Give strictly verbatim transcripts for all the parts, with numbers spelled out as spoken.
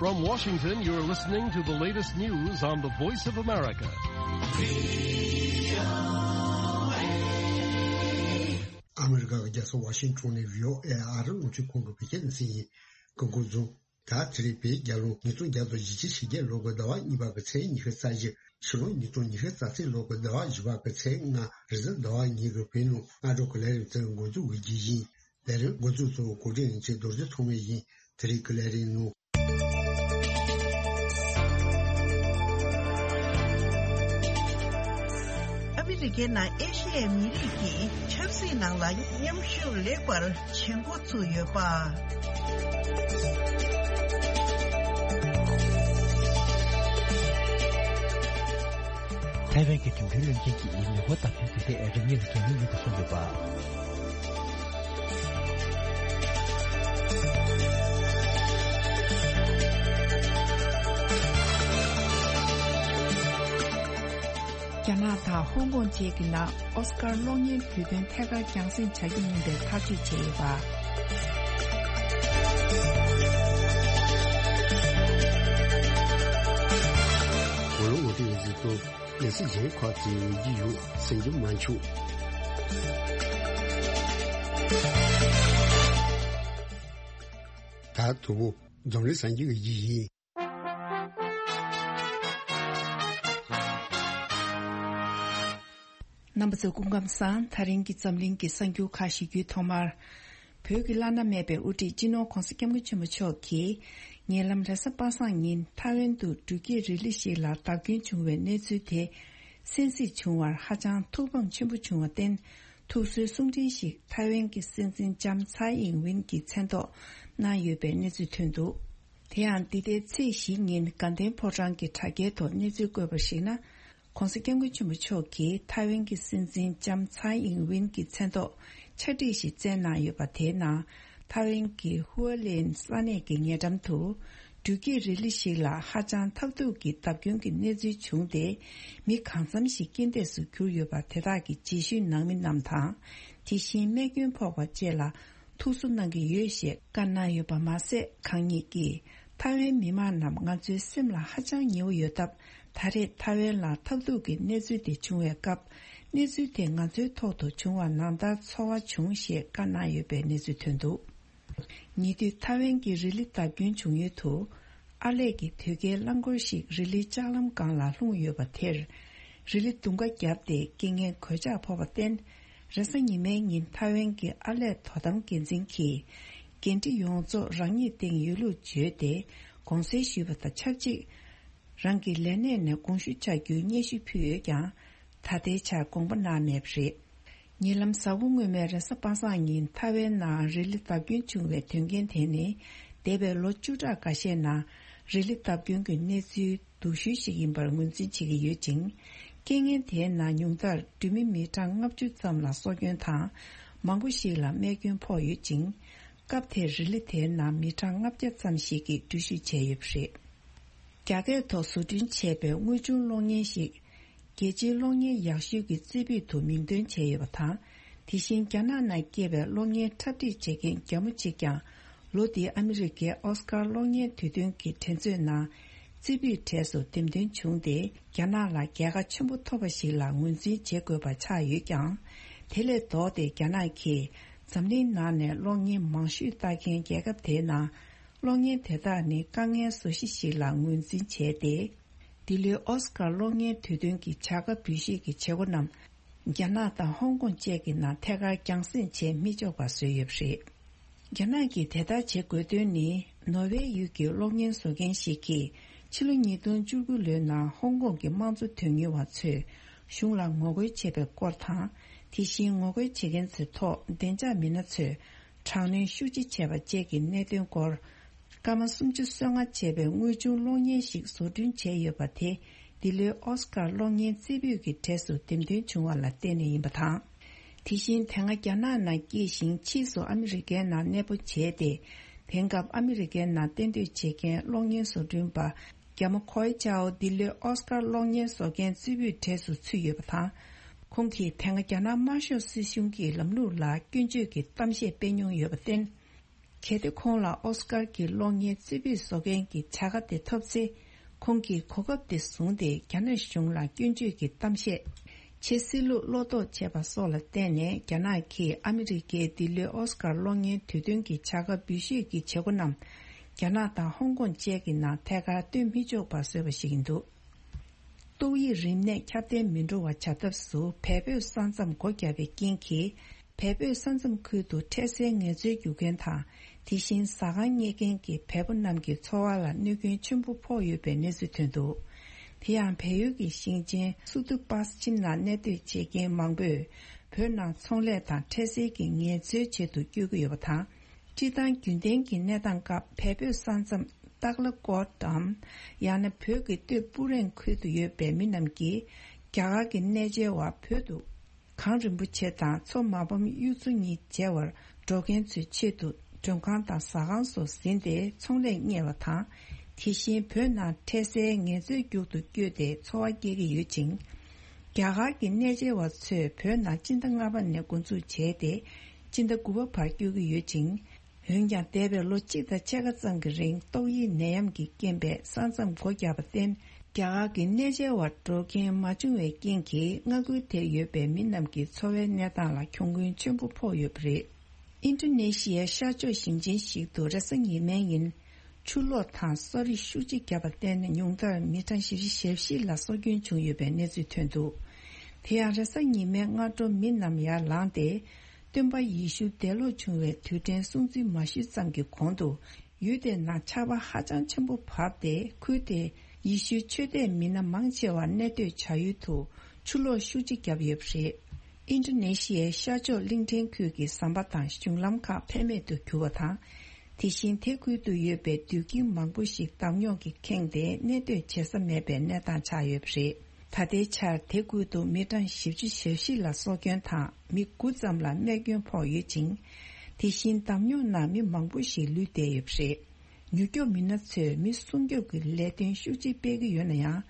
From Washington, you're listening to the latest news on the Voice of America. ཨ་མི་རི་ཀ་གི་རྒྱལ་ས་ཝ་ཤིང་ཊོན་ནས་ཝི་ཨོ་ཨེ་ཨ་རི་རླུང་འཕྲིན་ཁང་གི་བོད་སྐད་སྡེ་ཚན་ཡིན། སྐུ་ཁམས་བཟང་། ད་དེ་རིང་བོད་རྒྱལ་ལོ་ཉིས་སྟོང་བརྒྱ་དང་བཞི་བཅུ་ཞེ་བརྒྱད་ལོ་དགུ་ཟླ་བ་གཉིས་པ་གི་ཚེས་ཉི་ཤུ་རྩ་བཞི། ཕྱི་ལོ་ཉིས་སྟོང་ཉི་ཤུ་རྩ་གཅིག་ལོ་དགུ་ཟླ་བ་བཞི་པ་གི་ཚེས་ལྔ་རེས་གཟའ་ཟླ་བ་ཉིན་གྱི་བོད་ནང་སྔ་དྲོ་གི་ལས་རིམ་ཚོའི་འགོ་འཛུགས་ཀྱི་རྒྱུ་ཡིན། ལས་རིམ་འགོ་འཛུགས་ཚོ་གོ་སྒྲིག་ཡིན་ཆེད་རྡོ་རྗེ་ཐོགས་མེད་ཡིན། དེ་རིང་གི་ལས་རིམ་ནང་། ཨ་མི་རི་ཀའི་ནང་ཨེ་ཤི་ཡའི་མི་རིགས་ཀྱི་ཆབ་སྲིད་ནང་ལ་མཉམ་ཞུགས་ལེགས་པར་བྱེད་འགོ་ཚུགས་ཡོད་པ། ཐའེ་ཝན་གྱི་འགྲིམ་འགྲུལ་བློན་ཆེན་གྱིས་མི་འབོར་བརྡབ་སྐྱོན་དུས་ཚོད་རིམས་ནད་ལ་གལ་གནད་ཡོད་པ་གསུངས་ཡོད་པ། རྒྱ་ནག་དང་ཧོང་ཀོང་བཅས་ཀྱི་ནང་ཨོ་སི་ཀར་གློག་བརྙན་དུས་སྟོན་ཐད་ཀར་རྒྱང་སྲིང་བྱ་རྒྱུ་མིན་པའི་ཐག་གཅོད་བྱས་ཡོད་པ། ངོ་ལོག་ངོ་སྤྲོད་ཡིན་ཟིན་ཏོ། ལས་སྲིད་གཞན་ཁག་ཅིག་ཡོང་གི་ཡོད་ཟེར་རྒྱུ་མ་འཆུག་ད་དུ་བོ་འཛམ་གླིང་གསར་འགྱུར་གྱི་ཡིན། རྣམ་པ་ཚོ་སྐུ་ཁམས་བཟང་། ད་རིང་གི་འཛམ་གླིང་གི་གསར་འགྱུར་ཁག་ཞུ་རྒྱུའི་ཐོག་མར། བོད་ཀྱི་བླ་ན་མེད་པའི་དབུ་ཁྲིད་སྤྱི་ནོར་༧གོང་ས་༧སྐྱབས་མགོན་ཆེན་པོ་མཆོག་གིས་ཉེ་ལམ་རེས་གཟའ་པ་སངས་ཉིན་ཐའེ་ཝན་དུ་འགྲུལ་སྐྱེལ་རི་ལི་ཞིག་ལ་བརྡབ་སྐྱོན་བྱུང་བའི་གནས་ཚུལ་དེ་གསན་གཟིགས་བྱུང་བར་ཧ་ཅང་ཐུགས་ཕམ་ཆེན་པོ་བྱུང་བར་བརྟེན། ཐུགས་གསོའི་གསུང་འཕྲིན་ཞིག་ཐའེ་ཝན་གྱི་སྲིད་འཛིན་ལྕམ་ཚའེ་ཨིང་ཝིན་གྱི་མཚན་ཐོག་གནང་ཡོད་པའི་གནས་ཚུལ་ཐོན་འདུག་དེ་ཡང་འདི་ཟླའི་ཚེས་བཞི་ཉིན་དགའ་ལྡན་ཕོ་བྲང་གི་དྲ་རྒྱའི་ཐོག་གནས་ཚུལ་བཀོད་པར་གཞིགས་ན། ྋགོང་ས་ྋསྐྱབས་མགོན་ཆེན་པོ་མཆོག་གིས་ཐའེ་ཝན་གྱི་སྲིད་འཛིན་ལྕམ་ཚའེ་ཨིང་ཝིན་གྱི་མཚན་ཐོག་ཕྱག་བྲིས་ཤིག་བསྩལ་གནང་ཡོད་པ། དེའི་ནང་ཐའེ་ཝན་གྱི་ཧུའུ་ལེན་ས་གནས་ཀྱི་ཉེ་འགྲམ་དུ་འགྲུལ་སྐྱེལ་རི་ལི་ཞིག་ལ་ཧ་ཅང་ཐབས་སྡུག་གི་བརྡབ་སྐྱོན་གྱི་གནས་ཚུལ་བྱུང་སྟེ། མི་གང་འཚམ་ཞིག་རྐྱེན་འདས་སུ་གྱུར་ཡོད་པ། དེ་དག་གི་རྗེས་ཤུལ་ནང་མི་རྣམས་དང་། དེ་བཞིན་རྨས་སྐྱོན་ཕོག་པ་བཅས་ལ་ཐུགས་གསོ་གནང་གི་ཡོད་ཞེས་བཀའ་གནང་ཡོད་པ་མ་ཟད། ཁང་གཉིས་ཀྱིས་ཐའེ་ཝན་མི་མང་རྣམས་ང་ཚོའི་སེམས་ལ་ཧ་ཅང་ཉེ་བོ་ཡོད་སྟབས། ད་རེས་ཐའེ་ཝན་ལ་ཐབས་སྡུག་གི་གནས་ཚུལ་དེ་བྱུང་བའི་སྐབས། གནས་ཚུལ་དེ་ང་ཚོའི་ཐོག་ཏུ་བྱུང་བ་ནང་ལྟར་ཚོར་བ་བྱུང་ཞེས་བཀའ་གནང་ཡོད་པའི་གནས་ཚུལ་ཐོན་འདུག་ཉེ་དུས་ཐའེ་ཝན་གྱི་རི་ལི་བརྡབ་སྐྱོན་བྱུང་ཡུལ་དུ། ཨར་ལས་ཀྱི་དོས་སྐྱེལ་རླངས་འཁོར་ཞིག་རི་ལིའི་ལྕགས་ལམ་སྒང་ལ་ལྷུང་ཡོད་པ་དེར། རི་ལི་རྡུང་ཁ་བརྒྱབ་སྟེ་རྐྱེན་ངན་གོད་ཆག་ཕོག་པར་བརྟེན། རེས་གཟའ་ཉི་མའི་ཉིན་ཐའེ་ཝན་གྱི་ཨར་ལས་དོ་དམ་འགན་འཛིན་གྱིས། འགན་འཁྲི་ཡོངས་རྫོགས་རང་ཉིད་སྟེང་ཡོད་ལུགས་བརྗོད་དེ། དགོངས་སེལ་ཞུས་པ་དང་ཆབས་ཅིག་རང་གི་ལས་གནས་ནས་དགོངས་ཞུ་བྱ་རྒྱུའི་སྙན་ཞུ་ཕུལ་ཡོད་ཀྱང་། ད་ལྟའི་ཆར་དགོངས་པ་གནང་མེད་པ་རེད། ཉེ་ལམ་གཟའ་འཁོར་སྔོན་མའི་རེས་གཟའ་པ་སངས་ཉིན་ཐའེ་ཝན་ནང་རི་ལི་བརྡབ་སྐྱོན་བྱུང་བའི་དོན་རྐྱེན་དེ་ནི། འདས་པའི་ལོ་བཅུ་ཕྲག་འགའ་ཤས་ནང་རི་ལི་བརྡབ་སྐྱོན་གྱི་གནས་ཚུལ་སྡུག་ཤོས་ཤིག་ཡིན་པར་ངོས་འཛིན་བྱེད་ཀྱི་ཡོད་ཅིང་། རྐྱེན་ངན་དེའི་ནང་ཉུང་མཐར་འགྲུལ་མི་མི་གྲངས་ལྔ་བཅུ་ཙམ་ལ་སྲོག་སྐྱོན་དང་། མང་པོ་ཞིག་ལ་རྨས་སྐྱོན་ཕོག་ཡོད་ཅིང་། སྐབས་དེར་རི་ལི་དེའི་ནང་མི་གྲངས་ལྔ་བརྒྱ་ཙམ་ཞིག་གིས་འགྲུལ་བཞུད་བྱས་ཡོད་པ་རེད། རྒྱ་སྐད་ཐོག་བཟོ་སྐྲུན་བྱས་པའི་དངོས་བྱུང་གློག་བརྙན་ཞིག་རྒྱལ་སྤྱིའི་གློག་བརྙན་ཡག་ཤོས་ཀྱི་རྩེ་ཕུད་དུ་མིང་འདོན་བྱས་ཡོད་པ་དང་། དེ་བཞིན་རྒྱ་ནག་ནང་སྐྱེས་པའི་གློག་བརྙན་འཁྲབ་ཁྲིད་བྱེད་མཁན་རྒྱ་མོ་གཅིག་ཀྱང་ལོ་འདིའི་ཨ་མི་རི་ཀའི་ཨོ་སི་ཀར་གློག་བརྙན་དུས་སྟོན་གྱི་འགྲན་རྩོད་ནང་རྩེ་ཕུད་གྲས་སུ་འདེམས་ཐོན་བྱུང་སྟེ། རྒྱ་ནག་ལ་རྒྱལ་ཁ་ཆེན་པོ་ཐོབ་པ་ཞིག་ལ་ངོས་འཛིན་བྱེད་དགོས་པ་ཆགས་ཡོད་ཀྱང་། དེ་ལས་ལྡོག་སྟེ་རྒྱ་ནག་གིས་འཛམ་གླིང་ནང་ནས་གློག་བརྙན་མང་ཤོས་ལྟ་མཁན་རྒྱལ་ཁབ་དེའི་ནང་། གློག་བརྙན་དེ་དག་ནི་དཀའ་ངལ་བཟོ་གཞི་ཞིག་ལ་ངོས་འཛིན་བྱས་ཏེ། འདི་ལོའི་ཨོ་སི་ཀར་གློག་བརྙན་དུས་སྟོན་གྱི་བྱ་དགའ་འབུལ་བཞེས་ཀྱི་བྱེད་སྒོ་རྣམས་རྒྱ་ནག་དང་ཧོང་ཀོང་བཅས་ཀྱི་ནང་ཐད་ཀར་རྒྱང་སྲིང་བྱེད་མི་ཆོག་པ་བཟོས་ཡོད་པ་རེད། རྒྱ་ནག་གིས་དེ་ལྟར་བྱེད་དགོས་དོན་ནི། ནོར་ཝེ་ཡུལ་གྱི་གློག་བརྙན་བཟོ་མཁན་ཞིག་གིས་ཕྱི་ལོ་ཉིས་སྟོང་བཅུ་དགུ་ལོའི་ནང་ཧོང་ཀོང་གི་དམངས་གཙོ་དོན་གཉེར་བ་ཚོས་གཞུང་ལ་ངོ་རྒོལ་བྱས་པའི་སྐོར་དང་། དེ་བཞིན་ངོ་རྒོལ་བྱེད་མཁན་ཚོའི་ཐོག་བདེ་འཇགས་མི་སྣ་ཚོས་དྲག་གནོན་ཤུགས་ཆེ་བྱས་པ་བཅས་ཀྱི་གནད་དོན་སྐོར། སྐར་མ་སུམ་ཅུ་སོ་ལྔ་བྱས་པའི་དངོས་བྱུང་གློག་བརྙན་ཞིག་བཟོ་སྐྲུན་བྱས་ཡོད་པ་དེ། འདི་ལོའི་ཨོ་སི་ཀར་གློག་བརྙན་རྩེ་ཕུད་ཀྱི་གྲས་སུ་འདེམས་ཐོན་བྱུང་བ་ལ་བརྟེན་ནས་ཡིན་པ་དང་། དེ་བཞིན་དེ་སྔ་རྒྱ་ནག་ནང་སྐྱེས་ཤིང་ཕྱིས་སུ་ཨ་མི་རི་ཀའི་ནང་གནས་སྤོ་བྱས་ཏེ། དེང་སྐབས་ཨ་མི་རི་ཀའི་ནང་གཏན་སྡོད་བྱེད་མཁན་གློག་བརྙན་བཟོ་སྐྲུན་པ་རྒྱ་མོ་ཁོའེ་ཅའོ་འདི་ལོའི་ཨོ་སི་ཀར་གློག་བརྙན་བཟོ་མཁན་རྩེ་ཕུད་གྲས་སུ་ཚུད་ཡོད་པ་དང་། ཁོང་གིས་དེ་སྔ་རྒྱ་ནག་དམར་ཤོག་སྲིད་གཞུང་གི་ལམ་ལུགས་ལ་སྐྱོན་བརྗོད་ཀྱི་གཏམ་བཤད་སྤེལ་མྱོང་ཡོད་པར་བརྟེན། གལ་ཏེ་ཁོང་ལ་ཨོ་སི་ཀར་གྱི་གློག་བརྙན་རྩེ་ཕུད་བཟོ་མཁན་གྱི་བྱ་དགའ་དེ་ཐོབ་ཚེ། ཁོང་གིས་གོ་སྐབས་དེ་བཟུང་སྟེ་རྒྱ་ནག་གཞུང་ལ་སྐྱོན་བརྗོད་ཀྱི་གཏམ་བཤད། ཆེས་སྲིད་ལུགས་བློ་དོགས་བྱས་པ་སོགས་ལ་བརྟེན་ནས། རྒྱ་ནག་གིས་ཨ་མི་རི་ཀའི་འདི་ལོའི་ཨོ་སི་ཀར་གློག་བརྙན་དུས་སྟོན་གྱི་བྱ་དགའ་འབུལ་བཞེས་ཀྱི་བྱེད་སྒོ་རྣམས། རྒྱ་ནག་དང་ཧོང་ཀོང་བཅས་ཀྱི་ནང་ཐད་ཀར་སྟོན་མི་ཆོག་པ་བཟོས་པ་ཞིག་ཡིན་འདུག་ཏོག་དབྱིབས་རིམས་ནད་ཁྱབ་གདལ་མི་འགྲོ་བ་བྱ་ཐབས་སུ། བལ་བོད་ས་མཚམས་སྒོ་བརྒྱབ་པའི་རྐྱེན་གྱིས། བལ་བོད་ས་མཚམས་ཁུལ་དུ་འཕྲལ་སེལ་ངལ་རྩོལ་རྒྱུག་མཁན་དང་། དེ་བཞིན་ཟ་ཁང་གཉེར་མཁན་གྱི་བལ་པོ་རྣམས་ཀྱི་འཚོ་བ་ལ་གནོད་སྐྱོན་ཆེན་པོ་ཕོག་ཡོད་པའི་གནས་ཚུལ་ཐོན་འདུག་དེ་ཡང་བལ་ཡུལ་གྱི་ཞིང་ཆེན་སུ་ཏུ་པཱས་ཆིམ་ནང་གནས་སྡོད་བྱེད་མཁན་མང་པོས། བོད་ནང་ཚོང་ལས་དང་འཕྲལ་སེལ་གྱི་ངལ་རྩོལ་ཆེད་དུ་བསྐྱོད་ཀྱི་ཡོད་པ་དང་། སྤྱིར་བཏང་རྒྱུན་ལྡན་གྱི་གནས་སྟངས་སྐབས། བལ་བོད་ས་མཚམས་ཏག་ལ་ཀོཊ་འམ། ཡང་ན་བོད་ཀྱི་སྟོད་སྤུ་རེང་ཁུལ་དུ་ཡོད་པའི་མི་རྣམས་ཀྱིས། རྒྱ་གར་གྱི་གནས་མཇལ་བར་བོད་དུ། གངས་རིན་པོ་ཆེ་དང་མཚོ་མ་ཕམ་གཡུ་མཚོ་གཉིས་མཇལ་བར་འགྲོ་མཁན་ཚོའི་ཆེད་དུ། མགྲོན་ཁང་དང་ཟ་ཁང་སོགས་ཟིན་ཏེ་ཚོང་ལས་གཉེར་བ་དང་། དེ་བཞིན་བོད་ནང་འཕྲལ་སེལ་ངལ་རྩོལ་རྒྱུག་ཏུ་བསྐྱོད་དེ་འཚོ་བ་སྐྱེལ་གྱི་ཡོད་ཅིང་། རྒྱ་གར་གྱི་གནས་མཇལ་བ་ཚོས་བོད་ནང་སྤྱི་ཟླ་ལྔ་པ་ནས་འགོ་འཛུགས་བྱས་ཏེ། སྤྱི་ཟླ་དགུ་པ་བར་སྐྱོད་ཀྱི་ཡོད་ཅིང་། འོན་ཀྱང་། འདས་པའི་ལོ་གཅིག་དང་ཕྱེད་ཀ་ཙམ་གྱི་རིང་ཏོག་དབྱིབས་ནད་ཡམས་ཀྱི་རྐྱེན་པས་ས་མཚམས་སྒོ་བརྒྱབ་པར་བརྟེན། རྒྱ་གར་གྱི་གནས་མཇལ་བར་འགྲོ་མཁན་མ་བྱུང་བའི་རྐྱེན་གྱིས། མངའ་ཁུལ་དེར་ཡོད་པའི་མི་རྣམས་ཀྱི་འཚོ་བའི་གནས་སྟངས་ལ་གྱོང་གུན་ཆེན་པོ་ཕོག་ཡོད་པ་རེད། ཨིན་ཌོ་ནེ་ཤི་ཡའི་ཤར་ཕྱོགས་ཞིང་ཆེན་ཞིག་ཏུ་རེས་གཟའ་ཉི་མའི་ཉིན། ཆུ་ལོག་དང་སོ་རི་ཤུགས་ཆེ་བརྒྱབ་པར་བརྟེན། ཉུང་མཐར་མི་གྲངས་བཞི་བཅུ་ཞེ་བཞི་ལ་སྲོག་སྐྱོན་བྱུང་ཡོད་པའི་གནས་ཚུལ་ཐོན་འདུག་དེ་ཡང་། རེས་གཟའ་ཉི་མའི་སྔ་དྲོ་མི་རྣམས་ཡར་ལངས་ཏེ། སྟོན་པ་ཡེ་ཤུ་འདས་ལོག་བྱུང་བའི་དུས་དྲན་སྲུང་བརྩི་མ་ཞུས་ཙམ་གྱི་གོང་དུ། ཡུལ་དེའི་ནང་ཆར་པ་ཧ་ཅང་ཆེན་པོ་བབས་ཏེ། ཁུལ་དེའི་ཡེ་ཤུའི་ཆོས་དད་མི་སྣ་མང་ཆེ་བ་གནས་སྡོད་བྱ་ཡུལ་དུ་ཆུ་ལོག་ཤུགས་ཆེ་བརྒྱབ་ཡོད་པ་རེད། ཨིན་ཌོ་ནེ་ཤི་ཡའི་ཤར་ཕྱོགས་གླིང་ཕྲན་ཁུལ་གྱི་ཟམ་པ་དང་གཞུང་ལམ་ཁག་ཕན་མེད་དུ་གྱུར་བ་དང་། དེ་བཞིན་དེ་ཁུལ་དུ་ཡོད་པའི་དུད་ཁྱི་མང་པོ་ཞིག་འདམ་རྙོག་གིས་ཁེངས་ཏེ་གནས་སྡོད་བྱེད་ས་མེད་པའི་གནས་སྟངས་ཆགས་ཡོད་པ་རེད། ད་ལྟའི་ཆར་དེ་ཁུལ་དུ་མི་གྲངས་བཞི་བཅུ་ཞེ་བཞི་ལ་སྲོག་སྐྱོན་དང་། མི་དགུ་ཙམ་ལ་རྨས་སྐྱོན་ཕོག་ཡོད་ཅིང་། དེ་བཞིན་འདམ་རྙོག་ནང་མི་མང་པོ་ཞིག་ལུས་བསྡད་ཡོད་པ་རེད། མྱུར་སྐྱོབ་མི་སྣ་ཚོས་མི་སྲུང་སྐྱོབ་ཀྱི་ལས་དོན་ཤུགས་ཆེ་སྤེལ་གྱི་ཡོད་ན་ཡང་།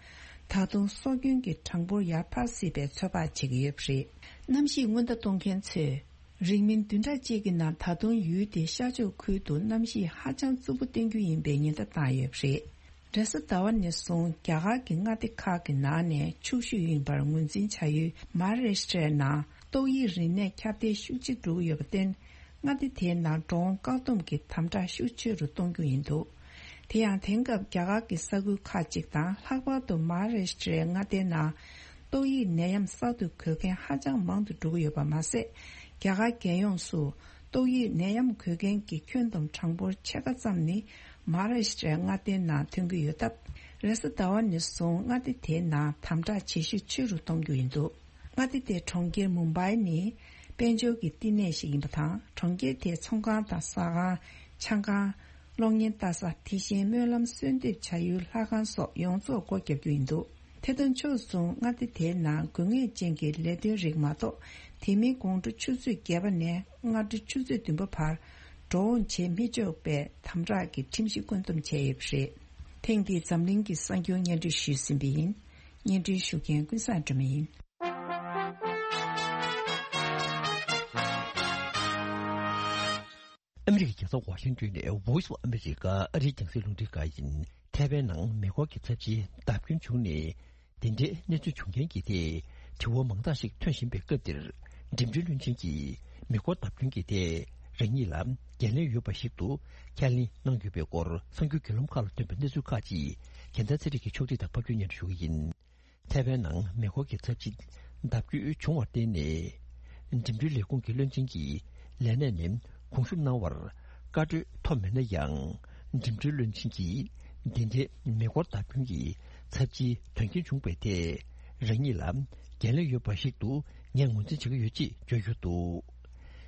ད་དུང་སྲོག་སྐྱོན་གྱི་གྲངས་འབོར་ཡར་འཕར་སྲིད་པའི་ཚོད་དཔག་བྱེད་ཀྱི་ཡོད་པ་རེད། གནམ་གཤིས་སྔོན་བརྡ་གཏོང་མཁན་ཚོས། རིང་མིན་བདུན་ཕྲག་གཅིག་གི་ནང་ད་དུང་ཡུལ་དེའི་ཤར་ཕྱོགས་ཁུལ་དུ་གནམ་གཤིས་ཧ་ཅང་རྩུབ་པོ་བསྟན་རྒྱུ་ཡིན་པའི་ཉེན་བརྡ་བཏང་ཡོད་པ་རེད། རེས་གཟའ་ཟླ་བ་ནས་བཟུང་རྒྱ་གར་གྱི་མངའ་སྡེ་ཁག་གི་ནང་ནས་ཕྱུག་ཤོས་ཡིན་པར་ངོས་འཛིན་བྱ་ཡུལ་མ་ཧཱ་རཱ་ཤི་ཊའི་ནང་ཏོག་དབྱིབས་རིམས་ནད་ཁྱབ་གདལ་ཤུགས་ཆེ་འགྲོ་གི་ཡོད་པར་བརྟེན། མངའ་སྡེ་དེའི་ནང་འགྲོ་འོང་བཀག་སྡོམ་གྱི་དམ་དྲག་ཤུགས་ཆེ་རུ་གཏོང་རྒྱུ་ཡིན་འདུག་དེ་ཡང་། དེང་སྐབས་རྒྱ་གར་གྱི་ས་ཁུལ་ཁག་ཅིག་དང་། ལྷག་པར་དུ་མ་ཧཱ་རཱ་ཤི་ཊའི་མངའ་སྡེའི་ནང་ཏོག་དབྱིབས་ནད་ཡམས་གསར་དུ་འགོས་མཁན་ཧ་ཅང་མང་དུ་འགྲོ་གི་ཡོད་པ་མ་ཟད། རྒྱ་གར་རྒྱལ་ཡོངས་སུ་ཏོག་དབྱིབས་ནད་ཡམས་འགོས་མཁན་གྱི་ཁྱོན་བསྡོམས་གྲངས་འབོར་ཕྱེད་ཀ་ཙམ་ནི་མ་ཧཱ་རཱ་ཤི་ཊའི་མངའ་སྡེའི་ནང་ཐོན་གྱི་ཡོད་སྟབས། རེས་གཟའ་ཟླ་བ་ནས་བཟུང་མངའ་སྡེ་དེའི་ནང་དམ་དྲག་བྱེད་ཤུགས་ཆེ་རུ་གཏོང་རྒྱུ་ཡིན་འདུག་མངའ་སྡེ་དེའི་གྲོང་ཁྱེར་མུམ་བྷའི་ནི་དཔལ་འབྱོར་གྱི་བསྟི་གནས་ཤིག་ཡིན་པ་དང་། གྲོང་ཁྱེར་དེའི་ཚོང་ཁང་དང་ཟ་ཁང་། ཆང་ཁང་། གློག་བརྙན་ལྟ་ས། དེ་བཞིན་སྨོན་ལམ་གསོལ་འདེབས་བྱ་ཡུལ་ལྷ་ཁང་སོགས་ཡོངས་རྫོགས་སྒོ་བརྒྱབ་རྒྱུ་ཡིན་འདུག་དེ་དང་ཕྱོགས་མཚུངས་མངའ་སྡེ་དེའི་ནང་དགོས་ངེས་ཅན་གྱི་ལས་དོན་རིགས་མ་གཏོགས། དེ་མིན་དགོང་དྲོ་ཆུ་ཚོད་བརྒྱད་པ་ནས་སྔ་དྲོ་ཆུ་ཚོད་བདུན་པ་བར་འགྲོ་འོང་བྱེད་མི་ཆོག་པའི་དམ་དྲག་གི་ཁྲིམས་གཞི་བཀོད་འདོམས་བྱས་ཡོད་པ་རེད། ཐེངས་འདིའི་འཛམ་གླིང་གི་གསར་འགྱུར་སྙན་སྒྲོན་ཞུས་ཟིན་པ་ཡིན། སྙན་སྒྲོན་ཞུ་མཁན་ཀུན་བཟང་སྒྲོལ་མ་ཡིན། ཨ་མི་རི་ཀའི་རྒྱལ་ས་ཝ་ཤིང་ཏོན་ནས་Voice of America ཨ་རིའི་རྒྱང་སྲིང་རླུང་འཕྲིན་ཁང་ཡིན། ཐའེ་ཝན་ནང་མེ་འཁོར་གྱི་ཚབས་ཆེའི་བརྡབ་སྐྱོན་བྱུང་ནས། དེ་འདྲའི་གནས་ཚུལ་བྱུང་རྐྱེན་གྱི་ཐད་དྲི་བ་མང་དག་ཞིག་ཐོན་བཞིན་པའི་སྐབས་འདིར། འགྲིམ་འགྲུལ་བློན་ཆེན་གྱིས་མེ་འཁོར་བརྡབ་སྐྱོན་གྱི་ཐད་རང་ཉིད་ལ་འགན་ལེན་ཡོད་པ་ཞིག་ཏུ་ཁས་ལེན་གནང་ཡོད་པའི་སྐོར། གསར་འགྱུར་བརྒྱུད་ལམ་ཁག་ལ་ཐོན་པའི་གནས་ཚུལ་ཁག་ཅིག་རྒྱལ་མཚན་ཚེ་རིང་གིས་ཕྱོགས་སྒྲིག་དང་ཕབ་སྒྱུར་སྙན་སྒྲོན་ཞུ་གི་ཡིན། ཐའེ་ཝན་ནང་མེ་འཁོར་གྱི་ཚབས་ཆེ་བརྡབ་སྐྱོན་བྱུང་བར་བརྟེན་ནས། འགྲིམ་འགྲུལ་ལས་ཁུངས་ཀྱི་བློན་ཆེན་གྱིས་ལས་གནས་ནས་དགོངས་ཞུ་གནང་བར་བཀའ་འཁྲོལ་ཐོབ་མེད་ན་ཡང་། འགྲིམ་འགྲུལ་བློན་ཆེན་གྱིས་འདི་འདྲའི་མེ་འཁོར་བརྡབ་སྐྱོན་གྱི་ཚབས་ཆེའི་དོན་རྐྱེན་བྱུང་བའི་ཐད་རང་ཉིད་ལ་འགན་ལེན་ཡོད་པ་ཞིག་ཏུ་ངས་ངོས་འཛིན་བྱེད་ཀྱི་ཡོད་ཅེས་བརྗོད་ཡོད་འདུག་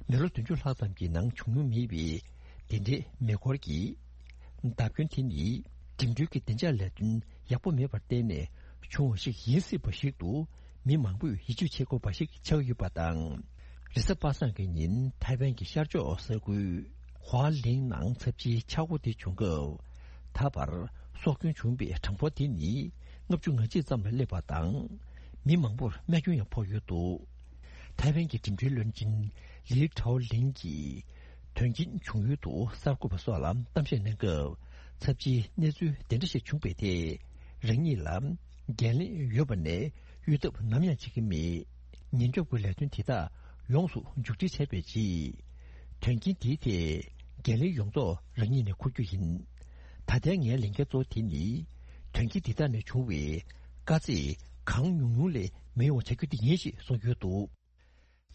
མི་ལོ་བདུན་ཅུ་ལྷག་ཙམ་གྱི་ནང་བྱུང་མྱོང་མེད་པའི་འདི་འདྲའི་མེ་འཁོར་གྱི་བརྡབ་སྐྱོན་དེ་ནི་འགྲིམ་འགྲུལ་གྱི་བདེ་འཇགས་ལས་དོན་ཡག་པོ་མེད་པར་བརྟེན་ནས་བྱུང་བ་ཞིག་ཡིན་སྲིད་པ་ཞིག་ཏུ་མི་མང་པོས་ཡིད་ཆེས་བྱེད་དགོས་པ་ཞིག་ཆགས་ཡོད་པ་དང་། རེས་གཟའ་པ་སངས་ཀྱི་ཉིན་ཐའེ་ཝན་གྱི་ཤར་ཕྱོགས་ས་ཁུལ་ཧྭ་ལིང་ནང་ཚབས་ཆེའི་ཆག་སྒོ་དེ་བྱུང་སྐབས། ད་བར་སྲོག་སྐྱོན་བྱུང་བའི་གྲངས་འབོར་དེ་ནི་ལྔ་བཅུ་ང་གཅིག་ཙམ་ལ་སླེབས་པ་དང་། མི་མང་པོར་རྨས་སྐྱོན་ཡང་ཕོག་ཡོད་འདུག་ཐའེ་ཝན་གྱི་འགྲིམ་འགྲུལ་བློན་ཆེན་ལི་ཁྲའོ་ལིང་གིས། དོན་རྐྱེན་བྱུང་ཡུལ་དུ་གསར་འགོད་པ་སོགས་ལ་གཏམ་བཤད་གནང་སྐབས། ཚབས་ཆེའི་གནས་ཚུལ་དེ་འདྲ་ཞིག་བྱུང་བའི་ཐད། རང་ཉིད་ལ་འགན་ལེན་ཡོད་པ་ནས་གཡོལ་ཐབས་ནམ་ཡང་བྱེད་ཀྱི་མེད། ཉེན་སྐྱོབ་ཀྱི་ལས་དོན་དེ་དག་ཡོངས་སུ་མཇུག་སྒྲིལ་བྱས་པའི་རྗེས། དོན་རྐྱེན་དེའི་ཐད་འགན་ལེན་ཡོངས་རྫོགས་རང་ཉིད་ནས་འཁུར་རྒྱུ་ཡིན། ད་ལྟའི་ངའི་ལས་འགན་གཙོ་བོ་དེ་ནི། དོན་རྐྱེན་འདི་དག་ནས་བྱུང་བའི་དཀའ་ཚེགས་གང་ཉུང་ཉུང་ལས་མི་ཡོང་བ་བྱ་རྒྱུ་དེ་ཡིན་ཞེས་གསུངས་ཡོད་འདུག་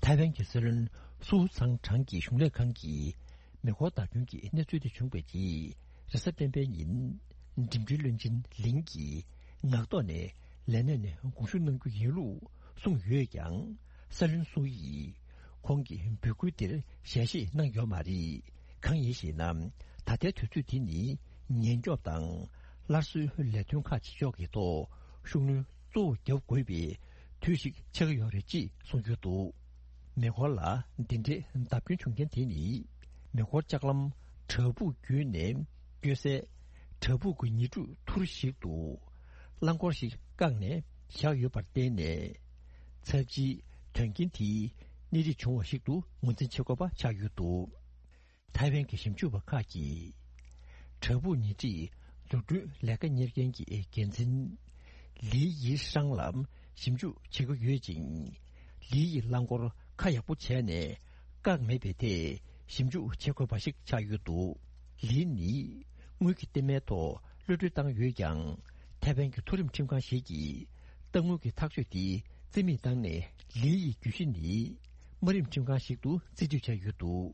ཐའེ་ཝན་གྱི་སྲིད་བློན་སུའུ་ཙང་ཁྲང་གི་གཞུང་ལས་ཁང་གིས་མེ་འཁོར་བརྡབ་སྐྱོན་གྱི་གནས་ཚུལ་དེ་བྱུང་བའི་རྗེས། རེས་གཟའ་སྤེན་པའི་ཉིན་འགྲིམ་འགྲུལ་བློན་ཆེན་ལིང་གིས་ངག་ཐོག་ནས་ལས་གནས་ནས་དགོངས་ཞུ་གནང་རྒྱུ་ཡིན་ལུགས་གསུངས་ཡོད་ཀྱང་། སྲིད་བློན་སུའུ་ཡིས་ཁོང་གི་འབོད་སྐུལ་དེར་ཞལ་བཞེས་གནང་ཡོད་མ་རེད། གང་ཡིན་ཞེ་ན། ད་ལྟའི་དུས་ཚོད་དེ་ནི་ཉེན་སྐྱོབ་དང་སླར་གསོའི་ལས་དོན་ཁག་ཅིག་ཕྱོགས་ཀྱི་ཐོག་ཤུགས་སྣོན་གཙོ་བོ་རྒྱབ་དགོས་པའི་དུས་ཤིག་ཆགས་ཀྱི་ཡོད་རེད་ཅེས་གསུངས་ཡོད་འདུག་མེ་འཁོར་ལ་འདི་འདྲའི་བརྡབ་སྐྱོན་བྱུང་རྐྱེན་དེ་ནི། མེ་འཁོར་ལྕགས་ལམ་བྲག་ཕུག་བརྒྱུད་ནས་སྐྱོད་སའི་བྲག་ཕུག་གི་ཉེ་འཁྲིས་ཐུར་ཞིག་ཏུ་རླངས་འཁོར་ཞིག་བཀག་ནས་བཞག་ཡོད་པར་བརྟེན་ནས། ཚབས་ཆེའི་དོན་རྐྱེན་དེའི་གནས་རིགས་བྱུང་བ་ཞིག་ཏུ་ངོས་འཛིན་བྱེད་དགོས་པ་ཆགས་ཡོད་འདུག་ཐའེ་ཝན་གྱི་ཞིབ་འཇུག་པ་ཁག་གིས། བྲག་ཕུག་ཉེ་འཁྲིས་འཛུགས་སྐྲུན་ལས་ཀ་གཉེར་མཁན་གྱི་འགན་འཛིན། ལི་ཡི་ཧྲང་ལ་ཞིབ་འཇུག་བྱེད་ཀྱི་ཡོད་ཅིང་། ལི་ཡི་རླངས་འཁོར་ཁ་ཡག་པོ་བྱས་ནས་བཀག་མེད་པའི་ཐད་ཞིབ་འཇུག་བྱེད་དགོས་པ་ཞིག་ཆགས་ཡོད་འདུག་ལི་ནི་དངུལ་གྱི་རྟེན་མའི་ཐོག་གློད་གྲོལ་བཏང་ཡོད་ཀྱང་། ཐའེ་ཝན་གྱི་མཐོ་རིམ་ཁྲིམས་ཁང་ཞིག་གིས་གཏའ་དངུལ་གྱི་ཐག་གཅོད་དེ་རྩིས་མེད་བཏང་ནས། ལི་ཡི་གྱོད་གཞི་ནི་དམའ་རིམ་ཁྲིམས་ཁང་ཞིག་ཏུ་རྩིས་སྤྲོད་བྱས་ཡོད་འདུག་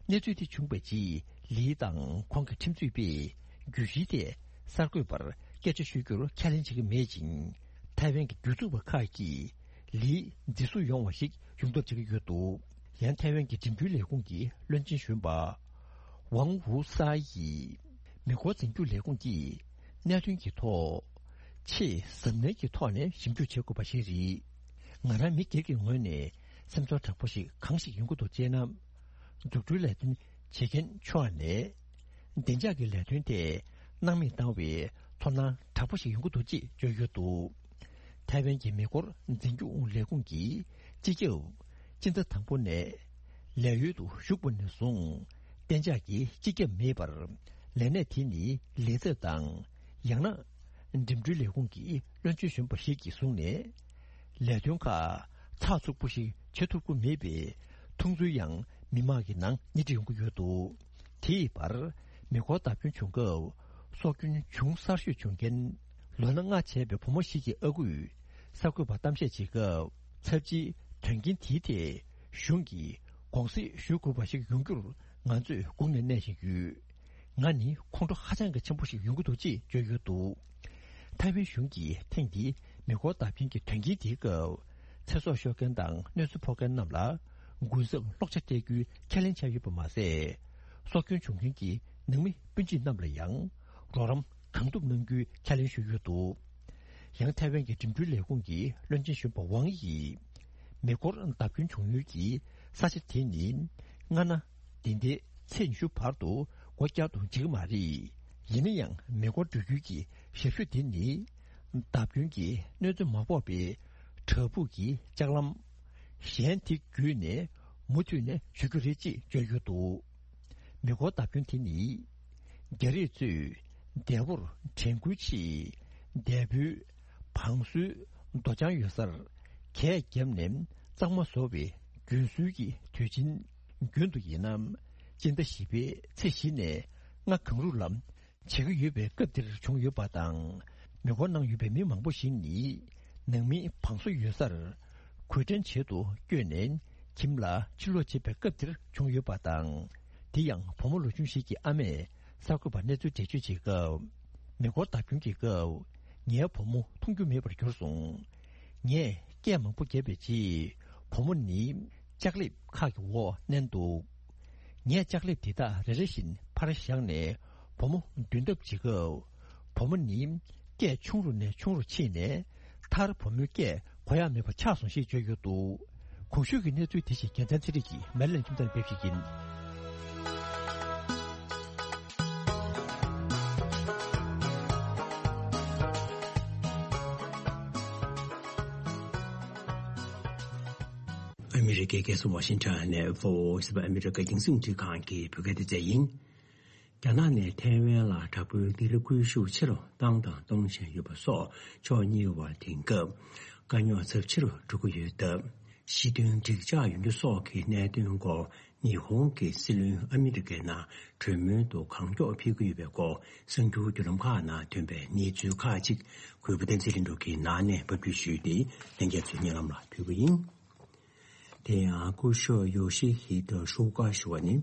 གནས་ཚུལ་དེ་བྱུང་བའི་རྗེས། ལི་དང་ཁོང་གི་ཁྲིམས་རྩོད་པས་གྱོད་གཞི་དེ་གསར་འགོད་པར་སྐད་ཆ་ཤོད་རྒྱུར་ཁས་ལེན་བྱེད་ཀྱི་མེད་ཅིང་། ཐའེ་ཝན་གྱི་སྒེར་ཚུགས་པ་ཁག་གིས་ལི་འཛིན་བཟུང་ཡོང་བ་ཞིག་ཡོང་ཐབས་བྱེད་ཀྱི་ཡོད་འདུག་ཡང་ཐའེ་ཝན་གྱི་འགྲིམ་འགྲུལ་ལས་ཁུངས་ཀྱི་བློན་ཆེན་གཞོན་པ་ཝང་ཝུའུ་ས་ཡིས། མེ་འཁོར་འཛིན་སྐྱོང་ལས་ཁུངས་ཀྱིས་གནད་དོན་གྱི་ཐོག་ཆེས་གཟབ་ནན་གྱི་ཐོག་ནས་ཞིབ་འཇུག་བྱེད་དགོས་པ་ཞིག་རེད། ང་རང་མི་སྒེར་གྱི་ངོས་ནས་སེམས་ཚོར་དྲག་པོ་ཞིག་གང་ཞིག་ཡོང་གི་འདུག་ཅེ་ན། འཛུགས་སྐྲུན་ལས་དོན་བྱེད་མཁན་ཕྱོགས་ནས་བདེ་འཇགས་ཀྱི་ལས་དོན་དེ་སྣང་མེད་བཏང་བའི་ཚོར་སྣང་དྲག་པོ་ཞིག་ཡོང་གི་འདུག་ཅེས་བརྗོད་ཡོད་འདུག་ཐའེ་ཝན་གྱི་མེ་འཁོར་འཛིན་སྐྱོང་ལས་ཁུངས་ཀྱི་སྤྱི་ཁྱབ་སྤྱི་ཟླ་དང་པོ་ནས་ལས་གཡོལ་དུ་ཞུགས་པ་ནས་བཟུང་གཏན་འཇགས་ཀྱི་སྤྱི་ཁྱབ་མེད་པར། ལས་གནས་དེ་ནི་ལས་ཚབ་དང་། ཡང་ན་འགྲིམ་འགྲུལ་ལས་ཁུངས་ཀྱི་བློན་ཆེན་གཞོན་པ་ཞིག་གིས་བཟུང་ནས། ལས་དོན་ཁག་ཚགས་ཚུད་པོ་ཞིག་བྱེད་ཐུབ་ཀྱི་མེད་པའི་མཐོང་ཚུལ་ཡང་མི་མང་གི་ནང་སྣེ་ཁྲིད་ཡོང་གི་ཡོད་འདུག་དེའི་བར། མེ་འཁོར་བརྡབ་སྐྱོན་བྱུང་སྐབས་སྲོག་སྐྱོན་བྱུང་གསར་ཤོས་བྱུང་མཁན་ལོ་ན་ལྔ་བྱས་པའི་བུ་མོ་ཞིག་གི་ཨ་ཁུས་གསར་འགོད་པར་གཏམ་བཤད་བྱེད་སྐབས། ཚབས་ཆེའི་དོན་རྐྱེན་དེའི་ཐད་གཞུང་གིས་དགོངས་སེལ་ཞུ་དགོས་པ་ཞིག་ཡོང་རྒྱུར་ང་ཚོས་སྒུག་ནས་གནས་བཞིན་ཡོད། ང་ནི་ཁོང་ཁྲོ་ཧ་ཅང་གི་ཆེན་པོ་ཞིག་ཡོང་གི་འདུག་ཅེས་བརྗོད་ཡོད་འདུག་ཐའེ་ཝན་གཞུང་གིས་ཐེངས་འདིའི་མེ་འཁོར་བརྡབ་སྐྱོན་གྱི་དོན་རྐྱེན་དེའི་སྐབས། ཚེ་སྲོག་ཤོར་མཁན་དང་གནོད་འཚེ་ཕོག་མཁན་རྣམས་ལ་གུན་གསབ་སློག་ཆ་སྤྲད་རྒྱུའི་ཁས་ལེན་བྱས་ཡོད་པ་མ་ཟད། སྲོག་སྐྱོན་བྱུང་མཁན་གྱི་ནང་མི་སྤུན་མཆེད་རྣམས་ལ་ཡང་རོགས་རམ་གང་ཐུབ་གནང་རྒྱུའི་ཁས་ལེན་ཞུས་ཡོད་འདུག་ཡང་ཐའེ་ཝན་གྱི་འགྲིམ་འགྲུལ་ལས་ཁུངས་ཀྱི་བློན་ཆེན་གཞོན་པ་ཝང་ཡིས། མེ་འཁོར་བརྡབ་སྐྱོན་བྱུང་ཡུལ་གྱི་ས་ཆ་དེ་ནི་སྔ་ན་འདི་ཟླའི་ཚེས་ཉི་ཤུ་བར་དུ་སྒོ་བཀྱག་ཏུ་འཇུག་གི་མ་རེད། ཡིན་ན་ཡང་མེ་འཁོར་འགྲོ་རྒྱུའི་གི་ཞབས་ཞུ་དེ་ནི་བརྡབ་སྐྱོན་གྱི་གནོད་འཚེ་མ་ཕོག་པའི་བྲག་ཕུག་གི་ལྕགས་ལམ་གཞན་དེ་བརྒྱུད་ནས་མུ་མཐུད་ནས་ཞུ་རྒྱུ་རེད་ཅེས་བརྗོད་ཡོད་འདུག་མེ་འཁོར་བརྡབ་སྐྱོན་དེ་ནི་རྒྱ་རིགས་ཚོས་འདས་པོར་དྲན་སྐུལ་ཆེད་འདས་པོའི་བང་སོའི་རྡོ་བྱང་ཡོད་སར་གས་བརྒྱབ་ནས་གཙང་མ་བཟོ་བའི་རྒྱུན་སྲོལ་གྱི་དུས་ཆེན་རྒྱུན་དུ་ཡིན་ན་སྤྱི་ཟླ་བཞི་པའི་ཚེས་བཞི་ནས་ལྔ་གང་རུང་ལ་བྱེད་ཀྱི་ཡོད་པའི་སྐབས་འདིར་བྱུང་ཡོད་པ་དང་། མེ་འཁོར་ནང་ཡོད་པའི་མི་མང་པོ་ཞིག་ནི་ནང་མིའི་བང་སོ་ཡོད་སར་གོས་ཕྲེང་བྱེད་དུ་བསྐྱོད་ནས་ཁྱིམ་ལ་ཕྱིར་ལོག་བྱེད་པའི་སྐབས་འདིར་བྱུང་ཡོད་པ་དང་། དེ་ཡང་བུ་མོ་ལོ་ཆུང་ཞིག་གི་ཨ་མས་གསར་འགོད་པར་གནས་ཚུལ་འགྲེལ་བརྗོད་བྱེད་སྐབས། མེ་འཁོར་བརྡབ་སྐྱོན་གྱི་སྐབས་ངའི་བུ་མོ་མཐོང་རྒྱུ་མེད་པར་གྱུར་སོང་། ངས་སྐད་མང་པོ་བརྒྱབ་པའི་རྗེས་བུ་མོ་ནི་ལྕགས་ལེབ་ཁག་གི་འོག་མནན་འདུག་ངས་ལྕགས་ལེབ་དེ་དག་རེ་རེ་བཞིན་ཕར་བཞག་ནས་བུ་མོ་འདོན་ཐབས་བྱེད་སྐབས། བུ་མོ་ནི་སྐད་ཆུང་རུ་ནས་ཆུང་རུ་ཕྱིན་ནས་མཐར་བུ་མོའི་སྐད་གོ་ཡ་མེད་པ་ཆགས་སོང་ཞེས་བརྗོད་ཡོད་འདུག་གོང་ཞུས་ཀྱི་གནས་ཚུལ་དེ་བཞིན་རྒྱལ་མཚན་ཚེ་རིང་གིས་མེ་ལན་ཁྱིམ་ཚང་ཕེབས་ཤིག་ཡིན། ཨ་མི་རི་ འདི་རྒྱལ་ས་ཝ་ཤིང་ཊོན་ནས་བྷོ་ཨེ་ཨི་ཨ་མི་རི་ཀ་རྒྱང་སྲིང་ཁང་གི་བོད་སྐད་སྡེ་ཚན་ཡིན། རྒྱ་ནག་ནས་ཐའེ་ཝན་ལ་དྲག་པོའི་སྡིགས་ར་སྐུལ་ཤུགས་ཆེ་རུ་བཏང་དང་གཏོང་བཞིན་ཡོད་པ་སོགས་ཕྱོགས་གཉིས་བར་དེང་སྐབས་དཀའ་རྙོག་ཚབས་ཆེ་རུ་འགྲོ་གི་ཡོད་སྟབས། ཞི་མཐུན་འགྲིག་འཇགས་ཡོང་རྒྱུ་སོགས་ཀྱི་གནད་དོན་སྐོར་ཉི་ཧོང་གི་སྲིད་བློན་ཨ་མི་རི་ཀའི་ནང་གྲོས་མོལ་དུ་གང་མགྱོགས་ཕེབས་ཀྱི་ཡོད་པའི་སྐོར་གསར་འགྱུར་བརྒྱུད་ལམ་ཁག་ནང་ཐོན་པའི་གནས་ཚུལ་ཁག་ཅིག་གུས་པ་བསྟན་འཛིན་ལྷུན་གྲུབ་ཀྱིས་ནང་ནས་ཕབ་སྒྱུར་ཞུས་ཏེ་ལྷན་རྒྱས་ཚོའི་སྙན་ལམ་ལ་ཕུལ་གྱི་ཡིན། དེ་ཡང་སྐུ་ཞབས་ཡོ་ཤི་ཧི་ཏོ་ཤོ་ཀ་ཞུ་བ་ནི་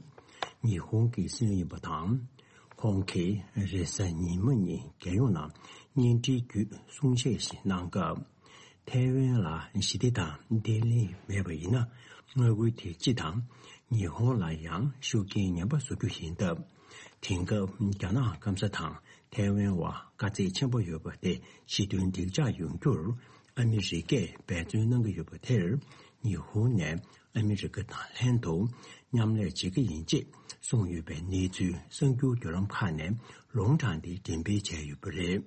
ཉི་ཧོང་གི་སྲིད་བློན་ཡིན་པ་དང་། ཁོང་གིས་རེས་གཟའ་ཉི་མ་ཉིན་རྒྱལ་ཡོངས་ནང་བརྙན་འཕྲིན་བརྒྱུད་གསུང་བཤད་ཞིག་གནང་སྐབས། ཐའེ་ཝན་ལ་ཞི་བདེ་དང་བརྟན་ལྷིང་མེད་པ་ཡིན་ན། མངའ་ཁུལ་དེ་སྤྱི་དང་ཉི་ཧོང་ལ་ཡང་ཤུགས་རྐྱེན་ངན་པ་བཟོ་རྒྱུ་ཡིན་སྟབས། དེང་སྐབས་རྒྱ་ནག་སྐམ་ས་དང་ཐའེ་ཝན་བར་དཀའ་ཚེགས་ཆེན་པོ་ཡོད་པ་དེ་ཞི་མཐུན་འགྲིག་འཇགས་ཡོང་རྒྱུར་ཨ་མི་རི་ཀས་འབད་བརྩོན་གནང་གི་ཡོད་པ་དེར། ཉི་ཧོང་ནས་ཨ་མི་རི་ཀ་དང་ལྷན་དུ་མཉམ་ལས་བྱེད་ཀྱི་ཡིན་ཅེས་གསུངས་ཡོད་པའི་གནས་ཚུལ་གསར་འགྱུར་བརྒྱུད་ལམ་ཁག་ནས་ལུང་དྲངས་ཏེ་འགྲེམས་སྤེལ་བྱས་ཡོད་པ་རེད།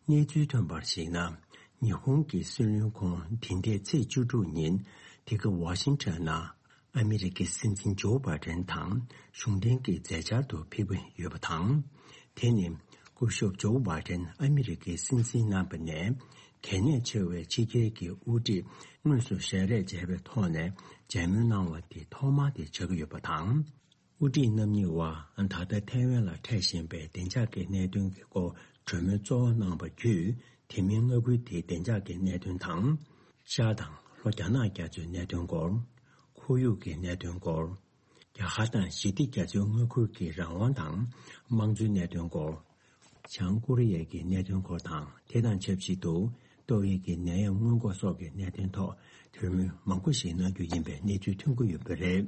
གནས་ཚུལ་ཐོན་པར་གཞིགས་ན། ཉི་ཧོང་གི་སྲིད་བློན་ཁོང་འདི་ཟླའི་ཚེས་བཅུ་དྲུག་ཉིན་དེ་ག་ཝ་ཤིང་ཊོན་ནང་ཨ་མི་རི་ཀའི་སྲིད་འཛིན་ཇོ་བྷའི་ཏན་དང་གཞུང་འབྲེལ་གྱི་མཛད་འཆར་དུ་ཕེབས་ཀྱི་ཡོད་པ་དང་། དེ་ནི་སྐུ་ཞབས་ཇོ་བྷའི་ཏན་ཨ་མི་རི་ཀའི་སྲིད་འཛིན་གནང་བ་ནས་གལ་གནད་ཆེ་བའི་ཕྱི་རྒྱལ་གྱི་དབུ་ཁྲིད་དངོས་སུ་ཞལ་རས་མཇལ་བའི་ཐོག་ནས་མཇལ་མོལ་གནང་བ་དེ་ཐོག་མ་དེ་ཆགས་ཀྱི་ཡོད་པ་དང་། དབུ་ཁྲིད་རྣམ་གཉིས་བར་ད་ལྟ་ཐའེ་ཝན་ལ་འཕྲད་བཞིན་པའི་བདེ་འཇགས་ཀྱི་གནད་དོན་གྱི་སྐོར་གྲོས་མོལ་གཙོ་བོ་གནང་བ་བརྒྱུད། དེ་མིན་མངའ་ཁུལ་དེའི་བདེ་འཇགས་ཀྱི་གནད་དོན་དང་། ཤར་དང་ལྷོ་རྒྱ་ནག་རྒྱ་མཚོའི་གནད་དོན་སྐོར། ཁོར་ཡུག་གི་གནད་དོན་སྐོར། རྒྱ་གར་དང་ཞི་བདེ་རྒྱ་མཚོའི་མངའ་ཁུལ་གྱི་རང་དབང་དང་དམངས་གཙོའི་གནད་དོན་སྐོར། བྱང་ཀོ་རི་ཡའི་གི་གནད་དོན་སྐོར་དང་། དེ་དང་ཆབས་ཅིག་ཏུ་ཏོག་དབྱིབས་ཀྱི་ནད་ཡམས་སྔོན་འགོག་སོགས་ཀྱི་གནད་དོན་ཐོག་གྲོས་མོལ་མང་པོ་ཞིག་གནང་རྒྱུ་ཡིན་པའི་གནས་ཚུལ་ཐོན་གྱི་ཡོད་པ་རེད།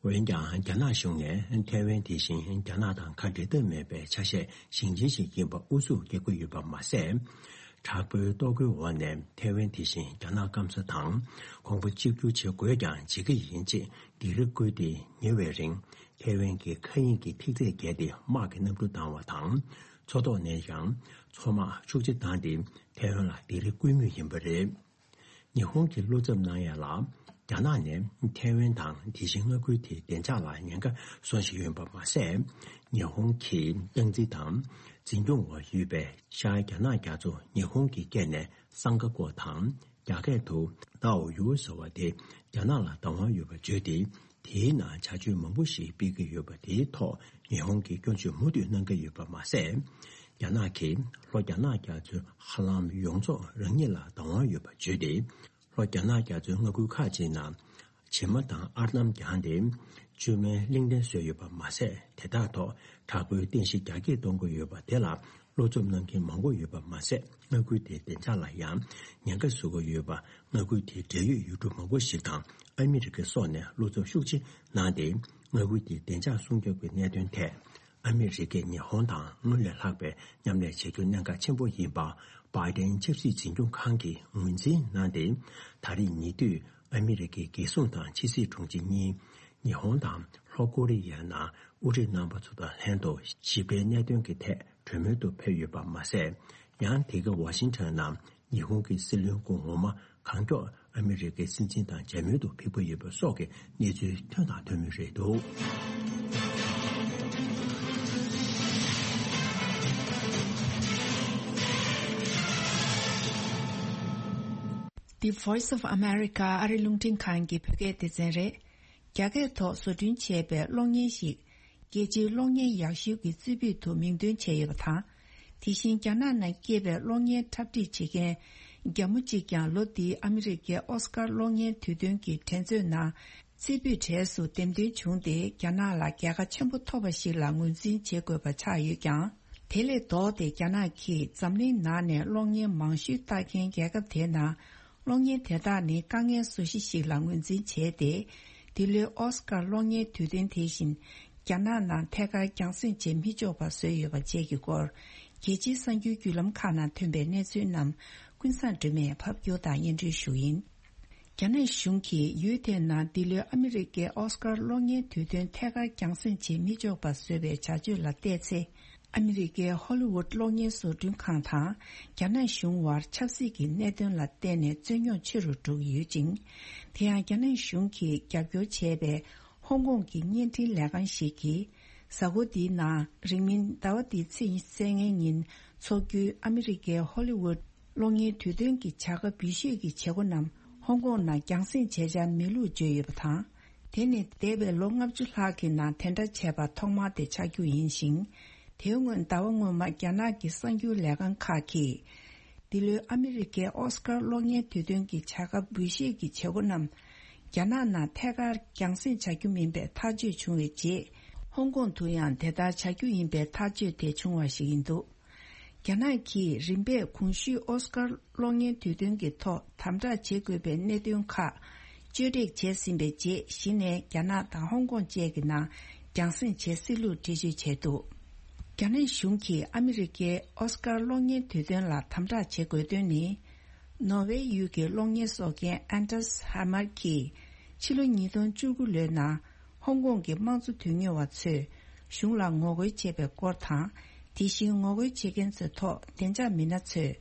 འོན་ཀྱང་རྒྱ་ནག་གཞུང་ནས་ཐའེ་ཝན་དེ་བཞིན་རྒྱ་ནག་དང་ཁ་འབྲལ་ཐབས་མེད་པའི་ཆ་ཤས་ཞིང་ཆེན་ཞིག་ཡིན་པ་ཨུ་ཚུགས་རྒྱག་གི་ཡོད་པ་མ་ཟད། དྲག་པོའི་གཏོར་རྒོལ་འོག་ནས་ཐའེ་ཝན་དེ་བཞིན་རྒྱ་ནག་སྐམ་ས་དང་གོང་བུ་གཅིག་གྱུར་བྱེད་དགོས་ཀྱང་བྱེད་ཀྱི་ཡིན་ཅེས་སྡིགས་ར་བསྐུལ་ཏེ་ཉེ་བའི་རིང་ཐའེ་ཝན་གྱི་མཁའ་དབྱིངས་ཀྱི་ཐིག་ཚད་བརྒལ་ཏེ་དམག་གི་གནམ་གྲུ་བཏང་བ་དང་། མཚོ་ཐོག་ནས་ཀྱང་མཚོ་དམག་ཤུགས་ཆེ་བཏང་སྟེ་ཐའེ་ཝན་ལ་སྡིགས་ར་བསྐུལ་མུས་ཡིན་པ་རེད། ཉི་ཧོང་གིས་བློ་འཚབ་གནང་ཡ་ལ། རྒྱ་ནག་ནས་ཐའེ་ཝན་དང་དེ་བཞིན་མངའ་ཁུལ་དེའི་བདེ་འཇགས་ལ་ཉེན་ཁ་བཟོ་བཞིན་ཡོད་པ་མ་ཟད། ཉི་ཧོང་གི་སྟངས་འཛིན་དང་འཛིན་སྐྱོང་འོག་ཡོད་པའི་ཤར་རྒྱ་ནག་རྒྱ་མཚོ་ཉི་ཧོང་གིས་བཀལ་ནས་སང་ཀ་ཀོ་དང་རྒྱ་སྐད་དུ་ཏའོ་ཡུའུ་ཟེར་བ་དེ་རྒྱ་ནག་ལ་བདག་དབང་ཡོད་པ་བརྗོད་དེ། དེའི་ནང་བྱ་སྤྱོད་མང་པོ་ཞིག་སྤེལ་གྱི་ཡོད་པ་དེའི་ཐོག་ཉི་ཧོང་གིས་སྐྱོན་བརྗོད་མུ་མཐུད་གནང་གི་ཡོད་པ་མ་ཟད། རྒྱ་ནག་གིས་ལྷོ་རྒྱ་ནག་རྒྱ་མཚོའི་ཧ་ལམ་ཡོངས་རྫོགས་རང་ཉིད་ལ་བདག་དབང་ཡོད་པ་བརྗོད་དེ། ལྷོ་རྒྱ་ནག་རྒྱ་མཚོའི་མངའ་ཁུལ་ཁག་ཅིག་ནང་བྱེ་མ་དང་ཨར་འདམ་བརྒྱངས་ཏེ་བཅོས་མའི་གླིང་ཕྲན་བཟོས་ཡོད་པ་མ་ཟད། དེ་དག་ཐོག་དྲག་པོའི་རྟེན་གཞི་རྒྱ་སྐྱེད་གཏོང་གི་ཡོད་པ་དེ་ལ་བློ་འཚབ་གནང་མཁན་མང་པོ་ཡོད་པ་མ་ཟད། མངའ་ཁུལ་དེའི་བདེ་འཇགས་ལ་ཡང་ཉེན་ཁ་བཟོ་གི་ཡོད་པ། མངའ་ཁུལ་དེའི་འབྲེལ་ཡོད་ཡུལ་གྲུ་མང་པོ་ཞིག་དང་ཨ་མི་རི་ཀ་སོགས་ནས་བློ་འཚབ་ཤུགས་ཆེ་གནང་སྟེ། མངའ་ཁུལ་དེའི་བདེ་འཇགས་སྲུང་སྐྱོབ་ཀྱི་གནད་དོན་ཐད། ཨ་མི་རི་ཀས་ཉི་ཧོང་དང་སྔོན་ལས་ལྷག་པའི་མཉམ་ལས་བྱེད་རྒྱུ་གནད་འགག་ཆེན་པོ་ཡིན་པ། བྷའི་ཏན་ཆབ་སྲིད་འཛིན་སྐྱོང་ཁང་གིས་ངོས་འཛིན་གནང་སྟེ། ད་རེས་ཉེ་དུས་ཨ་མི་རི་ཀའི་རྒྱལ་སྲུང་དང་ཕྱི་སྲིད་དྲུང་ཆེ་གཉིས་ཉི་ཧོང་དང་ལྷོ་ཀོ་རི་ཡའི་ནང་དབུ་ཁྲིད་རྣམ་པ་ཚོ་དང་ལྷན་དུ་ཞི་བདེའི་གནད་དོན་གྱི་ཐད་གྲོས་མོལ་དུ་ཕེབས་ཡོད་པ་མ་ཟད། ཡང་དེ་ག་ཝ་ཤིང་ཊོན་ནང་ཉི་ཧོང་གི་སྲིད་བློན་སྐུ་ངོ་མ་གང་མགྱོགས་ཨ་མི་རི་ཀའི་སྲིད་འཛིན་དང་མཇལ་མོལ་དུ་ཕེབས་ཀྱི་ཡོད་པ་སོགས་ཀྱི་གནས་ཚུལ་ཐོན་དང་ཐོན་མུས་རེད་འདུག The Voice of America ཨ་རི་རླུང་འཕྲིན་ཁང་གི་བོད་སྐད་སྡེ་ཚན་རེད། རྒྱ་སྐད་ཐོག་བཟོ་སྐྲུན་བྱས་པའི་གློག་བརྙན་ཞིག་རྒྱལ་སྤྱིའི་གློག་བརྙན་ཡག་ཤོས་ཀྱི་རྩེ་ཕུད་དུ་མིང་འདོན་བྱས་ཡོད་པ་དང་། དེ་བཞིན་རྒྱ་ནག་ནང་སྐྱེས་པའི་གློག་བརྙན་འཁྲབ་ཁྲིད་བྱེད་མཁན་རྒྱ་མོ་གཅིག་ཀྱང་ལོ་འདིའི་ཨ་མི་རི་ཀའི་ཨོ་སི་ཀར་གློག་བརྙན་དུས་སྟོན་གྱི་འགྲན་རྩོད་ནང་རྩེ་ཕུད་གྲས་སུ་འདེམས་ཐོན་བྱུང་སྟེ། རྒྱ་ནག་ལ་རྒྱལ་ཁ་ཆེན་པོ་ཐོབ་པ་ཞིག་ལ་ངོས་འཛིན་བྱེད་དགོས་པ་ཆགས་ཡོད་ཀྱང་། དེ་ལས་ལྡོག་སྟེ་རྒྱ་ནག་གིས་འཛམ་གླིང་ནང་ནས་གློག་བརྙན་མང་ཤོས་ལྟ་མཁན་རྒྱལ་ཁབ་དེའི་ནང་། གློག་བརྙན་དེ་དག་ནི་དཀའ་ངལ་བཟོ་གཞི་ཞིག་ལ་ངོས་འཛིན་བྱས་ཏེ། འདི་ལོའི་ཨོ་སི་ཀར་གློག་བརྙན་དུས་སྟོན་དེ་བཞིན་རྒྱ་ནག་ནང་ཐད་ཀར་རྒྱང་སྲིང་བྱེད་མི་ཆོག་པ་བཟོས་ཡོད་པ་བཅས་ཀྱི་སྐོར། རྒྱལ་སྤྱིའི་གསར་འགྱུར་བརྒྱུད་ལམ་ཁག་ནང་ཐོན་པའི་གནས་ཚུལ་རྣམས་ཀུན་བཟང་སྒྲོལ་མས་ཕབ་སྒྱུར་དང་སྙན་སྒྲོན་ཞུ་ཡིན། རྒྱ་ནག་གཞུང་གིས་ཡུལ་དེའི་ནང་འདི་ལོའི་ཨ་མི་རི་ཀའི་ཨོ་སི་ཀར་གློག་བརྙན་དུས་སྟོན་ཐད་ཀར་རྒྱང་སྲིང་བྱེད་མི་ཆོག་པ་བཟོས་པའི་བྱ་སྤྱོད་ལ་བལྟས་ཚེ། ཨ་མི་རི་ཀའི་ཧོ་ལི་ཝུད་གློག་བརྙན་བཟོ་སྐྲུན་ཁང་དང་རྒྱ་ནག་གཞུང་དབར་ཆབ་སྲིད་ཀྱི་གནད་དོན་ལ་བརྟེན་ནས་རྩོད་རྙོག་ཆེ་རུ་འགྲོ་གི་ཡོད་ཅིང་། དེ་ཡང་རྒྱ་ནག་གཞུང་གིས་རྒྱབ་སྐྱོར་བྱས་པའི་ཧོང་ཀོང་གི་བརྙན་འཕྲིན་ལས་ཁང་ཞིག་གིས། གཟའ་འཁོར་འདིའི་ནང་རིང་མིན་ཟླ་བ་འདིའི་ཚེས་ཉི་ཤུ་རྩ་ལྔའི་ཉིན་འཚོགས་རྒྱུའི་ཨ་མི་རི་ཀའི་ཧོ་ལི་ཝུད་གློག་བརྙན་དུས་སྟོན་གྱི་བྱ་དགའ་འབུལ་བཞེས་ཀྱི་བྱེད་སྒོ་རྣམས་ཧོང་ཀོང་ནང་རྒྱང་སྲིང་བྱེད་འཆར་མེད་ལུགས་བརྗོད་ཡོད་པ་དང་། དེ་ནི་འདས་པའི་ལོ་ལྔ་བཅུ་ལྷག་གི་ནང་དེ་འདྲ་བྱས་པ་ཐོག་མ་དེ་ཆགས་རྒྱུ་ཡིན་ཞིང་། དེའི་སྔོན་ཟླ་བ་སྔོན་མ་རྒྱ་ནག་གི་གསར་འགྱུར་ལས་ཁང་ཁག་གིས། འདི་ལོའི་ཨ་མི་རི་ཀའི་ཨོ་སི་ཀར་གློག་བརྙན་དུས་སྟོན་གྱི་བྱ་དགའ་འབུལ་བཞེས་ཀྱི་བྱེད་སྒོ་རྣམས། རྒྱ་ནག་ནང་ཐད་ཀར་རྒྱང་སྲིང་བྱ་རྒྱུ་མིན་པའི་ཐག་གཅོད་བྱུང་བའི་རྗེས། ཧོང་ཀོང་དུ་ཡང་དེ་ལྟར་བྱ་རྒྱུ་ཡིན་པའི་ཐག་གཅོད་དེ་བྱུང་བ་ཞིག་ཡིན་འདུག་རྒྱ་ནག་གིས་རིམ་པས་གོང་ཞུས་ཨོ་སི་ཀར་གློག་བརྙན་དུས་སྟོན་གྱི་ཐོག་དམ་དྲག་བྱེད་དགོས་པའི་གནད་དོན་ཁག་བཅོས་སྒྲིག་བྱས་ཟིན་པའི་རྗེས། གཞི་ནས་རྒྱ་ནག་དང་ཧོང་ཀོང་བཅས་ཀྱི་ནང་རྒྱང་སྲིང་བྱེད་སྲིད་ལུགས་འགྲེལ་བརྗོད་བྱས་འདུག་རྒྱ་ནག་གཞུང་གིས་ཨ་མི་རི་ཀའི་ཨོ་སི་ཀར་གློག་བརྙན་དུས་སྟོན་ལ་དམ་དྲག་བྱེད་དགོས་དོན་ནི། ནོར་ཝེ་ཡུལ་གྱི་གློག་བརྙན་བཟོ་མཁན་ཨན་ཏྲས་ཧ་མར་གྱིས། ཕྱི་ལོ་ཉིས་སྟོང་བཅུ་དགུ་ལོའི་ནང་། ཧོང་ཀོང་གི་དམངས་གཙོ་དོན་གཉེར་བ་ཚོས་གཞུང་ལ་ངོ་རྒོལ་བྱས་པའི་སྐོར་དང་། དེ་བཞིན་ངོ་རྒོལ་བྱེད་མཁན་ཚོའི་ཐོག་བདེ་འཇགས་མི་སྣ་ཚོས་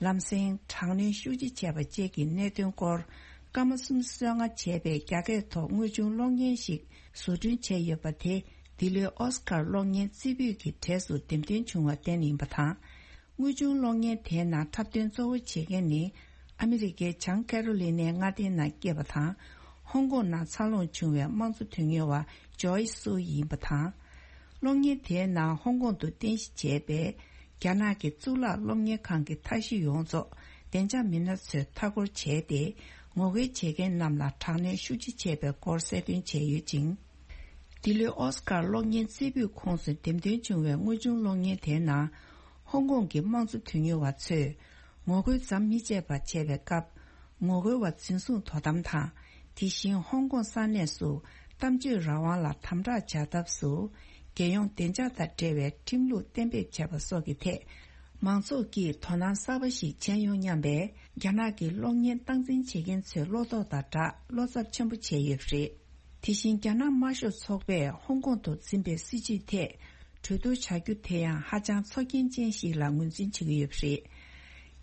ལམ་སེང་དྲག་གནོན་ཤུགས་ཆེ་བྱས་པ་བཅས་ཀྱི་གནད་དོན་སྐོར། སྐར་མ་གསུམ་བསོད་བསྔགས་བྱས་པའི་རྒྱ་སྐད་ཐོག་དངོས་བྱུང་གློག་བརྙན་ཞིག་བཟོ་སྐྲུན་བྱས་ཡོད་པ་དེ། འདི་ལོའི་ཨོ་སི་ཀར་གློག་བརྙན་རྩེ་ཕུད་ཀྱི་གྲས་སུ་འདེམས་ཐོན་བྱུང་བར་བརྟེན་ཡིན་པ་དང་། དངོས་བྱུང་གློག་བརྙན་དེའི་ནང་འཁྲབ་སྟོན་གཙོ་བོ་བྱེད་མཁན་ནི། ཨ་མི་རི་ཀའི་བྱང་ཀེ་རོ་ལི་ནའི་མངའ་སྡེའི་ནང་སྐྱེས་པ་དང་། ཧོང་ཀོང་ནང་འཚར་ལོངས་བྱུང་བའི་དམངས་གཙོ་དོན་གཉེར་བ་ཇོའི་སུའུ་ཡིན་པ་དང་། གློག་བརྙན་དེའི་ནང་ཧོང་ཀོང་དུ་རྟེན་གཞི་བྱས་པའི་རྒྱ་ནག་གི་གཙུག་ལག་གློག་བརྙན་ཁང་གི་མཐའ་བཞི་ཡོངས་རྫོགས་བདེ་འཇགས་མི་སྣ་ཚོས་མཐའ་སྐོར་བྱས་ཏེ། ངོ་རྒོལ་བྱེད་མཁན་རྣམས་ལ་དྲག་གནོན་ཤུགས་ཆེ་བྱས་པའི་སྐོར་གསལ་སྟོན་བྱས་ཡོད་ཅིང་། འདི་ལོའི་ཨོ་སི་ཀར་གློག་བརྙན་རྩེ་ཕུད་ཁོངས་སུ་འདེམས་ཐོན་བྱུང་བའི་དངོས་བྱུང་གློག་བརྙན་དེའི་ནང་། ཧོང་ཀོང་གི་དམངས་གཙོ་དོན་གཉེར་བ་ཚོས་ངོ་རྒོལ་མཚམས་མི་ཆད་པར་བྱས་པའི་སྐབས། ངོ་རྒོལ་བ་འཛིན་བཟུང་དོ་དམ་དང་། དེ་བཞིན་ཧོང་ཀོང་ས་གནས་སུ་གཏམ་བརྗོད་རང་དབང་ལ་དམ་དྲག་བྱ་ཐབས་སུ། རྒྱལ་ཡོངས་བདེ་འཇགས་དང་འབྲེལ་བའི་ཁྲིམས་ལུགས་གཏན་འབེབས་བྱས་པ་སོགས་ཀྱི་ཐད། མང་ཚོགས་ཀྱིས་དོ་སྣང་གསར་པ་ཞིག་བྱས་ཡོང་སྙམ་པའི་རྒྱ་ནག་གི་གློག་བརྙན་སྟངས་འཛིན་བྱེད་མཁན་ཚོའི་བློ་དོགས་དང་སྦྲགས་བློ་འཚབ་ཆེན་པོ་བྱས་ཡོད་པ་རེད། དེ་བཞིན་རྒྱ་ནག་དམར་ཤོག་ཚོགས་པས་ཧོང་ཀོང་དུ་འཛིན་པའི་སྲིད་བྱུས་ཐད་གྲོས་བསྡུར་བྱ་རྒྱུ་དེ་ཡང་ཧ་ཅང་ཚོར་སྐྱེན་ཅན་ཞིག་ལ་ངོས་འཛིན་བྱེད་ཀྱི་ཡོད་པ་རེད།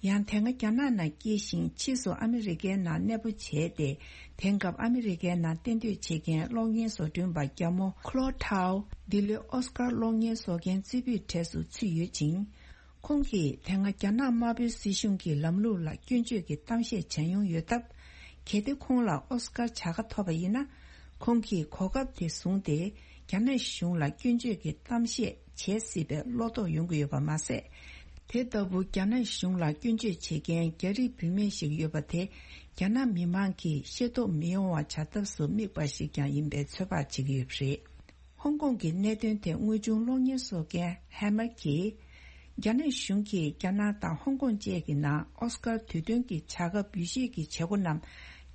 ཡང་དེ་སྔ་རྒྱ་ནག་ནང་སྐྱེས་ཤིང་ཕྱིས་སུ་ཨ་མི་རི་ཀའི་ནང་གནས་སྤོ་བྱས་ཏེ། དེང་སྐབས་ཨ་མི་རི་ཀའི་ནང་གཏན་སྡོད་བྱེད་མཁན་གློག་བརྙན་བཟོ་སྐྲུན་པ་རྒྱ་མོ་ཁོ་ལོ་ཐའོ་འདི་ལོའི་ཨོ་སི་ཀར་གློག་བརྙན་བཟོ་མཁན་རྩེ་ཕུད་གྲས་སུ་ཚུད་ཡོད་ཅིང་། ཁོང་གིས་དེ་སྔ་རྒྱ་ནག་དམར་པོའི་སྲིད་གཞུང་གི་ལམ་ལུགས་ལ་སྐྱོན་བརྗོད་ཀྱི་གཏམ་བཤད་བྱས་མྱོང་ཡོད་སྟབས། གལ་ཏེ་ཁོང་ལ་ཨོ་སི་ཀར་བྱ་དགའ་ཐོབ་པ་ཡིན་ན། ཁོང་གིས་གོ་སྐབས་དེ་བཟུང་སྟེ་རྒྱ་ནག་གཞུང་ལ་སྐྱོན་བརྗོད་ཀྱི་གཏམ་བཤད་བྱེད་སྲིད་པའི་བློ་དོགས་ཡོང་གི་ཡོད་པ་མ་ཟད། དེ་ལྟ་བུ་རྒྱ་ནག་གཞུང་ལ་སྐྱོན་བརྗོད་བྱེད་མཁན་རྒྱ་རིགས་བུད་མེད་ཞིག་ཡོད་པ་དེ་རྒྱ་ནག་མི་མང་གིས་ཤེས་རྟོགས་མི་ཡོང་བ་བྱ་ཐབས་སུ་དམིགས་པ་ཞིག་ཀྱང་ཡིན་པའི་ཚོད་དཔག་བྱེད་ཀྱི་ཡོད་པ་རེད། ཧོང་ཀོང་གི་གནད་དོན་ཐད་དངོས་བྱུང་གློག་བརྙན་བཟོ་མཁན་ཧེ་མར་གྱིས། རྒྱ་ནག་གཞུང་གིས་རྒྱ་ནག་དང་ཧོང་ཀོང་བཅས་ཀྱི་ནང་ཨོ་སི་ཀར་དུས་སྟོན་གྱི་བྱ་དགའ་འབུལ་བཞེས་ཀྱི་བྱེད་སྒོ་རྣམས་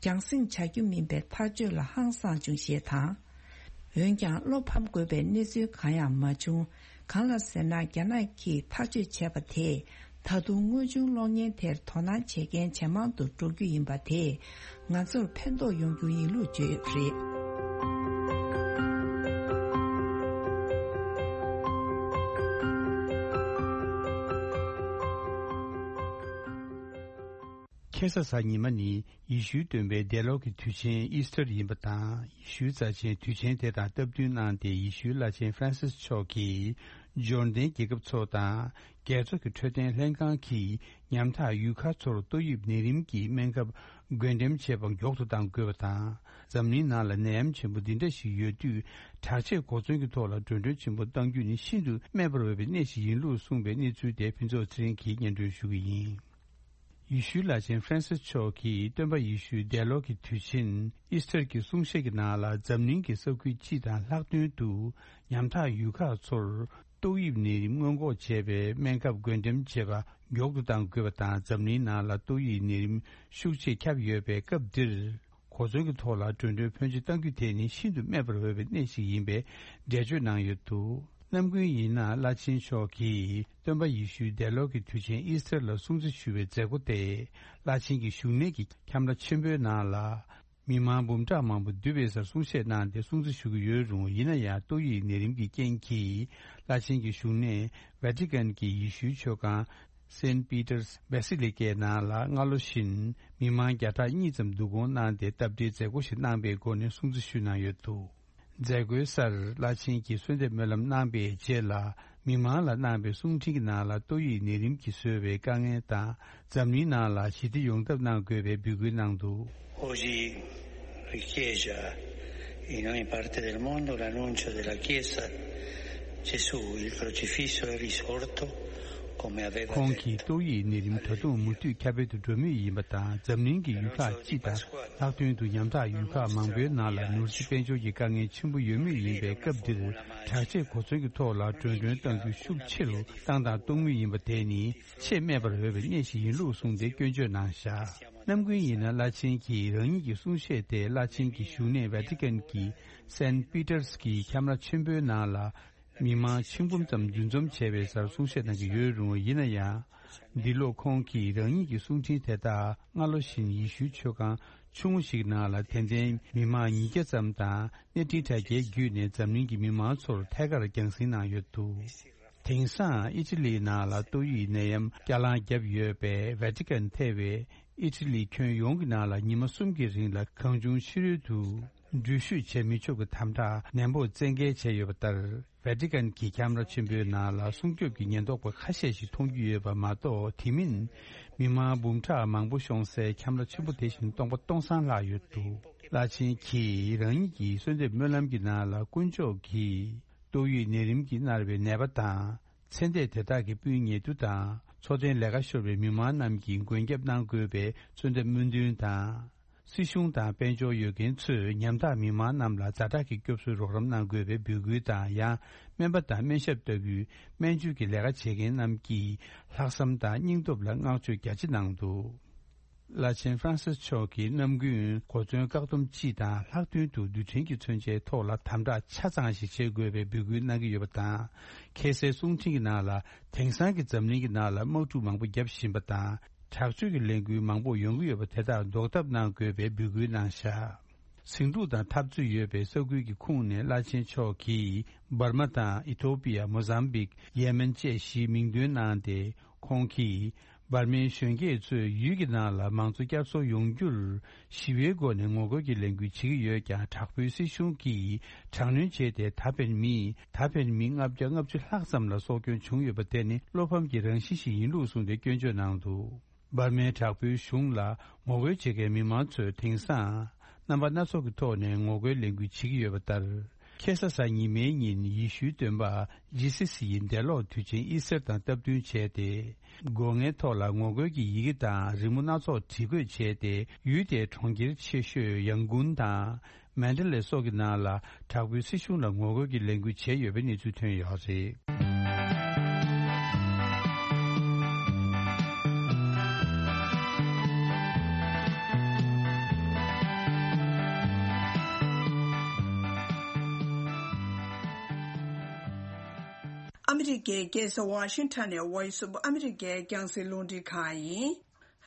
རྒྱང་སྲིང་བྱ་རྒྱུ་མིན་པའི་ཐག་གཅོད་ལ་ཧང་སངས་བྱུང་ཞེས་དང་། འོན་ཀྱང་བློ་ཕམ་དགོས་པའི་གནས་ཚུལ་གང་ཡང་མ་བྱུང་། གང་ལ་ཟེར་ན། རྒྱ་ནག་གིས་ཐག་གཅོད་བྱས་པ་དེས། ད་དུང་དངོས་བྱུང་གློག་བརྙན་དེར་དོ་སྣང་བྱེད་མཁན་ཇེ་མང་དུ་འགྲོ་རྒྱུ་ཡིན་པ་དེས། ང་ཚོར་ཕན་ཐོགས་ཡོང་རྒྱུ་ཡིན་ལུགས་བརྗོད་ཡོད་པ་རེད། ཁ་སང་གཟའ་ཉི་མ་ནི་ཡེ་ཤུའི་སྟོན་པའི་འདས་ལོ་གི་དུས་ཆེན་ཨིས་ཐར་ཡིན་པ་དང་། ཡེ་ཤུའི་རྩ་ཆེན་དུས་ཆེན་དེ་དང་སྟབས་བསྟུན་གནང་སྟེ། ཡེ་ཤུའི་བླ་ཆེན་ཧྥ་རན་སིས་མཆོག་གིས་འབྱོར་ལྡན་རྒྱལ་ཁབ་ཚོ་དང་། རྒྱལ་ཚོགས་ཀྱི་འཕྲོད་བསྟེན་ལྷན་ཁང་གིས་ཉམ་ཐག་ཡུལ་ཁག་ཚོར་ཏོག་དབྱིབས་ནད་རིམས་ཀྱི་སྨན་ཁབ་བགོ་འགྲེམས་བྱེད་པ་མགྱོགས་སུ་གཏང་དགོས་པ་དང་། འཛམ་གླིང་ནང་ལ་ནད་ཡམས་ཆེན་པོ་འདི་འདྲ་ཞིག་ཡོད་དུས། དྲག་ཆས་གོ་མཚོན་གྱི་ཐོག་ལ་འགྲོ་གྲོན་ཆེན་པོ་གཏང་རྒྱུ་ནི་ཤིན་ཏུ་སྨྲས་པར་འོས་པའི་གནས་ཤིག་ཡིན་ལུགས་གསུངས་པའི་གནས་ཚུལ་དེ་ཕུན་ཚོགས་ཚེ་རིང་གིས་སྙན་སྒྲོན་ཞུ་གི་ཡིན། ཡེ་ཤུའི་བླ་ཆེན་ཧྥ་རན་སིས་མཆོག་གིས་སྟོན་པ་ཡེ་ཤུའི་འདས་ལོ་གི་དུས་ཆེན་ཨིས་ཐར་གྱི་གསུང་བཤད་ཀྱི་ནང་ལ། འཛམ་གླིང་གི་ས་ཁུལ་སྤྱི་དང་ལྷག་དོན་དུ་ཉམ་ཐག་ཡུལ་ཁག་ཚོར་ཏོག་དབྱིབས་ནད་རིམས་སྔོན་འགོག་བྱེད་པའི་སྨན་ཁབ་བགོ་འགྲེམས་བྱེད་པ་མགྱོགས་སུ་གཏང་དགོས་པ་དང་། འཛམ་གླིང་ནང་ལ་ཏོག་དབྱིབས་ནད་རིམས་ཤུགས་ཆེ་ཁྱབ་ཡོད་པའི་སྐབས་འདིར། གོ་མཚོན་གྱི་ཐོག་ལ་འགྲོ་གྲོན་ཕོན་ཆེ་གཏང་རྒྱུ་དེ་ནི་ཤིན་ཏུ་སྨྲས་པར་འོས་པའི་གནས་ཤིག་ཡིན་པའི་འགྲེལ་བརྗོད་གནང་ཡོད་འདུག་ནམ་རྒྱུན་ཡིན་ན་བླ་ཆེན་མཆོག་གིས་སྟོན་པ་ཡེ་ཤུའི་འདས་ལོ་གི་དུས་ཆེན་ཨིས་ཐར་ལ་སྲུང་བརྩི་ཞུ་བའི་མཛད་སྒོ་དེ་བླ་ཆེན་གྱི་བཞུགས་གནས་ཀྱི་ཁྱམས་ར་ཆེན་པོའི་ནང་ལ། མི་མང་འབུམ་ཕྲག་མང་པོ་འདུས་པའི་སར་གསུང་བཤད་གནང་སྟེ་སྲུང་བརྩི་ཞུ་གི་ཡོད་རུང་། ཡིན་ན་ཡང་ཏོག་དབྱིབས་ནད་རིམས་ཀྱི་རྐྱེན་གྱིས་བླ་ཆེན་གྱི་བཞུགས་གནས་ཝེ་ཏི་ཀན་གྱི་ཡེ་ཤུའི་ཆོས་ཁང་Saint Peter's Basilica ནང་ལ་སྔ་ལོ་བཞིན་མི་མང་བརྒྱ་ཕྲག་གཉིས་ཙམ་བསྡུ་སྐོང་གནང་སྟེ་སྟབས་བདེའི་མཛད་སྒོ་ཞིག་གནང་པའི་སྒོ་ནས་སྲུང་བརྩི་ཞུས་གནང་ཡོད་འདུག་མཛད་སྒོའི་སར་བླ་ཆེན་གྱིས་གསོལ་འདེབས་སྨོན་ལམ་གནང་པའི་རྗེས་ལ། མི་མང་ལ་གནང་པའི་གསུང་འཕྲིན་གྱི་ནང་ལ་ཏོག་དབྱིབས་ནད་རིམས་ཀྱིས་བཟོས་པའི་དཀའ་ངལ་དང་འཛམ་གླིང་ནང་ལ་ཞི་བདེ་ཡོང་ཐབས་གནང་དགོས་པའི་འབོད་སྐུལ་གནང་འདུག Oggi riecheggia in ogni parte del mondo l'annuncio della Chiesa: Gesù, il crocifisso è risorto, come aveva detto. ཁོང་གིས་ཏོག་དབྱིབས་ནད་རིམས་ད་དུང་མུ་མཐུད་ཁྱབ་སྤེལ་དུ་འགྲོ་མུས་ཡིན་པ་དང་། འཛམ་གླིང་གི་ཡུལ་ཁག་སྤྱི་དང་ལྷག་དོན་དུ་ཉམ་ཐག་ཡུལ་ཁག་མང་པོའི་ནང་ལ་ནོར་སྲིད་དཔལ་འབྱོར་གྱི་དཀའ་ངལ་ཆེན་པོ་ཡོད་མུས་ཡིན་པའི་སྐབས་འདིར། དྲག་ཆས་གོ་མཚོན་གྱི་ཐོག་ལ་མགྲོན་སྒྲོན་གཏང་རྒྱུ་ཤུགས་ཆེ་རུ་བཏང་དང་གཏོང་མུས་ཡིན་པ་དེ་ནི་ཆེས་སྨད་པར་འོས་པའི་གནས་ཤིག་ཡིན་ལུགས་གསུངས་ཏེ་སྐྱོན་བརྗོད་གནང་བཞག་ནམ་རྒྱུན་ཡིན་ན་བླ་ཆེན་གྱིས་རང་ཉིད་ཀྱི་གསུང་བཤད་དེ་བླ་ཆེན་གྱི་བཞུགས་གནས་ཝེ་ཏི་ཀན་གྱི་སན་པི་ཏར་གྱི་ཁྱམས་ར་ཆེན་པོའི་ནང་ལ་མི་མང་ཆིག་འབུམ་ཙམ་འདུ་འཛོམས་བྱས་པའི་སར་གསུང་བཤད་གནང་གི་ཡོད་རུང་། ཡིན་ན་ཡང་། འདི་ལོ་ཁོང་གིས་རང་ཉིད་ཀྱི་གསུང་འཕྲིན་དེ་དག་སྔ་ལོ་བཞིན་ཡེ་ཤུའི་ཆོས་ཁང་ཆུང་ངུ་ཞིག་ནང་ལ་དད་ལྡན་མི་མང་ཉིས་བརྒྱ་ཙམ་དང་། གནས་འཕྲིན་དྲ་རྒྱའི་བརྒྱུད་ནས་འཛམ་གླིང་གི་མི་མང་ཚོར་ཐད་ཀར་རྒྱང་སྲིང་གནང་ཡོད་འདུག་དེང་སང་ཨི་ཊ་ལིའི་ནང་ལ་ཏོག་དབྱིབས་ནད་ཡམས་བསྐྱར་ལངས་བརྒྱབ་ཡོད་པས། ཝེ་ཏི་ཀན་ཐེ་བའི་ཨི་ཊ་ལི་ཁྱོན་ཡོངས་ཀྱི་ནང་ལ་ཉི་མ་གསུམ་གྱི་རིང་ལ་གང་བྱུང་ཕྱི་རོལ་དུ་འགྲུལ་བཞུད་བྱེད་མི་ཆོག་གི་དམ་དྲག་ནན་པོ་བཙན་འགེལ་བྱས་ཡོད་པ་ལྟར། ཝེ་ཏི་ཀན་གྱི་ཁྱམས་ར་ཆེན་པོའི་ནང་ལ་སྲུང་སྐྱོབ་ཀྱི་ཉེན་རྟོག་པ་ཁ་ཤས་ཤིག་མཐོང་རྒྱུ་ཡོད་པ་མ་གཏོགས། དེ་མིན་མི་མང་འབུམ་ཕྲག་མང་པོ་ཤོང་སའི་ཁྱམས་ར་ཆེན་པོ་དེ་བཞིན་སྟོང་པ་སྟོང་སང་ལྷག་ཡོད་འདུག་བླ་ཆེན་གྱིས་རང་ཉིད་ཀྱི་གསོལ་འདེབས་སྨོན་ལམ་གྱི་ནང་ལ། དཀོན་མཆོག་གིས་ཏོག་དབྱིབས་ནད་རིམས་ཀྱིས་མནར་བའི་ནད་པ་དང་། ཚེ་འདས་དེ་དག་གི་སྤུན་ཉེ་དུ་དང་། འཚོ་རྟེན་ལས་ཀ་ཤོར་བའི་མི་མང་རྣམས་ཀྱི་མགོན་སྐྱབས་གནང་དགོས་པའི་གསོལ་འདེབས་སྨོན་འདུན་དང་། སྲིད་གཞུང་དང་དཔལ་འབྱོར་ཡོད་མཁན་ཚོས་ཉམ་ཐག་མི་མང་རྣམས་ལ་ཛ་དྲག་གི་སྐྱོབ་གསོའི་རོགས་རམ་གནང་དགོས་པའི་འབོད་སྐུལ་དང་། ཡང་སྨན་པ་དང་སྨན་ཞབས་ལྟ་བུའི་སྨན་བཅོས་ཀྱི་ལས་ཀ་བྱེད་མཁན་རྣམས་ཀྱིས་ལྷག་བསམ་དང་སྙིང་སྟོབས་ལ་བསྔགས་བརྗོད་རྒྱ་ཆེ་གནང་འདུག་བླ་ཆེན་ཧྥ་རན་སིས་མཆོག་གིས་ནམ་རྒྱུན་གོ་མཚོན་བཀག་སྡོམ་སྤྱི་དང་། ལྷག་དོན་དུ་རྡུལ་ཕྲན་གྱི་མཚོན་ཆའི་ཐོག་ལ་དམ་དྲག་ཆ་ཚང་ཞིག་བྱེད་དགོས་པའི་འབོད་སྐུལ་གནང་གི་ཡོད་པ་དང་། ཁ་སའི་གསུང་འཕྲིན་གྱི་ནང་ལ། དེང་སང་གི་འཛམ་གླིང་གི་ནང་ལ་དམག་འཁྲུག་མང་པོ་བརྒྱབ་བཞིན་པ་དང་། དྲག་སྤྱོད་ཀྱི་ལས་འགུལ་མང་པོ་ཡོང་གི་ཡོད་པ་དེ་དག་ཟློག་ཐབས་གནང་དགོས་པའི་འབོད་སྐུལ་གནང་བཞག་ཟིང་འཁྲུག་དང་འཐབ་རྩོད་ཡོད་པའི་ས་ཁུལ་གྱི་ཁོངས་ནས་བླ་ཆེན་མཆོག་གིས་འབར་མ་དང་ཨི་ཐོ་པི་ཡ། མོ་ཟམ་བིག་ཡེ་མེན་བཅས་བཞིའི་མིང་འདོན་གནང་སྟེ། ཁོང་གིས་འབར་མའི་གཞོན་སྐྱེས་ཚོས་ཡུལ་གྱི་ནང་ལ་མང་གཙོ་བསྐྱར་གསོ་ཡོང་རྒྱུར་ཞི་བའི་སྒོ་ནས་ངོ་རྒོལ་གྱི་ལས་འགུལ་བྱེད་ཀྱི་ཡོད་ཀྱང་། དྲག་པོའི་སྲིད་གཞུང་གིས་དྲག་གནོན་བྱས་ཏེ། ད་ཕན་མི་ད་ཕན་མི་ལྔ་བརྒྱ་ལྔ་བཅུ་ལྷག་ཙམ་ལ་སྲོག་སྐྱོན་བྱུང་ཡོད་པ་དེ་ནི་བློ་ཕམ་གྱི་རང་བཞིན་ཞིག་ཡིན་ལུགས་གསུངས་ཏེ་སྐྱོན་བརྗོད་གནང་འདུག་འབར་མའི་དྲག་པོའི་གཞུང་ལ་ངོ་རྒོལ་བྱེད་མཁན་མི་མང་ཚོས་དེང་སང་རྣམ་པ་སྣ་ཚོགས་ཀྱི་ཐོག་ནས་ངོ་རྒོལ་ལས་འགུལ་བྱེད་ཀྱི་ཡོད་པ་ལྟར། ཁ་ས་གཟའ་ཉི་མའི་ཉིན་ཡེ་ཤུའི་སྟོན་པ་ཇི་སི་སི་ཡི་འདས་ལོག་དུས་ཆེན་ཨི་སར་དང་སྟབས་བསྟུན་བྱས་ཏེ། སྒོ་ངའི་ཐོག་ལ་ངོ་རྒོལ་གྱི་ཡི་གེ་དང་རི་མོ་སྣ་ཚོགས་བྲིས་འགོད་བྱས་ཏེ། ཡུལ་དེའི་གྲོང་ཁྱེར་ཆེ་ཤོས་ཡང་གུན་དང་མན་ཌེ་ལེ་སོགས་ཀྱི་ནང་ལ་དྲག་པོའི་སྲིད་གཞུང་ལ་ངོ་རྒོལ་གྱི་ལས་འགུལ་བྱས་ཡོད་པའི་གནས་ཚུལ་ཐོན་ཡོད་རེད། ཨ་མི་རི་ཀའི་རྒྱལ་ས་ཝ་ཤིང་ཊོན་ནས་Voice of America་རྒྱང་སྲིང་རླུང་འཕྲིན་ཁང་ཡིན།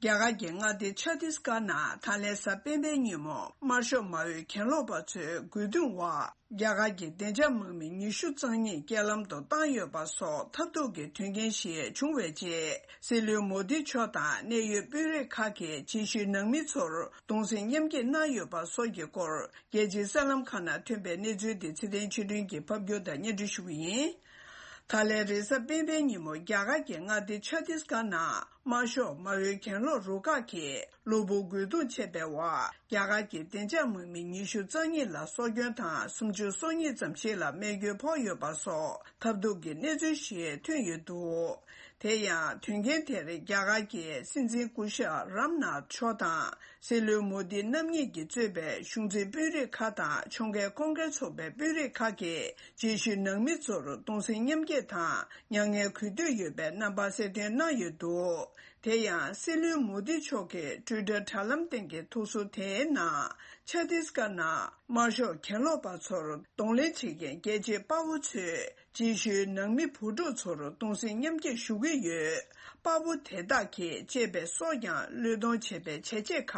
རྒྱ་གར་གྱི་མངའ་སྡེ་ཆ་ཏིས་གྷར་ནང་ད་ལན་གཟའ་སྤེན་པའི་ཉིན་མོ་དམར་ཤོག་མའོའི་གྱེན་ལོག་པ་ཚོའི་རྒོལ་རྡུང་འོག་རྒྱ་གར་གྱི་བདེ་འཇགས་དམག་མི་ཉི་ཤུ་རྩ་གཉིས་རྐྱེན་ལམ་དུ་བཏང་ཡོད་པ་སོགས་ཐབས་སྡུག་གི་དོན་རྐྱེན་ཞིག་བྱུང་བའི་རྗེས། སྲིད་བློན་མོ་དི་མཆོག་དང་གནད་ཡོད་དཔོན་རིགས་ཁག་གིས་རྗེས་ཤུལ་ནང་མི་ཚོར་གདུང་སེམས་མཉམ་སྐྱེད་གནང་ཡོད་པ་སོགས་ཀྱི་སྐོར། རྒྱལ་སྤྱིའི་གསར་ལམ་ཁག་ནང་ཐོན་པའི་གནས་ཚུལ་དེ་ཚེ་བརྟན་ཆོས་སྒྲོན་གྱིས་ཕབ་སྒྱུར་དང་སྙན་སྒྲོན་ཞུ་གི་ཡིན། ད་ལན་རེས་གཟའ་སྤེན་པའི་ཉིན་མོ་རྒྱ་གར་གྱི་མངའ་སྡེ་ཆ་ཏིས་གྷར་ནང་དམར་ཤོག་མའོའི་གྱེན་ལོག་རུ་ཁག་གིས་གློ་བུར་རྒོལ་རྡུང་བྱས་པའི་འོག་རྒྱ་གར་གྱི་བདེ་འཇགས་དམག་མི་ཉི་ཤུ་རྩ་གཉིས་ལ་སྲོག་སྐྱོན་དང་སུམ་ཅུ་སོ་གཉིས་ཙམ་ཞིག་ལ་རྨས་སྐྱོན་ཕོག་ཡོད་པ་སོགས་ཐབས་སྡུག་གི་གནས་ཚུལ་ཞིག་ཐོན་ཡོད་འདུག་དེ་ཡང་དོན་རྐྱེན་དེར་རྒྱ་གར་གྱི་སྲིད་འཛིན་སྐུ་ཞབས་རམ་ནཱཐ་མཆོག་དང་། སྲིད་བློན་མོ་དི་རྣམ་གཉིས་ཀྱིས་གཙོས་པའི་གཞུང་འཛིན་དཔོན་རིགས་ཁག་དང་ཕྱོགས་འགལ་གོང་འཕེལ་ཚོགས་པའི་དཔོན་རིགས་ཁག་གིས་རྗེས་ཤུལ་ནང་མི་ཚོར་གདུང་སེམས་མཉམ་སྐྱེད་དང་མྱ་ངན་གུས་འདུད་ཡོད་པའི་རྣམ་པ་གསལ་སྟོན་གནང་ཡོད་འདུག་དེ་ཡང་སྲིད་བློན་མོ་དི་མཆོག་གི་ཊུའི་ཊར་དྲ་ལམ་སྟེང་གི་ཐུགས་གསོ་དེའི་ནང་། ཆ་ཏིས་ཀར་ནང་དམར་ཤོག་གྱེན་ལོག་པ་ཚོར་གདོང་ལེན་བྱེད་མཁན་རྒྱལ་གཅེས་དཔའ་བོ་ཚོས་རྗེས་ཤུལ་ནང་མི་བུ་ཕྲུག་ཚོར་གདུང་སེམས་མཉམ་སྐྱེད་ཞུ་གི་ཡོད། དཔའ་བོ་དེ་དག་གིས་གཅེས་པའི་སྲོག་ཀྱང་བློས་གཏོང་བྱས་པའི་བྱས་རྗེས་ཁག་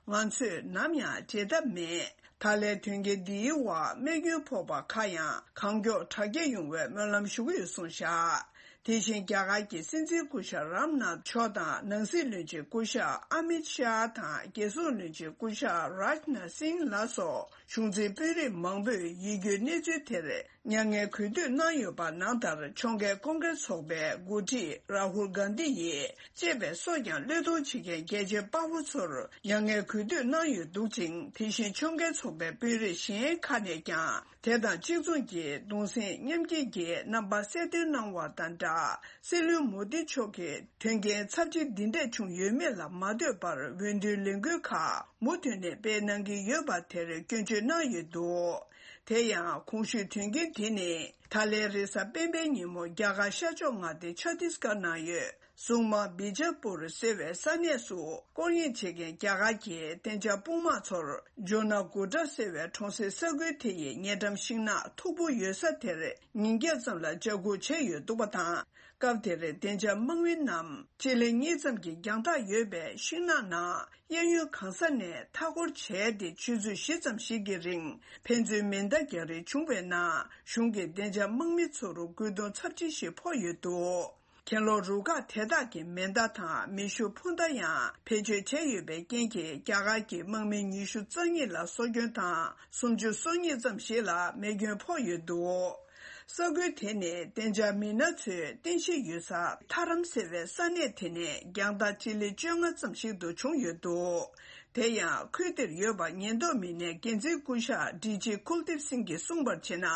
ང་ཚོས་ནམ་ཡང་བརྗེད་ཐབས་མེད། ད་ལན་དོན་རྐྱེན་འདིའི་འོག་རྨས་སྐྱོན་ཕོག་པ་ཁག་ཡང་གང་མགྱོགས་དྲག་སྐྱེད་ཡོང་བའི་སྨོན་ལམ་ཞུ་གི་ཡོད་གསུངས་བཞག་དེ་བཞིན་རྒྱ་གར་གྱི་སྲིད་འཛིན་སྐུ་ཞབས་རམ་ནཱཐ་མཆོག་དང་ནང་སྲིད་བློན་ཆེན་སྐུ་ཞབས་ཨ་མིད་ཤཱ་དང་རྒྱལ་སྲུང་བློན་ཆེན་སྐུ་ཞབས་རཱཇ་ནཱཐ་སིང་ལ་སོགས་གཞུང་འཛིན་དཔོན་རིགས་མང་པོས་ཡིད་སྐྱོའི་གནས་ཚུལ་དེར་མྱ་ངན་གུས་འདུད་གནང་ཡོད་པ་ནང་ལྟར་ཕྱོགས་འགལ་ཀོང་ཀྲེས་ཚོགས་པའི་འགོ་ཁྲིད་རཱ་ཧུལ་གྷན་དྷི་ཡིས་གཅེས་པའི་སྲོག་ཀྱང་བློས་གཏོང་བྱེད་མཁན་རྒྱལ་གཅེས་དཔའ་བོ་ཚོར་མྱ་ངན་གུས་འདུད་གནང་ཡོད་འདུག་ཅིང་། དེ་བཞིན་ཕྱོགས་འགལ་ཚོགས་པའི་དཔོན་རིགས་གཞན་ཁག་ནས་ཀྱང་དེ་དང་གཅིག་མཚུངས་ཀྱིས་གདུང་སེམས་མཉམ་སྐྱེད་ཀྱི་རྣམ་པ་གསལ་སྟོན་གནང་བ་དང་སྦྲགས། སྲིད་བློན་མོ་དི་མཆོག་གི་དོན་རྐྱེན་ཚབས་ཆེ་འདི་འདྲ་བྱུང་ཡོད་མེད་ལ་མ་ལྟོས་པར་འོས་བསྡུའི་ལས་འགུལ་ཁག་མུ་མཐུད་ནས་སྤེལ་གནང་གི་ཡོད་པ་དེར་སྐྱོན་བརྗོད་གནང་ཡོད་འདུག་དེ་ཡང་གོང་ཞུས་དོན་རྐྱེན་དེ་ནི་ད་ལན་རེས་གཟའ་སྤེན་པའི་ཉིན་མོ་རྒྱ་གར་ཤར་ཕྱོགས་མངའ་སྡེ་ཆ་ཏིས་ཀར་ནང་ཡོད། སུང་མ་བི་ཇ་པུར་ཟེར་བའི་ས་གནས་སུ་སྐོར་གཡེང་བྱེད་མཁན་རྒྱ་གར་གྱི་གཏན་འཇགས་དཔུང་དམག་ཚོར་ཇོ་ན་གུ་ཏྲ་ཟེར་བའི་གྲོང་གསེབ་ས་ཁུལ་དེ་ཡི་ཉེ་འགྲམ་ཤིང་ནགས་མཐུག་པོ་ཡོད་ས་དེར་ཉིན་བརྒྱད་ཙམ་ལ་འཇབ་རྒོལ་བྱས་ཡོད་འདུག་པ་དང་། སྐབས་དེར་གཏན་འཇགས་དམག་མི་རྣམས་སྤྱི་ལེ་གཉིས་ཙམ་གྱི་རྒྱང་ཐག་ཡོད་པའི་ཤིང་ནགས་ནང་གཡས་གཡོན་གང་ས་ནས་མཐའ་སྐོར་བྱས་ཏེ་ཆུ་ཚོད་བཞི་ཙམ་ཞིག་གི་རིང་ཕན་ཚུན་མེ་མདའ་རྒྱག་རེས་བྱུང་བའི་ནང་གཞུང་གི་གཏན་འཇགས་དམག་མི་ཚོར་རྒོལ་རྡུང་ཚབས་ཆེ་ཞིག་ཕོག་ཡོད་འདུག་གྱེན་ལོག་རུ་ཁག་དེ་དག་གིས་མེ་མདའ་དང་མེ་ཤུགས་འཕུར་མདའ་ཡང་བེད་སྤྱོད་བྱས་ཡོད་པའི་རྐྱེན་གྱིས་རྒྱ་གར་གྱི་དམག་མི་ཉི་ཤུ་རྩ་གཉིས་ལ་སྲོག་སྐྱོན་དང་སུམ་ཅུ་སོ་གཉིས་ཙམ་ཞིག་ལ་རྨས་སྐྱོན་ཕོག་ཡོད་འདུག་ས་ཁུལ་དེ་ནི་གཏན་འཇགས་མི་སྣ་ཚོའི་རྟེན་གཞི་ཡོད་ས་ཐ་རམ་ཟེར་བའི་ས་གནས་དེ་ནས་རྒྱང་ཐག་སྤྱི་ལེ་བཅོ་ལྔ་ཙམ་ཞིག་ཏུ་བྱུང་ཡོད་འདུག་དེ་ཡང་ཁུལ་དེར་ཡོད་པ་ཉེན་རྟོག་མི་སྣའི་འགན་འཛིན་སྐུ་ཞབས་ཌི་ཇི་ཀུལ་དིབ་སིང་གིས་གསུངས་པར་བྱས་ན།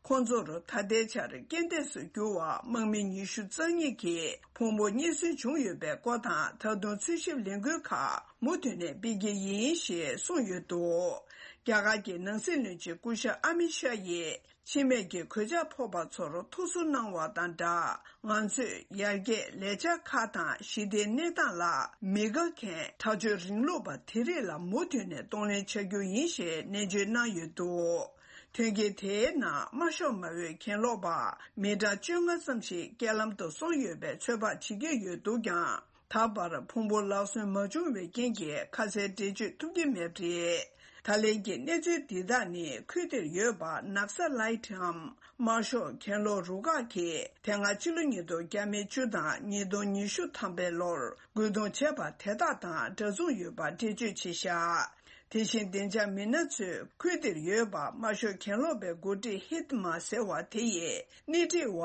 ཁོང་ཚོར་ད་ལྟའི་ཆར་རྐྱེན་འདས་སུ་གྱུར་བ་དམག་མི་ཉི་ཤུ་རྩ་གཉིས་ཀྱི་ཕུང་པོ་རྙེད་སོན་བྱུང་ཡོད་པའི་སྐོར་དང་། ད་དུང་འཚོལ་ཞིབ་ལས་འགུལ་ཁག་མུ་མཐུད་ནས་སྤེལ་གྱི་ཡིན་ཞེས་གསུངས་ཡོད་འདུག་རྒྱ་གར་གྱི་ནང་སྲིད་བློན་ཆེན་སྐུ་ཞབས་ཨ་མི་ཤཱ་ཡིས་འཆི་རྨས་ཀྱི་གོད་ཆག་ཕོག་པ་ཚོར་ཐུགས་གསོ་གནང་བ་དང་སྦྲགས། ང་ཚོས་ཡར་རྒྱས་ལས་འཆར་ཁག་དང་ཞི་བདེའི་གནས་སྟངས་ལ་མི་དགའ་མཁན་དྲག་སྤྱོད་རིང་ལུགས་པ་དེ་རིགས་ལ་མུ་མཐུད་ནས་གདོང་ལེན་བྱ་རྒྱུ་ཡིན་ཞེས་ནན་བརྗོད་གནང་ཡོད་འདུག་དོན་རྐྱེན་དེའི་ནང་དམར་ཤོག་མའོའི་གྱེན་ལོག་པ་མི་གྲངས་བཅོ་ལྔ་ཙམ་ཞིག་རྐྱེན་ལམ་དུ་སོང་ཡོད་པའི་ཚོད་དཔག་བྱེད་ཀྱི་ཡོད་འདུག་ཀྱང་། ད་བར་ཕུང་པོ་ལག་སོན་མ་བྱུང་བའི་རྐྱེན་གྱིས་ཁ་གསལ་འགྲེལ་བརྗོད་ཐུབ་ཀྱི་མེད་པ་རེད། ད་ལན་གྱི་གནས་ཚུལ་འདི་དག་ནི་ཁུལ་དེར་ཡོད་པ་ནག་ས་ལའི་ཊམ་དམར་ཤོག་གྱེན་ལོག་རུ་ཁག་གིས་དེ་སྔ་ཕྱི་ལོ་ཉིས་སྟོང་བརྒྱ་མེད་བཅུ་དང་ཉིས་སྟོང་ཉི་ཤུ་ཐམ་པའི་ལོར་རྒོལ་རྡུང་བྱས་པ་དེ་དག་དང་འདྲ་མཚུངས་ཡོད་པ་འགྲེལ་བརྗོད་བྱས་བཞག་དེ་བཞིན་བདེ་འཇགས་མི་སྣ་ཚོས་ཁུལ་དེར་ཡོད་པ་དམར་ཤོག་གྱེན་ལོག་པའི་འགོ་ཁྲིད་ཧིད་མ་ཟེར་བ་དེ་ཡི་སྣེ་ཁྲིད་པ་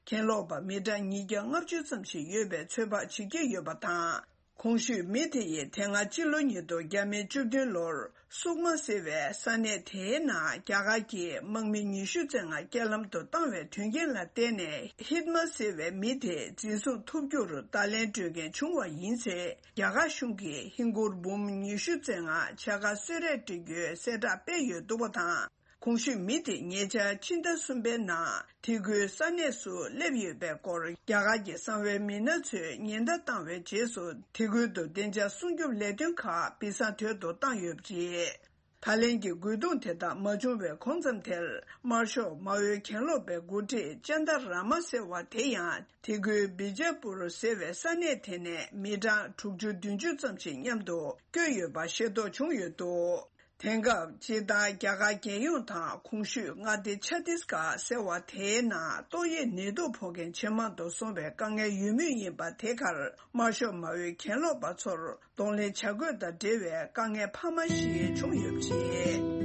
གྱེན་ལོག་པ་མི་གྲངས་ཉིས་བརྒྱ་ལྔ་བཅུ་ཙམ་ཞིག་ཡོད་པའི་ཚོད་དཔག་བྱེད་ཀྱི་ཡོད་པ་དང་། གོང་ཞུས་མི་དེ་ཡིས་དེ་སྔ་སྤྱི་ལོ་ཉིས་སྟོང་བརྒྱ་མེད་བཅུ་བདུན་ལོར་སུག་མ་ཟེར་བའི་ས་གནས་དེའི་ནང་རྒྱ་གར་གྱི་དམག་མི་ཉི་ཤུ་ཙམ་རྐྱེན་ལམ་དུ་བཏང་བའི་དོན་རྐྱེན་ལ་བརྟེན་ནས་ཧིད་མ་ཟེར་བའི་མི་དེ་འཛིན་བཟུང་ཐུབ་རྒྱུར་བརྡ་ལན་སྤྲོད་མཁན་བྱུང་བ་ཡིན་ཚེ། རྒྱ་གར་གཞུང་གིས་ཧིན་སྒོར་འབུམ་ཉི་ཤུ་ཙམ་ཕྱག་ཁ་གསོལ་རས་སྤྲད་རྒྱུའི་གསལ་བསྒྲགས་སྤེལ་ཡོད་འདུག་པ་དང་། གོང་ཞུས་མི་དེ་ཉེ་ཆར་ཕྱི་ཟླ་གསུམ་པའི་ནང་དེ་ཁུལ་ས་གནས་སུ་སླེབས་ཡོད་པའི་སྐོར་རྒྱ་གར་གྱི་གསང་བའི་མི་སྣ་ཚོས་ཉེན་བརྡ་བཏང་བའི་རྗེས་སུ་དེ་ཁུལ་དུ་བདེ་འཇགས་སྲུང་སྐྱོབ་ལས་དོན་ཁག་སྦིས་གསང་དོད་དུ་བཏང་ཡོད་པ་རེད། ད་ལན་གྱི་རྒོལ་རྡུང་དེ་དག་མ་བྱུང་བའི་གོང་ཙམ་དེར་དམར་ཤོག་མའོའི་གྱེན་ལོག་པའི་འགོ་ཁྲིད་ཅན་ད་ར་མ་ཟེར་བ་དེ་ཡང་དེ་ཁུལ་བི་ཇ་པུར་ཟེར་བའི་ས་གནས་དེ་ནས་མི་གྲངས་དྲུག་ཅུ་བདུན་ཅུ་ཙམ་ཞིག་མཉམ་དུ་བསྐྱོད་ཡོད་པ་ཤེས་རྟོགས་བྱུང་ཡོད་འདུག་དེང་སྐབས་སྤྱིར་བཏང་རྒྱ་གར་རྒྱལ་ཡོངས་དང་གོང་ཞུས་མངའ་སྡེ་ཆ་ཏིས་གྷར་ཟེར་བ་དེའི་ནང་ཏོག་དབྱིབས་ནད་དུག་ཕོག་མཁན་ཇེ་མང་དུ་སོང་བའི་དཀའ་ངལ་ཡོད་མུས་ཡིན་པ་དེ་གར་དམར་ཤོག་མའོའི་གྱེན་ལོག་པ་ཚོར་གདོང་ལེན་བྱ་དགོས་དང་འབྲེལ་བའི་དཀའ་ངལ་འཕར་མ་ཞིག་བྱུང་ཡོད་པ་རེད།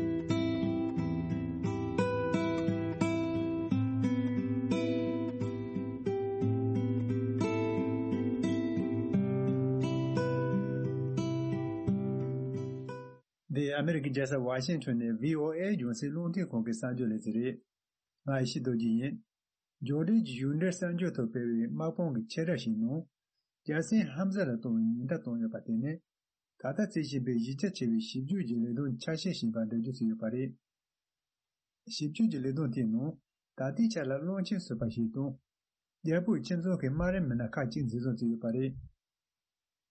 འདི་ཨ་མེ་རི་ཀའི་རྒྱལ་ས་ཝ་ཤིང་ཊོན་ནས་བྷི་ཨོ་ཨེ་རྒྱང་སྲིང་རླུང་འཕྲིན་ཁང་གི་གསར་འགྱུར་ལས་ཚན་རེད། ང་ཡེ་ཤེས་རྡོ་རྗེ་ཡིན། འབྱོར་འབྲེལ་གྱི་གཞུང་འབྲེལ་གསར་འགྱུར་ཐོག་སྤེལ་བའི་དམག་དཔུང་གི་ཆེད་བསྒྲགས་ཤིག་ནང་། རྒྱལ་སྲིད་ཧམ་ཟ་ལ་གཏོང་བའི་ཉེན་བརྡ་བཏང་ཡོད་པ་དེ་ནི། ད་ལྟ་རྩིས་བཞིན་པའི་གཞི་རྒྱ་ཆེ་བའི་ཞིབ་འཇུག་གི་ལས་དོན་ཆ་ཤས་ཤིག་ཡིན་པ་འགྲེལ་བརྗོད་བྱས་ཡོད་པ་རེད། ཞིབ་འཇུག་གི་ལས་དོན་དེའི་ནང་། ད་ལྟའི་ཆར་ལ་བློན་ཆེན་ཟུར་པ་ཞིག་དང་། རྒྱལ་པོའི་ཁྱིམ་ཚང་གི་དམའ་རིམ་མི་སྣ་ཁག་ཅིག་འཛིན་བཟུང་བྱས་ཡོད་པ་རེད།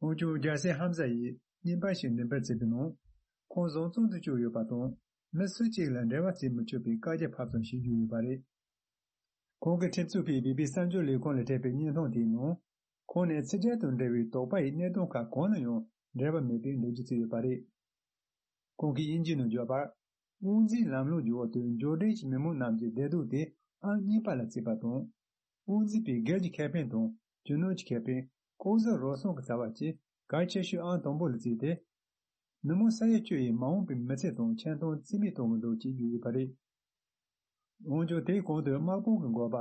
འོན་ཀྱང་རྒྱལ་སྲས་ཧམ་ཟ་ཡིས་བརྙན་པར་ཞིག་འགྲེམས་སྤེལ་བྱས་པའི་ནང་། ཁོང་བཟང་བཙོན་དུ་བཅུག་ཡོད་པ་དང་། མི་སུ་གཅིག་ལ་འབྲེལ་བ་བྱེད་མི་ཆོག་པའི་བཀའ་རྒྱ་ཕབ་ཙམ་ཞིག་བརྒྱབ་ཡོད་པ་རེད། ཁོང་གིས་ཁྲིམས་བཙུགས་པའི་བི་བི་སི་གསར་འགྱུར་ལས་ཁུངས་ལ་སྤྲད་པའི་བརྙན་ཐུང་དེའི་ནང་། ཁོང་ནས་ཕྱི་རྒྱལ་དང་འབྲེལ་བའི་དོགས་པ་ཡི་གནད་དོན་ཁག་གང་ལ་ཡང་འབྲེལ་བ་མེད་པའི་འགྲེལ་བརྗོད་བྱས་ཡོད་པ་རེད། ཁོང་གིས་དབྱིན་ཇིའི་ནང་བརྗོད་པར། དབང་འཛིན་ལམ་ལུགས་ཀྱི་འོག་ཏུ་འབྱོར་ལྡན་གྱི་མི་མང་རྣམས་ཀྱི་བདེ་སྡུག་དེ་ཨང་གཉིས་པ་ལ་བརྩིས་པ་དང་། དབང་འཛིན་པའི་སྒེར་གྱི་ཁེ་ཕན་དང་རྒྱུ་ནོར་གྱི་ཁེ་ཕན། ལྐོག་ཟ་རུལ་སུངས་ཀྱི་བྱ་བ་བཅས་གལ་ཆེ་ཤོས་ཨང་དང་པོ་ལ་བརྩིས་ཏེ། མི་མང་ས་ཡ་བཅུ་ཡི་མ་འོངས་པའི་མི་ཚེ་དང་ཆེ་མཐོང་རྩིས་མེད་གཏོང་གི་འདུག་ཅེས་བརྗོད་ཡོད་པ་རེད། འོན་ཀྱང་དེའི་གོང་དུ་དམག་དཔུང་གི་འགོ་པ་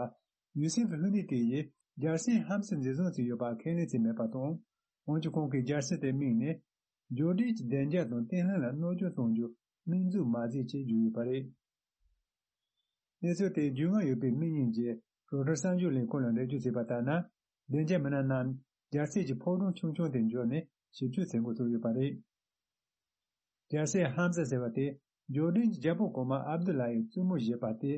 ཡུ་སེབ་ཧུ་ནི་ཏི་ཡིས་རྒྱལ་སྲས་ཧམ་སི་འཛིན་བཟུང་བྱས་ཡོད་པ་ཁས་ལེན་བྱས་མེད་པ་དང་། འོན་ཀྱང་ཁོང་གིས་རྒྱལ་སྲས་དེ་མིང་ནས་འབྱོར་ལྡན་གྱི་བདེ་འཇགས་དང་བརྟན་ལྷིང་ལ་གནོད་སྐྱོན་གཏོང་རྒྱུ་སྨན་རྫུན་མ་མཛད་ཅེས་བརྗོད་ཡོད་པ་རེད། གནས་ཚུལ་དེའི་རྒྱུས་མངའ་ཡོད་པའི་མི་གཉིས་ཀྱིས་རོའི་ཊར་གསར་འགྱུར་ལས་ཁུངས་ལ་འགྲེལ་བརྗོད་བྱས་པ་ལྟར་ན། བདེ་འཇགས་མི་སྣ་རྣམས་རྒྱལ་སྲས་ཀྱི་ཕོ་བྲང་ཆུང་ཆུང་དེར་འབྱོར་ནས་ཞིབ་དཔྱོད་མཛད་འགོ་ཚུགས་ཡོད་པ་རེད། རྒྱལ་སྲས་ཧམ་ཟ་ཟེར་བ་དེ་འབྱོར་ལྡན་གྱི་རྒྱལ་པོ་གོང་མ་ཨབ་དུ་ལ་ཡི་བཙུན་མོ་བཞེས་པ་སྟེ།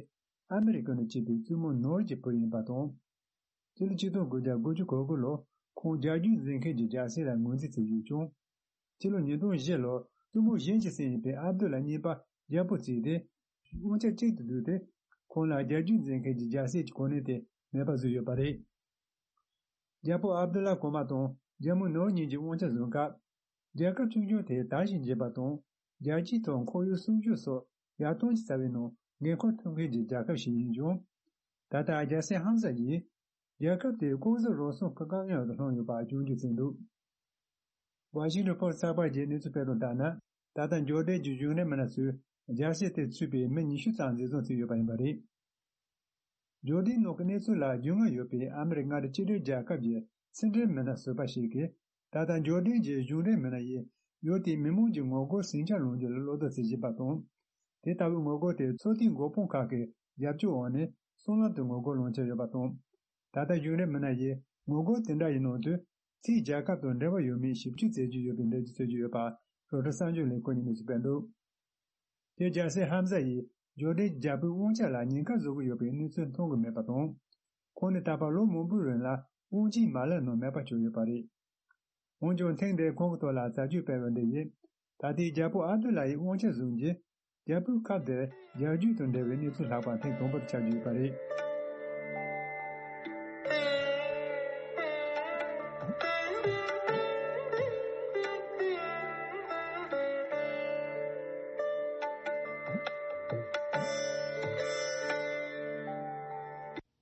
ཨ་མི་རི་ཀ་ནས་སྐྱེས་པའི་བཙུན་མོ་ནོར་གྱི་བུ་ཡིན་པ་དང་། སྤྱི་ལོ་ཆིག་སྟོང་དགུ་བརྒྱ་དགུ་བཅུ་གོ་དགུ་ལོར་ཁོང་རྒྱལ་རྒྱུད་འཛིན་མཁན་གྱི་རྒྱལ་སྲས་ལ་ངོས་འཛིན་བྱས་ཡོད་ཀྱང་། སྤྱི་ལོ་ཉིས་སྟོང་བཞི་ལོར་བཙུན་མོ་གཞན་གྱི་སྲས་ཡིན་པའི་ཨབ་དུ་ལ་གཉིས་པ་རྒྱལ་པོ་བརྩིས་ཏེ། དབང་ཆ་གཅིག་ཏུ་བསྡུས་ཏེ། ཁོང་ལ་རྒྱལ་རྒྱུད་འཛིན་མཁན་གྱི་རྒྱལ་སྲས་ཀྱི་གོ་གནས་དེ་མེད་པ་བཟོས་ཡོད་པ་རེད། རྒྱལ་པོ་ཨབ་དུ་ལ་གོང་མ་དང་རྒྱལ་མོ་ནོར་གཉིས་ཀྱིས་དབང་ཆ་བཟུང་སྐབས། རྒྱལ་ཁབ་ཆུང་ཆུང་དེ་དར་ཞིང་རྒྱས་པ་དང་། རྒྱལ་སྤྱིའི་ཐོག་ཁོར་ཡུག་སྲུང་སྐྱོབ་སོགས་ཡར་ཐོན་གྱི་རྩ་བའི་ནང་འགན་འཁུར་ཐུབ་མཁན་གྱི་རྒྱལ་ཁབ་ཞིག་ཡིན་ཀྱང་། ད་ལྟ་རྒྱལ་སྲས་ཧམ་ཟ་ཡིས་རྒྱལ་ཁབ་དེ་ལྐོག་ཟ་རུལ་སུངས་ཀྱི་དཀའ་ངལ་འོག་ཏུ་ལྷུང་ཡོད་པ་སྐྱོན་བརྗོད་བྱས་འདུག། ཝ་ཤིང་ཊོན་པོ་སི་ཊི་གསར་པར་གྱིས་གནས་ཚུལ་སྤེལ་དོན་ལྟར་ན། ད་ལྟ་འབྱོར་ལྡན་གྱི་གཞུང་འབྲེལ་མི་སྣ་ཚོས་རྒྱལ་སྲས་དེ་ཚུད་པའི་མི་ཉི་ཤུ་ཙམ་འཛིན་བཟུང་བྱས་ཡོད་པ་ཡིན་པ་རེད། འབྱོར་ལྡན་ནང་གི་གནས་ཚུལ་ལ་རྒྱུས་མངའ་ཡོད་པའི་ཨ་མི་རི་ཀ་མངའ་སྡེ་གཅིག་སྒྲིལ་རྒྱལ་ཁབ་ཀྱི་ཕྱི་འབྲེལ་མི་སྣ་ཟུར་པ་ཞིག་གིས། ད་ལྟ་འབྱོར་ལྡན་གྱི་གཞུང་འབྲེལ་མི་སྣ་ཡིས་ཡུལ་དེའི་མི་མང་གི་ངོ་རྒོལ་ཟིང་ཆ་སློང་རྒྱུ་ལ་བློ་དོགས་བྱེད་བཞིན་པ་དང་། དེ་ལྟ་བུའི་ངོ་རྒོལ་དེ་ཚོགས་སྡེའི་འགོ་དཔོན་ཁག་གི་རྒྱབ་སྐྱོར་འོག་ནས་སྲང་ལམ་དུ་ངོ་རྒོལ་སློང་འཆར་ཡོད་པ་དང་། ད་ལྟ་གཞུང་འབྲེལ་མི་སྣ་ཡིས་ངོ་རྒོལ་དེ་འདྲ་ཡི་ནང་དུ། ཕྱིའི་རྒྱལ་ཁབ་དང་འབྲེལ་བ་ཡོད་མེད་ཞིབ་དཔྱོད་མཛད་ཀྱི་ཡོད་པའི་འགྲེལ་བརྗོད་བྱེད་ཀྱི་ཡོད་པ། རོའི་ཊར་གསར་འགྱུར་ལས་ཁུངས་ཀྱིས་གནས་ཚུལ་སྤེལ་འདུག། དེ་རྒྱལ་སྲས་ཧམ་ཟ་ཡིས་འབྱོར་ལྡན་རྒྱལ་པོའི་དབང་ཆ་ལ་ཉེན་ཁ་བཟོ་གི་ཡོད་པའི་གནས་ཚུལ་མཐོང་གི་མེད་པ་དང་། ཁོང་ནི་ད་བར་ལོ་མང་པོའི་རིང་ལ་དབང་ཆའི་མ་ལག་ནང་མེད་པ་བྱུང་ཡོད་པ་རེད། འོན་ཀྱང་ཐེངས་འདིར་ཁོང་གི་ཐོག་ལ་བྱ་སྤྱོད་སྤེལ་བ་འདི་ཡིས། ད་ལྟའི་རྒྱལ་པོ་ཨབ་དུ་ལ་ཡི་དབང་ཆ་བཟུང་རྗེས། རྒྱལ་པོའི་ཁབ་དེར་རྒྱལ་རྒྱུད་དང་འབྲེལ་བའི་གནས་ཚུལ་ལྷག་པ་ཐེངས་དང་པོ་དེ་ཆགས་ཀྱི་ཡོད་པ་རེད།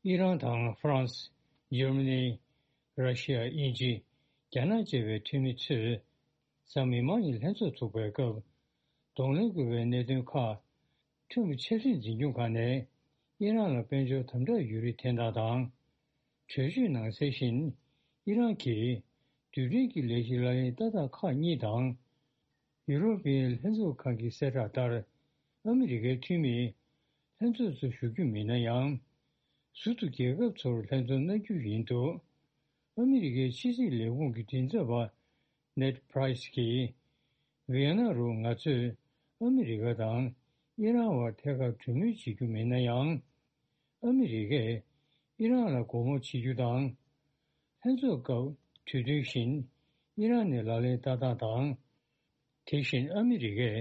ཨི་རན་དང་ཧྥ་རན་སི། འཇར་མ་ནི། ར་ཤི་ཡ། དབྱིན་ཇི། རྒྱ་ནག་བཅས་པའི་འཐུས་མི་ཚོས་གཟའ་མིག་དམར་ཉིན་ལྷན་ཚོགས་ཚོགས་པའི་སྐབས། གདོང་ལེན་དགོས་པའི་གནད་དོན་ཁག་ཁྲིམས་ཆབ་སྲིད་འཛིན་སྐྱོང་ཁང་ནས་ཨི་རན་ལ་དཔལ་འབྱོར་དམ་དྲག་ཡོད་རིགས་ཐེར་འདོན་དང་། གྲོས་ཆོད་ནང་གསལ་བཞིན། ཨི་རན་གྱིས་རྡུལ་ཕྲན་གྱི་ལས་གཞི་ལག་ལེན་བསྟར་སྟངས་ཁག་གཉིས་དང་། ཡུ་རོ་པའི་ལྷན་ཚོགས་ཁང་གི་གསལ་བསྒྲགས་ལྟར། ཨ་མི་རི་ཀའི་འཐུས་མིས་ལྷན་ཚོགས་སུ་ཞུགས་རྒྱུ་མིན་ན་ཡང་། ཟུར་དུ་རྒྱལ་ཁབ་ཚོར་ལྷན་འཛོམས་གནང་རྒྱུ་ཡིན་འདུག། ཨ་མི་རི་ཀའི་ཕྱི་སྲིད་ལས་ཁུངས་ཀྱི་མགྲིན་ཚབ་པ་ནེད་པྲའི་སི་གིས། ཝི་ཡེ་ན་རུ་ང་ཚོས་ཨ་མི་རི་ཀ་དང་ཨི་རན་བར་ཐད་ཀར་གྲོས་མོལ་བྱེད་རྒྱུ་མིན་ན་ཡང་། ཨ་མི་རི་ཀས་ཨི་རན་ལ་སྒོ་མོ་འབྱེད་རྒྱུ་དང་། ལྷན་ཚོགས་སྐབས་གྲོས་མཐུན་བཞིན་ཨི་རན་ནས་ལག་ལེན་བསྟར་སྟངས་དང་། དེ་བཞིན་ཨ་མི་རི་ཀས་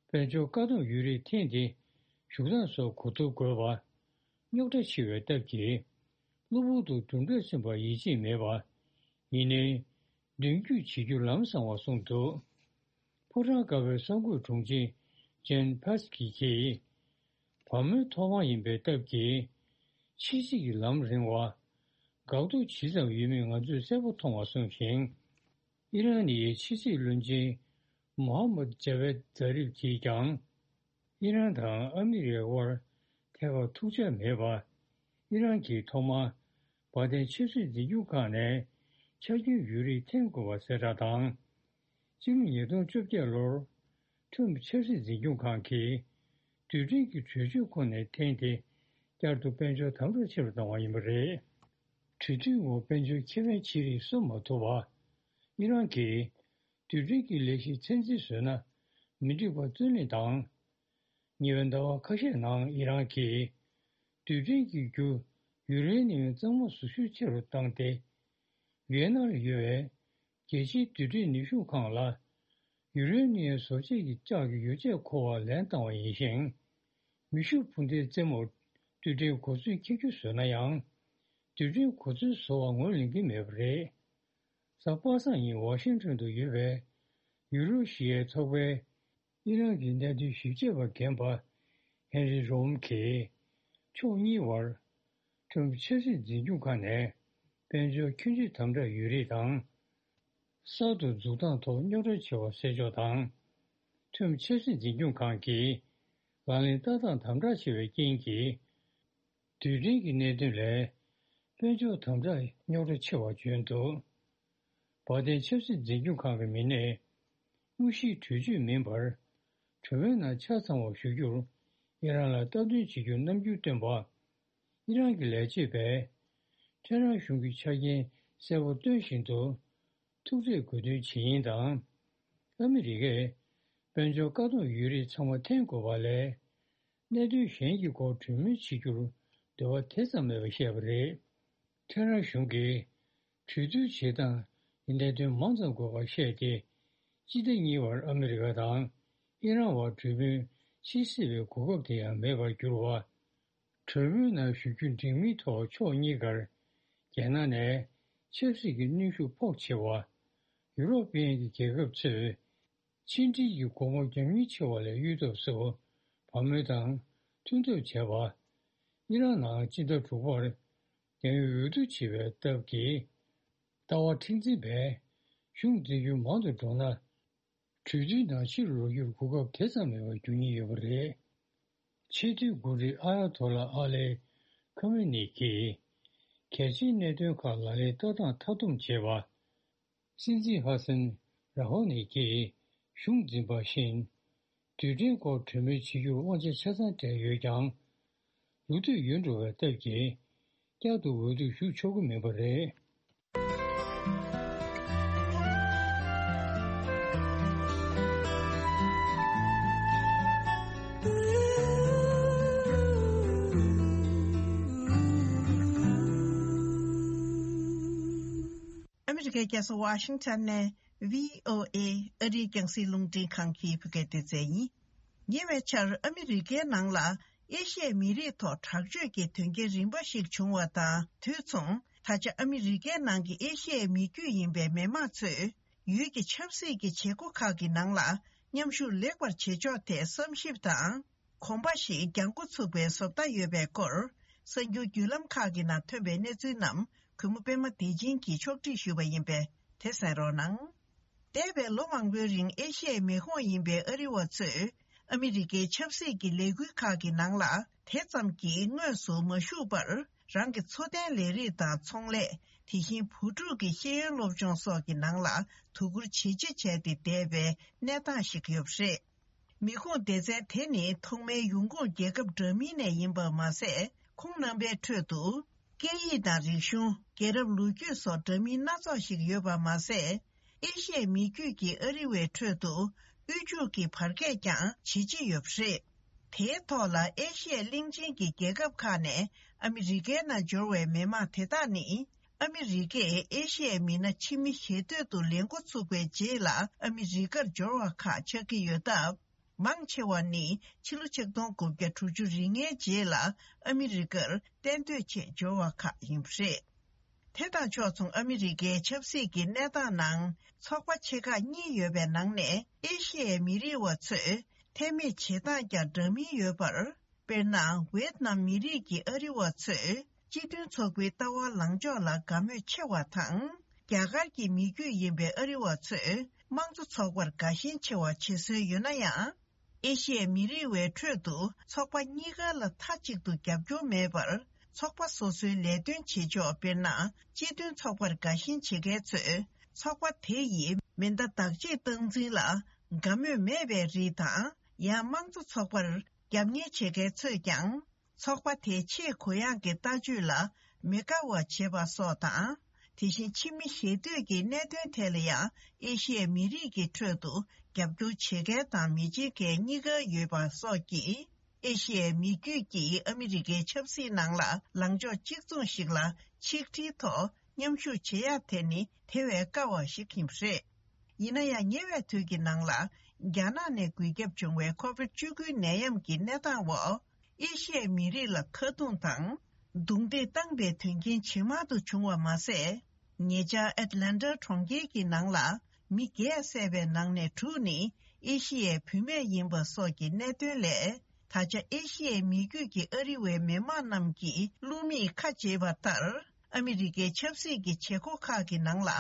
དཔལ་འབྱོར་བཀག་སྡོམ་ཡོད་རིགས་འཐེན་ཏེ་བཞུགས་སྟངས་སོགས་གོ་བསྡུར་དགོས་པ། རྙོག་དྲ་ཆེ་བའི་སྟབས་ཀྱིས། གློ་བུར་དུ་གྲུབ་འབྲས་ཐོན་པར་ཡིད་ཆེས་མེད་པ། ཡིན་ནའི། མདུན་སྐྱོད་བྱེད་རྒྱུ་ལམ་སང་བ་གསུངས་འདུག། ཕོ་བྲང་དཀར་པོའི་གསར་འགོད་དྲུང་ཆེ་ཇེན་ཕེ་སི་ཀི་གིས། བ་མོའི་ཐོག་མ་ཡིན་པའི་སྟབས་ཀྱིས། ཕྱི་སྲིད་ཀྱི་ལམ་རིང་བ། འགག་གཏོར་ཇི་ཙམ་ཡོད་མེད་ང་ཚོས་གསལ་པོ་མཐོང་བ་གསུངས་ཤིང་། ཨི་རན་ནི་ཕྱི་སྲིད་བློན་ཆེན་མོ་ཧ་མད་ཇ་ཝེད་ཛ་རིབ་ཀྱིས་ཀྱང་། ཨི་རན་དང་ཨ་མི་རི་ཀའི་དབར་ཐད་ཀར་ཐུག་འཆར་མེད་པ། ཨི་རན་གྱིས་ཐོག་མར་བར་བརྟན་ཆབ་སྲིད་འཛིན་སྐྱོང་ཁང་ནས་ཆ་རྐྱེན་ཡོད་རིགས་འཐེན་དགོས་པ་གསལ་བསྒྲགས་དང་། སྤྱི་ལོ་ཉིས་སྟོང་བཅོ་བརྒྱད་ལོར་ཁྲོམ་ཆབ་སྲིད་འཛིན་སྐྱོང་ཁང་གིས་རྡུལ་ཕྲན་གྱི་གྲོས་ཆོད་ཁོ་ནས་འཐེན་ཏེ་བསྐྱར་དུ་དཔལ་འབྱོར་དམ་དྲག་ཆེ་རུ་བཏང་བ་ཡིན་པ་རེད། གྲོས་མཐུན་འོག་དཔལ་འབྱོར་ཁེ་ཕན་ཆེ་རིགས་གསོ་མ་ཐུབ་པ། ཨི་རན་གྱིས་རྡུལ་ཕྲན་གྱི་ལས་གཞི་ཚད་འཛིན་བཟོས་ན་མི་འགྲིག་པ་བརྩོན་ལེན་དང་། ཉེ་བའི་ཟླ་བ་ཁ་ཤས་ནང་ཨི་རན་གྱིས་རྡུལ་ཕྲན་གྱི་རྒྱུ་ཡུ་རེ་ནི་ཡམ་གཙང་མ་བཟོ་ཤུགས་ཆེ་རུ་བཏང་སྟེ། ཝི་ཡེ་ན་ལ་ཡོད་པའི་ རྒྱལ་སྤྱིའི་རྡུལ་ཕྲན་ནུས་ཤུགས་ཁང་ལ་ཡུ་རེ་ནི་ཡམ་བཟོ་བྱེད་ཀྱི་ལྕགས་ཀྱི་ཡོ་བྱད་མཁོ་བ་ལེན་བཏང་བ་ཡིན་ཞིང་། མེ་ཤུགས་འཕུར་མདེལ་རྩེ་མོར་རྡུལ་ཕྲན་གོ་མཚོན་འཁྱེར་རྒྱུ་བཟོས་ན་ཡང་། རྡུལ་ཕྲན་གོ་མཚོན་བཟོ་བར་ངོས་ལེན་གྱི་མེད་པ་རེད། གཟའ་པ་སངས་ཉིན་ཝ་ཤིང་ཊོན་དུ་ཡོད་པའི་ཡུ་རོ་ཤི་ཡའི་ཚོགས་པས། ཨི་རན་གྱི་གནད་དོན་ཞིབ་དཔྱད་པ་རྒན་པ་ཧེན་རི་རོམ་གྱིས། ཕྱོགས་གཉིས་བར་ཁྲོམ་ཆབ་སྲིད་འཛིན་སྐྱོང་ཁང་ནས་དཔལ་འབྱོར་ཁྱོན་ཆུད་དམ་དྲག་ཡོད་རིགས་དང་། གསར་དུ་འཛུགས་སྟངས་ཐོག་རྙོག་དྲ་ཆེ་བ་སེལ་ཕྱོགས་དང་། ཁྲོམ་ཆབ་སྲིད་འཛིན་སྐྱོང་ཁང་གིས་ལག་ལེན་བསྟར་སྟངས་དམ་དྲག་ཆེ་བའི་རྐྱེན་གྱིས། རྡུལ་ཕྲན་གྱི་གནད་དོན་ལས་དཔལ་འབྱོར་དམ་དྲག་རྙོག་དྲ་ཆེ་བ་བྱུང་འདུག་བར་བརྟེན་ཆབ་སྲིད་འཛིན་སྐྱོང་ཁང་གི་མི་སྣས་དངོས་གཞིའི་གྲོས་ཆོད་མིན་པར་གྲོས་མོལ་ནང་ཆ་ཚང་བ་ཞུ་རྒྱུར་ཨི་རན་ལ་སྟབས་བསྟུན་བྱེད་རྒྱུར་རྣམ་འགྱུར་སྟོན་པ། ཨི་རན་གྱི་ལས་བྱེད་པས་ཐེ་རན་གཞུང་གི་ཆ་རྐྱེན་གསལ་པོ་སྟོན་བཞིན་དུ། ཐུག་འཕྲད་དགོས་འདུན་བྱེད་ཡིན་དང་། ཨ་མི་རི་ཀས་དཔལ་འབྱོར་བཀག་སྡོམ་ཡོད་རིགས་ཚང་མ་འཐེན་དགོས་པ་ལས། གནད་དོན་གཞན་གྱི་སྐོར་གྲོས་མོལ་བྱེད་རྒྱུར་འདོད་པ་དེ་ཙམ་མེད་པ་བཤད་པ་རེད། ཐེ་རན་གཞུང་གིས་གྲོས་བསྡུར་བྱེད་སྟངས་ཀྱི་གནད་དོན་མང་ཙམ་དགོས་པར་བཤད་དེ། སྤྱི་ཟླ་གཉིས་པར་ཨ་མི་རི་ཀ་དང་ཨི་རན་བར་གྲོས་མོལ་བྱེད་སྲིད་པའི་གོ་སྐབས་དེ་ཡང་མེད་པར་གྱུར་བ། གྲོས་མོལ་ནང་ཞུགས་རྒྱུ་འགྲིག་མིན་ཐོག་ཕྱོགས་གཉིས་ཀར་རྒྱལ་ནང་ནས་ཆབ་སྲིད་ཀྱི་གནོན་ཤུགས་ཕོགས་ཆེ་བ། ཡུ་རོབ་དབྱིན་གྱི་རྒྱལ་ཁབ་ཚོས་ཕྱི་འབྲེལ་གྱི་སྒོ་མོ་རྒྱག་མིན་ཆེ་བ་ལས་གཡུལ་ཐབས་སུ་བ་མོ་དང་མཐུན་ཐབས་བྱས་པ། ཨི་རན་ནང་སྤྱི་ཟླ་དྲུག་པར་རྒྱག་ཡུལ་འོས་བསྡུ་བྱེད་པའི་སྟབས་ཀྱིས། ལྟ་བ་མཁྲེགས་འཛིན་པས་གཞུང་འཛིན་རྒྱུ་མང་དུ་འགྲོ་ན། གྲོས་བསྡུར་ནང་ཕྱིར་ལོག་རྒྱུར་གོ་སྐབས་དེ་ཙམ་མེད་པར་འགྱུར་ཉེན་ཡོད་པ་རེད། ཆེས་མཐོའི་འགོ་ཁྲིད་ཨ་ཡ་ཐོ་ལ་ཨ་ལེ་ཁ་མེ་ནི་གིས། གལ་ཆེའི་གནད་དོན་ཁག་ལག་ལེན་བསྟར་སྟངས་མཐའ་སྡོམ་བྱས་པ། སྲིད་འཛིན་ཧ་སན་ར་ཧོ་ནི་གིས་གཞུང་འཛིན་པ་བཞིན། རྡུལ་ཕྲན་སྐོར་གྲོས་མོལ་བྱེད་རྒྱུར་དབང་ཆ་ཆ་ཚང་སྤྲད་ཡོད་ཀྱང་། ལོ་དུས་ཡོལ་འགྲོ་བའི་སྟབས་ཀྱིས། བསྐྱར་དུ་འོས་བསྡུ་ཞུགས་ཆོག་གི་མིན་པ་རེད། ཨ་མི་རི་ཀའི་རྒྱལ་ས་ཝ་ཤིང་ཊོན་ནས་བྷི་ཨོ་ཨེ་ཨ་རིའི་རྒྱང་སྲིང་རླུང་འཕྲིན་ཁང་གི་བོད་སྐད་སྡེ་ཚན་ཡིན། ཉེ་བའི་ཆར་ཨ་མི་རི་ཀའི་ནང་ལ་ཨེ་ཤི་ཡའི་མི་རིགས་ཐོག་དྲག་སྤྱོད་ཀྱི་དོན་རྐྱེན་རིམ་པ་ཞིག་བྱུང་བ་དང་དུས་མཚུངས། ད་ཆ་ཨ་མི་རི་ཀའི་ནང་གི་ཨེ་ཤི་ཡའི་མི་རྒྱུད་ཡིན་པའི་མི་མང་ཚོས་ཡུལ་གྱི་ཆབ་སྲིད་ཀྱི་བྱེད་སྒོ་ཁག་གི་ནང་ལ་མཉམ་ཞུགས་ལེགས་པར་བྱེད་ཕྱོགས་ཐད་བསམ་ཞིབ་དང་། གོམ་པ་ཞིག་རྒྱག་འགོ་ཚུགས་པའི་བཟོ་ལྟ་ཡོད་པའི་སྐོར། གསར་འགྱུར་བརྒྱུད་ལམ་ཁག་གི་ནང་ཐོན་པའི་གནས་ཚུལ་རྣམས་གུས་མོ་པད་མ་བདེ་ཆེན་གྱིས་ཕྱོགས་སྒྲིག་ཞུས་པ་ཡིན་པས་དེ་གསན་རོགས་གནང་། འདས་པའི་ལོ་མང་པོའི་རིང་ཨེ་ཤི་ཡའི་མི་ཁོངས་ཡིན་པའི་ཨ་རི་བ་ཚོས་ཨ་མི་རི་ཀའི་ཆབ་སྲིད་ཀྱི་ལས་འགུལ་ཁག་གི་ནང་ལ་དེ་ཙམ་གྱིས་དངོས་སུ་མ་ཞུགས་པར། རང་གི་འཚོ་རྟེན་ལས་རིགས་དང་ཚོང་ལས། དེ་བཞིན་བུ་ཕྲུག་གི་ཤེས་ཡོན་སློབ་སྦྱོང་སོགས་ཀྱི་ནང་ལ་དོ་ཁུར་ཇེ་ཆེ་བྱས་ཏེ་བསྡད་པའི་གནས་སྟངས་ཤིག་ཡོད་པ་རེད། མི་ཁུངས་སྡེ་ཚན་དེ་ནི་ཐོག་མའི་ཡོང་ཁུངས་རྒྱལ་ཁབ་འདྲ་མིན་ནས་ཡིན་པ་མ་ཟད། ཁོང་རྣམ་པའི་ཁྲོད་དུ། སྐད་ཡིག་དང་རིག་གཞུང་། རྒྱལ་རབས་ལོ་རྒྱུས་སོགས་འདྲ་མིན་སྣ་ཚོགས་ཤིག་ཡོད་པ་མ་ཟད། ཨེ་ཤི་ཡའི་མི་རྒྱུད་ཀྱི་ཨ་རི་བའི་ཁྲོད་དུ། དབུལ་ཕྱུག་གི་བར་ཁྱད་ཀྱང་ཇེ་ཆེ་ཡོད་པ་རེད། དེའི་ཐོག་ལ་ཨེ་ཤི་ཡའི་གླིང་ཆེན་གྱི་རྒྱལ་ཁབ་ཁག་ནས་ཨ་མི་རི་ཀའི་ནང་འབྱོར་བའི་མི་མང་དེ་དག་ནི། ཨ་མི་རི་ཀས་ཨེ་ཤི་ཡའི་མི་སྣ་ཕྱི་མི་ཞེ་འདོད་དུ་ལེན་འགོ་ཚུགས་པའི་རྗེས་ལ་ཨ་མི་རི་ཀར་འབྱོར་བ་ཁག་ཆགས་ཀྱི་ཡོད་སྟབས། མང་ཆེ་བ་ནི་ཕྱི་ལོ་ཆིག་སྟོང་དགུ་བརྒྱ་དྲུག་ཅུ་རེ་ལྔའི་རྗེས་ལ་ཨ་མི་རི་ཀར་གཏན་སྡོད་ཆེད་འབྱོར་བ་ཁག་ཡིན་པ་རེད། དེ་དང་ཕྱོགས་མཚུངས་ཨ་མི་རི་ཀའི་ཆབ་སྲིད་ཀྱི་གནས་སྟངས་ནང་ཚོགས་པ་ཆེ་ཁག་གཉིས་ཡོད་པའི་ནང་ནས་ཨེ་ཤི་ཡའི་མི་རིགས་བ་ཚོས་ཐེ་མེད་བྱེད་སྟངས་ཀྱང་འདྲ་མིན་ཡོད་པར། དཔེར་ན། ཝེད་ནམ་མི་རིགས་ཀྱི་ཨ་རི་བ་ཚོས་སྤྱི་མཐུན་ཚོགས་པའི་ལྟ་བ་ལངས་ཕྱོགས་ལ་དགའ་མོས་ཆེ་བ་དང་། རྒྱ་གར་གྱི་མི་རྒྱུད་ཡིན་པའི་ཨ་རི་བ་ཚོས་དམངས་གཙོ་ཚོགས་པར་དགའ་ཞེན་ཆེ་བ་བྱེད་སྲོལ་ཡོད་ན་ཡང་། ཨེ་ཤི་ཡའི་མི་རིགས་བའི་ཁྲོད་དུ་ཚོགས་པ་གཉིས་ཀ་ལ་མཐའ་གཅིག་ཏུ་རྒྱབ་སྐྱོར་མེད་པར། ཚོགས་པ་སོ་སོའི་ལས་དོན་བྱེད་ཕྱོགས་དཔེར་ན། སྤྱི་མཐུན་ཚོགས་པར་དགའ་ཞེན་བྱེད་མཁན་ཚོས་ཚོགས་པ་དེ་ཡི་མེ་མདའ་བདག་གཅེས་སྟངས་འཛིན་ལ་དགའ་མོས་མེད་པའི་རིགས་དང་། ཡང་དམངས་གཙོ་ཚོགས་པར་རྒྱབ་གཉེར་བྱེད་མཁན་ཚོས་ཀྱང་། ཚོགས་པ་དེའི་ཆེས་གུ་ཡངས་ཀྱི་ལྟ་སྤྱོད་ལ་མི་དགའ་བ་བྱེད་པ་སོགས་དང་། དེ་བཞིན་ཕྱི་མི་ཞེ་འདོད་ཀྱི་གནད་དོན་ཐད་ལ་ཡང་ཨེ་ཤི་ཡའི་མི་རིགས་ཀྱི་ཁྲོད་དུ་རྒྱབ་སྐྱོར་བྱེད་མཁན་དང་མི་བྱེད་མཁན་གཉིས་ཀ་ཡོད་པ་སོགས་ཀྱིས། ཨེ་ཤི་ཡའི་མི་རྒྱུད་ཀྱིས་ཨ་མི་རི་ཀའི་ཆབ་སྲིད་ནང་ལ་ལངས་ཕྱོགས་གཅིག་མཚུངས་ཤིག་ལ་ཆིག་སྒྲིལ་ཐོག་ མཉམ་ཞུགས་བྱེད་ཡག་དེ་ནི་དེ་བས་དཀའ་བ་ཞིག་ཡིན་པ་རེད། ཡིན་ན་ཡང་ཉེ་བའི་དུས་ཀྱི་ནང་ལ་རྒྱ་ནག་ནས་འགོས་ཁྱབ་བྱུང་བའི་ཁོ་བིད་བཅུ་དགུ་ནད་ཡམས་ཀྱི་གནས་སྟངས་འོག་ཨེ་ཤི་ཡའི་མི་རིགས་ལ་ཁ་རྡུང་དང་རྡུང་རྡེག་བཏང་པའི་དོན་རྐྱེན་ཇེ་མང་དུ་བྱུང་བ་མ་ཟད། ཉེ་ཆར་ཨེཊ་ལན་ཊ་གྲོང་ཁྱེར་གྱི་ནང་ལ་མི་བརྒྱད་བསད་པའི་ནང་ནས་དྲུག་ནི་ཨེ་ཤི་ཡའི་བུད་མེད་ཡིན་པ་སོགས་ཀྱི་གནད་དོན་ལས། ད་ཆ་ཨེ་ཤི་ཡའི་མི་རྒྱུད་ཀྱི་ཨ་རི་བའི་མི་མང་རྣམས་ཀྱིས་བླུག་མིས་ཁ་འབྱེད་པ་ལྟར། ཨ་མི་རི་ཀའི་ཆབ་སྲིད་ཀྱི་བྱེད་སྒོ་ཁག་གི་ནང་ལ་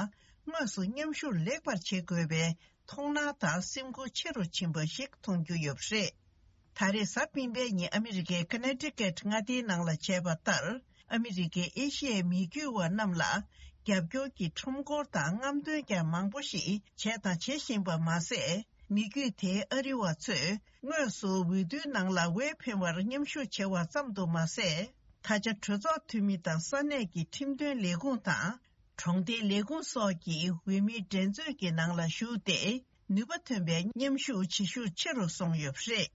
དངོས་སུ་མཉམ་ཞུགས་ལེགས་པར་བྱེད་དགོས་པའི་མཐོང་སྣང་དང་སེམས་ཁུར་ཆེ་རུ་ཕྱིན་པ་ཞིག་མཐོང་རྒྱུ་ཡོད་པ་རེད། ད་རེས་གཟའ་སྤེན་པའི་ཉིན་ཨ་མི་རི་ཀའི་ཀ་ནེ་ཊི་ཀེཊ་མངའ་སྡེའི་ནང་ལ་བྱས་པ་ལྟར། ཨ་མི་རི་ཀས་ཨེ་ཤི་ཡའི་མི་རྒྱུད་བ་རྣམས་ལ་རྒྱབ་སྐྱོར་གྱི་ཁྲོམ་སྐོར་དང་རྔམ་སྟོན་ཀྱང་མང་པོ་ཞིག་བྱས་དང་བྱེད་བཞིན་པ་མ་ཟད། མི་རྒྱུད་དེའི་ཨ་རི་བ་ཚོས་དངོས་སུ་འོས་བསྡུའི་ནང་ལ་འོས་འཕེན་པར་མཉམ་ཞུགས་བྱས་པ་ཙམ་དུ་མ་ཟད། ད་ཆ་གྲོས་ཚོགས་འཐུས་མི་དང་ས་གནས་ཀྱི་ཁྲིམས་དོན་ལས་ཁུངས་དང་། གྲོང་སྡེའི་ལས་ཁུངས་སོགས་ཀྱི་འོས་མིའི་འགྲན་རྩོད་ཀྱི་ནང་ལ་ཞུགས་ཏེ། ནུས་པ་ཐོན་པའི་མཉམ་ཞུགས་བྱེད་ཤུགས་ཆེ་རུ་སོང་ཡོད་པ་རེད།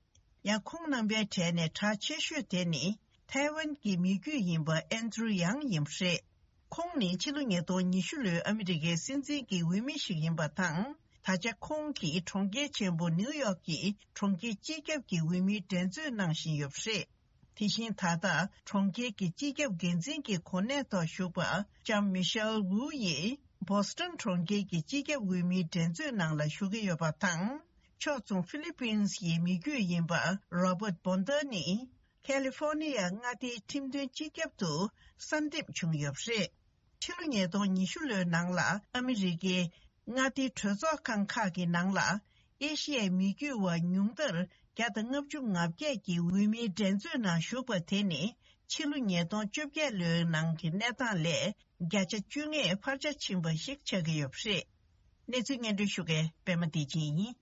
ཡང་ཁོང་རྣམ་པའི་གྲས་ནས་གྲགས་ཆེ་ཤོས་དེ་ནི་ཐའེ་ཝན་གྱི་མི་རྒྱུད་ཡིན་པ་ཨན་ཌྲུ་ཡང་ཡིན་པ་རེད། ཁོང་ནི་ཕྱི་ལོ་ཉིས་སྟོང་ཉི་ཤུ་ལོའི་ཨ་མི་རི་ཀའི་སྲིད་འཛིན་གྱི་འོས་མི་ཞིག་ཡིན་པ་དང་། ད་ཆ་ཁོང་གིས་གྲོང་ཁྱེར་ཆེན་པོ་ནིའུ་ཡོག་གི་གྲོང་ཁྱེར་སྤྱི་ཁྱབ་ཀྱི་འོས་མིའི་འགྲན་རྩོད་གནང་བཞིན་ཡོད་པ་རེད། དེ་བཞིན་ད་ལྟ་གྲོང་ཁྱེར་གྱི་སྤྱི་ཁྱབ་འགན་འཛིན་གྱི་གོ་གནས་ཐོག་བཞུགས་པ་ལྕམ་མི་ཤེལ་ཝུའུ་ཡིས་བོ་སི་ཊོན་གྲོང་ཁྱེར་གྱི་སྤྱི་ཁྱབ་འོས་མིའི་འགྲན་རྩོད་ནང་ལ་ཞུགས་ཀྱི་ཡོད་པ་དང་། ཕྱོགས་མཚུངས་ཧྥི་ལི་པིན་སི་ཡི་མི་རྒྱུད་ཡིན་པ་རོ་བརྟ་བོན་ཏར་ནི། ཁ་ལི་ཧྥོ་ནི་ཡ་མངའ་སྡེའི་ཁྲིམས་དོན་སྤྱི་ཁྱབ་ཏུ་གསར་འདེམས་བྱུང་ཡོད་པ་རེད། ཕྱི་ལོ་ཉིས་སྟོང་ཉི་ཤུ་ལོའི་ནང་ལ་ཨ་མི་རི་ཀའི་མངའ་སྡེའི་གྲོས་ཚོགས་ཁང་ཁག་གི་ནང་ལ་ཨེ་ཤི་ཡའི་མི་རྒྱུད་བ་ཉུང་མཐར་བརྒྱ་དང་ལྔ་བཅུ་ང་བརྒྱད་ཀྱི་འོས་མིའི་འགྲན་རྩོད་ནང་ཞུགས་པ་དེ་ནི་ཕྱི་ལོ་ཉིས་སྟོང་བཅོ་བརྒྱད་ལོའི་ནང་གི་གནས་སྟངས་ལས་བརྒྱ་ཆ་བཅུ་ལྔས་འཕར་ཆ་ཕྱིན་པ་ཞིག་ཆགས་ཀྱི་ཡོད་པ་རེད། གནས་ཚུལ་སྙན་སྒྲོན་ཞུ་མཁན་པད་མ་བདེ་ཆེན་ཡིན།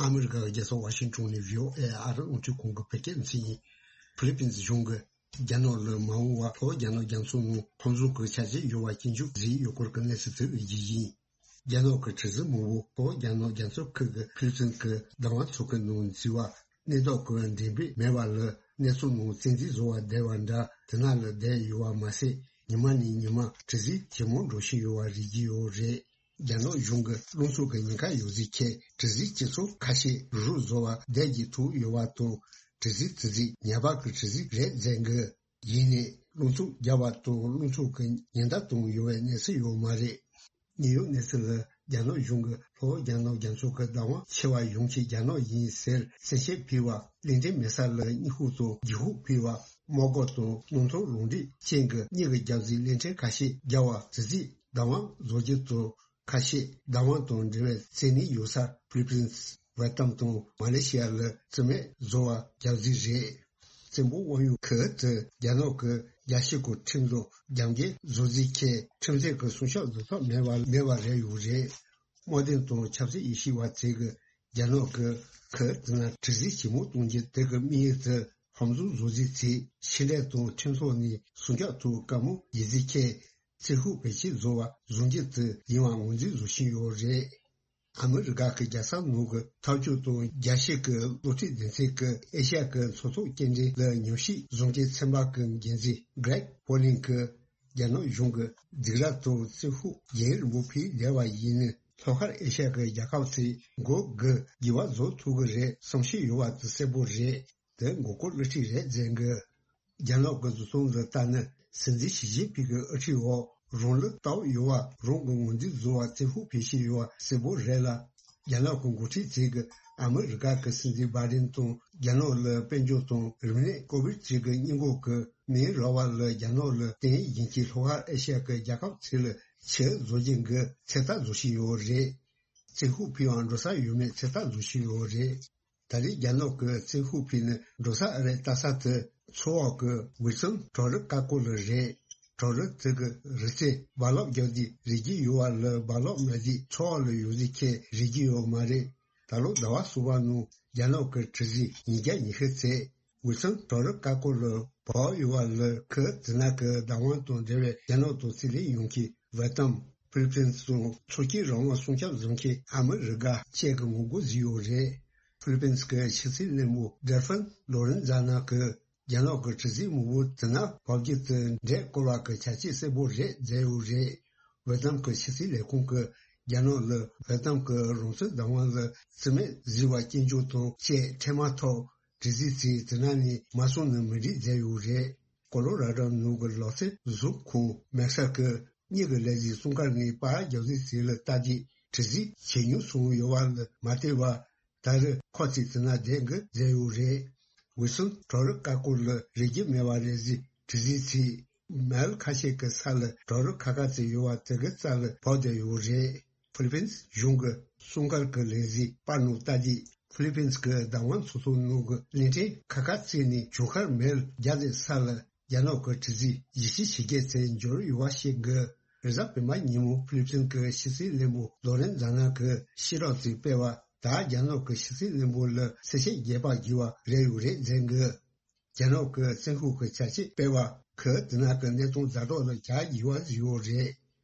ཨ་མི་རི་ཀ་གི་རྒྱལ་ས་ཝ་ཤིང་ཊོན་ནས་བྷི་ཨོ་ཨེ་ཨ་རི་རླུང་འཕྲིན་ཁང་གི་བོད་སྐད་སྡེ་ཚན་ཡིན། ཧྥི་ལི་པིན་གཞུང་གིས་རྒྱ་ནག་ལ་མ་འོངས་པར་ལྷོ་རྒྱ་ནག་རྒྱ་མཚོ་ནང་ཧོར་མཛོ་གི་ཆ་རྐྱེན་ཡོད་པ་སྐྱོན་བརྗོད་བཟོས་ཡོད་སྐོར་གྱི་གནས་ཚུལ་དེ་འོས་བསྡུ་ཡིན། རྒྱ་ནག་གི་དྲི་ཟིན་མང་པོ་ལྷོ་རྒྱ་ནག་རྒྱ་མཚོ་ཁུལ་གྱི་ཧྥི་ལི་པིན་གྱི་བདག་དབང་མཚོ་ཁུལ་ནང་འཛུལ་བ། གནས་བདག་གི་འགྲེམས་སྤེལ་མེད་པ་ལ་གནས་ཚུལ་ནང་བཙན་འཛུལ་བཟོ་བར་བསྡད་པ་འདྲ་དེ་ན་ལ་བསྡད་ཡོད་པ་མ་ཟད། ཉི་མ་ནས་ཉི་མ་དྲི་ཟིན་ཇེ་མང་འགྲོ་བཞིན་ཡོད་པ་རིག་གི་ཡོད་རེད། རྒྱ་ནག་གཞུང་གི་རླུང་འཚུབ་ཀྱི་ཉེན་ཁ་ཡོད་ཚུལ་ཁྱེད་དྲི་ཟིན་སྤྱི་ཚོགས་ཁ་ཤས་རུ་རུ་བཟོ་བ་བསྡད་ཀྱི་ཐུག་ཡོད་པ་དང་། དྲི་ཟིན་དེ་ཚོ་ཉེས་པ་གི་དྲི་ཟིན་རེད་ཟེར་གི། ཡིན་ནའི་རླུང་འཚུབ་རྒྱག་པ་དང་རླུང་འཚུབ་ཀྱི་ཉེན་བརྡ་བཏང་ཡོད་པའི་གནས་ཚུལ་ཡོད་མ་རེད། ཉེ་ཡོད་གནས་ཚུལ་ལ་རྒྱ་ནག་གཞུང་གིས་ལྷོ་རྒྱ་ནག་རྒྱ་མཚོ་གི་བདག་དབང་ཆེ་བ་ཡོངས་ཀྱི་རྒྱ་ནག་ཡིན་ཟེར་གསལ་བཤད་ཕུལ་བ། གླིང་ཕྲན་མེད་ས་ལ་སྙིང་ཁུག་དང་ལྗིད་ཁུག་ཕུལ་བ། དམག་སྒར་དང་སྣུམ་ཐོག་རང་འགྲིག་ཅན་གྱི་གཉིས་ཀྱི་རྒྱབ་གཟིགས་གླིང་ཕྲན་ཁ་ཤས་རྒྱག་པ་དེ་ཚོས་བདག་དབང་བཟོ་རྒྱུ་དང་། ཁ་ཤས་བདག་དབང་དང་འབྲེལ་བའི་བཙན་གནོན་ཡོད་ས་ཧྥི་ལི་པིན། ཝེ་ཏམ་དང་མ་ལེ་ཤི་ཡ་ལ་རྩིས་མེད་བཟོ་བ་རྒྱབ་གཟིགས་རེད། བཙན་པོ་དབང་ཡོད་ཁུལ་དུ་རྒྱ་ནག་གི་རྒྱལ་སྤྱི་གི་ཁྲིམས་དང་རྒྱབ་འགལ་བཟོ་རྩིས་ཁྱེད་ཁྲིམས་རྩོད་ཀྱི་སྲུང་སྐྱོབ་བཟོ་ཐབས་མེད་པ་མེད་པ་རེད་ཡོད་རེད། དམག་དོན་དང་ཆབ་སྲིད་དབྱེ་ཞིབ་པ་ཚོས་གི་རྒྱ་ནག་གི་ཁུལ་དེ་ན་དྲི་ཟིན་ཇེ་མང་གཏོང་རྒྱུ་དེ་གི་དམིགས་ཡུལ་དུ་ཧོར་མཛོ་བཟོ་རྩིས་ཚེ་ཕྱི་འབྲེལ་དང་ཁྲིམས་ཐོག་ནས་སྲུང་སྐྱོབ་ཐོག་བཀའ་མོལ་ཡིན་རྩིས་ཁྱེད་རྩིས་ཤོག་བེད་སྤྱོད་བཟོ་བ་བཟོ་རྒྱུ་དེ་ཡིན་པ་ངོས་འཛིན་བཟོ་བཞིན་ཡོད་རེད། ཨ་མི་རི་ཀ་གི་རྒྱལ་ས་ནང་གི་འཐབ་ཕྱོགས་དང་རྒྱལ་སྤྱི་གི་བློ་འདྲི་སྡེ་ཚན་གྱི་ཨེ་ཤ་ཡ་གི་མཚོ་ཐོག་སྐྱེལ་འདྲེན་ལ་ཉམས་ཞིབ་བཟོ་འདྲིའི་ཚན་པ་གི་འགན་འཛིན་Greg Polling གིས་རྒྱ་ནག་གཞུང་གི་སྡིགས་ར་དང་རྩིས་ཤོག་རྒྱུན་རིང་པོ་ཕུལ་བསྡད་པ་ཡིན་ན། ལྷོ་ཤར་ཨེ་ཤ་ཡ་གི་རྒྱལ་ཁབ་ཚོས་མགོ་སྒུར་འགྱུར་བ་བཟོ་ཐུབ་ཀྱི་རེད་བསམ་ཤེས་ཡོད་པ་དེ་གསལ་པོ་རེད། དེ་མགོ་སྐོར་བསླུ་བྲིད་རེད་ཟེར་གི། རྒྱ་ནག་གི་བཟོ་ཚོང་ལ་ལྟ་ན། སྲིད་འཛིན་ཞི་ཅིན་ཕིང་གི་དབུ་ཁྲིད་འོག་རང་ལ་ལྟ་བ་ཡོད་པ་རང་གི་ངོས་འཛིན་བཟོ་བ་བཙན་ཤུགས་སྤེལ་བཞིན་ཡོད་པ་གསལ་པོ་རེད་ལ། རྒྱ་ནག་གི་འགོ་ཁྲིད་ཚོས་ཀྱིས་ཨ་མི་རི་ཀ་གི་སྲིད་འཛིན་བྷའི་ཌེན་དང་རྒྱ་ནག་ལ་དཔལ་འབྱོར་དང་རིག་གནས་ཀོ་བིཌ་བཅུ་དགུ་སྔོན་འགོག་གི་མིང་རག་པ་ལ་རྒྱ་ནག་ལ་བརྟེན་བཞིན་གྱི་ལྷོ་ཤར་ཨེ་ཤ་ཡ་གི་རྒྱལ་ཁབ་ཚོ་ལ་ཕྱིར་བཟོ་རྒྱུ་གི་ཚོད་ལྟ་བཟོ་བཞིན་ཡོད་རེད། བཙན་ཤུགས་ཕུལ་བའང་འགྲོ་ས་ཡོད་མེད་ཚོད་ལྟ་བཟོ་བཞིན་ཡོད་རེད། ད་རེས་རྒྱ་ནག་གི་བཙན་ཤུགས་ཕུལ་ནས་འགྲོ་ས་ཨ་རེ་ལྟ་ས་དེ་མཚོ་འོག་གི་ཝིལ་སོན་བྲག་རི་ཀ་ཀོ་ལ་རེད། བྲག་རི་དེ་གི་རི་རྩེ་རྦ་རླབས་རྒྱག་དུས་རིལ་རྒྱུ་ཡོད་པ་ལ་རྦ་རླབས་མེད་དུས་མཚོ་འོག་ལ་ཡོད་ཚུལ་ཁྱེད་རིག་གི་ཡོད་མ་རེད། ད་ལོ་ཟླ་བ་གསུམ་པ་ནང་རྒྱ་ནག་གི་དྲི་ཟིན་ཉིས་བརྒྱ་ཉི་ཤུ་ཚེ་ཝིལ་སོན་བྲག་རི་ཀ་ཀོ་ལ་བབས་ཡོད་པ་ལ་ཁུལ་དེ་ན་གི་བདག་དབང་དང་འབྲེལ་བའི་རྒྱ་ནག་དང་རྩིས་ལེན་ཡོང་མཁན་ ཝེ་ཏམ། ཧྥི་ལི་པིན་སོགས་མཚོ་སྐྱེས་རང་དབང་སྲུང་སྐྱོབ་བཟོ་མཁན་ཨ་མི་རི་ཀ་བཅས་ཀྱི་ངོ་རྒོལ་བཟོས་ཡོད་རེད། ཧྥི་ལི་པིན་གྱི་ཕྱི་སྲིད་བློན་པོ་ཌེལ་ཧྥིན་ལོ་རེན་ཛ་ན་གིས་རྒྱ་ནག་གི་དྲི་ཟའི་མི་འབོར་དེ་ནང་བབ་བརྒྱུད་དུ་འདྲེས་བཀོལ་བ་གི་བྱ་སྤྱོད་གསལ་པོ་རེད་བརྗོད་ཡོད་རེད། ཝེ་ཏམ་གྱི་ཕྱི་སྲིད་ལས་ཁུངས་ཀྱིས་རྒྱ་ནག་ལ་ཝེ་ཏམ་གྱི་རང་བཙན་བདག་དབང་ལ་བརྩི་མེད་བཟོས་པ་སྐྱོན་བརྗོད་དང་བཅས་འཕྲལ་མ་ཐོག་དྲི་ཟའི་ཚིག་དེ་ནང་ནས་མ་སོང་ན་མི་འགྲིག་བརྗོད་ཡོད་རེད། ཀོ་ལོ་ར་ཌོ་ནང་གི་ལག་རྩལ་བཟོ་ཁང་མེག་སར་གྱིས་གཉིས་ཀྱི་ལས་གཞི་སྲུང་སྐར་ནས་པར་རྒྱག་རྩིས་ཟིན་ལ་ལྟ་རྒྱུ་དྲི་ཟའི་ཇེ་ཉུང་སོང་ཡོད་པ་ལ་མ་ལྟོས་པར། ད་རེས་ཁོ་ཚོས་དེ་ན་བསྡད་དགོས་བཟོས་ཡོད་རེད། ཝི་སུན་གྲོག་རོང་ཀ་ཀོར་ལ་རིག་རྒྱུ་མེད་པ་རེད་ཟེར་དྲི་ཟའི་ཚིག་མལ་ཁ་ཤས་ཀྱི་ས་ལ་གྲོག་རོང་ཁ་ཁ་ཚོད་ཡོད་པ་དེ་གའི་རྩ་ལ་བབས་བསྡད་ཡོད་རེད། ཧྥི་ལི་པིན་གཞུང་གི་སྲུང་སྐར་གྱི་ལས་གཞི་པར་ནང་ལྟ་རྒྱུ། ཧྥི་ལི་པིན་གྱི་བདག་དབང་ཚོགས་ཆུང་ནང་གི་གླིང་ཕྲན་ཁ་ཁ་བརྩིས་ནས་ཇོ་ཁར་མལ་རྒྱ་ཟེར་ས་ལ་རྒྱ་ནག་གི་དྲི་ཟའི་གཞི་བྱེས་བྱེད་མཁན་ཚོ་འབྱོར་ཡོད་པ་ཞིག་གི་རེས་གཟའ་སྤེན་པ་ཉིན་མོ་ཧྥི་ལི་པིན་གྱི་ཕྱི་སྲིད་བློན་པོ་ལོ་རེན་ཛ་ན་གིས་ཤེས་རབ་ཅིག་སྤེལ་བ་དག་རྒྱ་ནག་གི་ཕྱི་སྲིད་བློན་པོ་ལ་གསལ་བཤད་རྒྱས་པ་བགྱིས་པ་རེད་ཡོད་རེད་ཟེར་གི། རྒྱ་ནག་གི་བཙན་ཤུགས་ཀྱི་བྱ་སྤྱོད་སྤེལ་བ་གིས་དེ་ནང་གི་གནས་སྟངས་ཛ་དྲག་ལ་གྱ་བགྱིས་པ་ཞིག་ཡོད་རེད།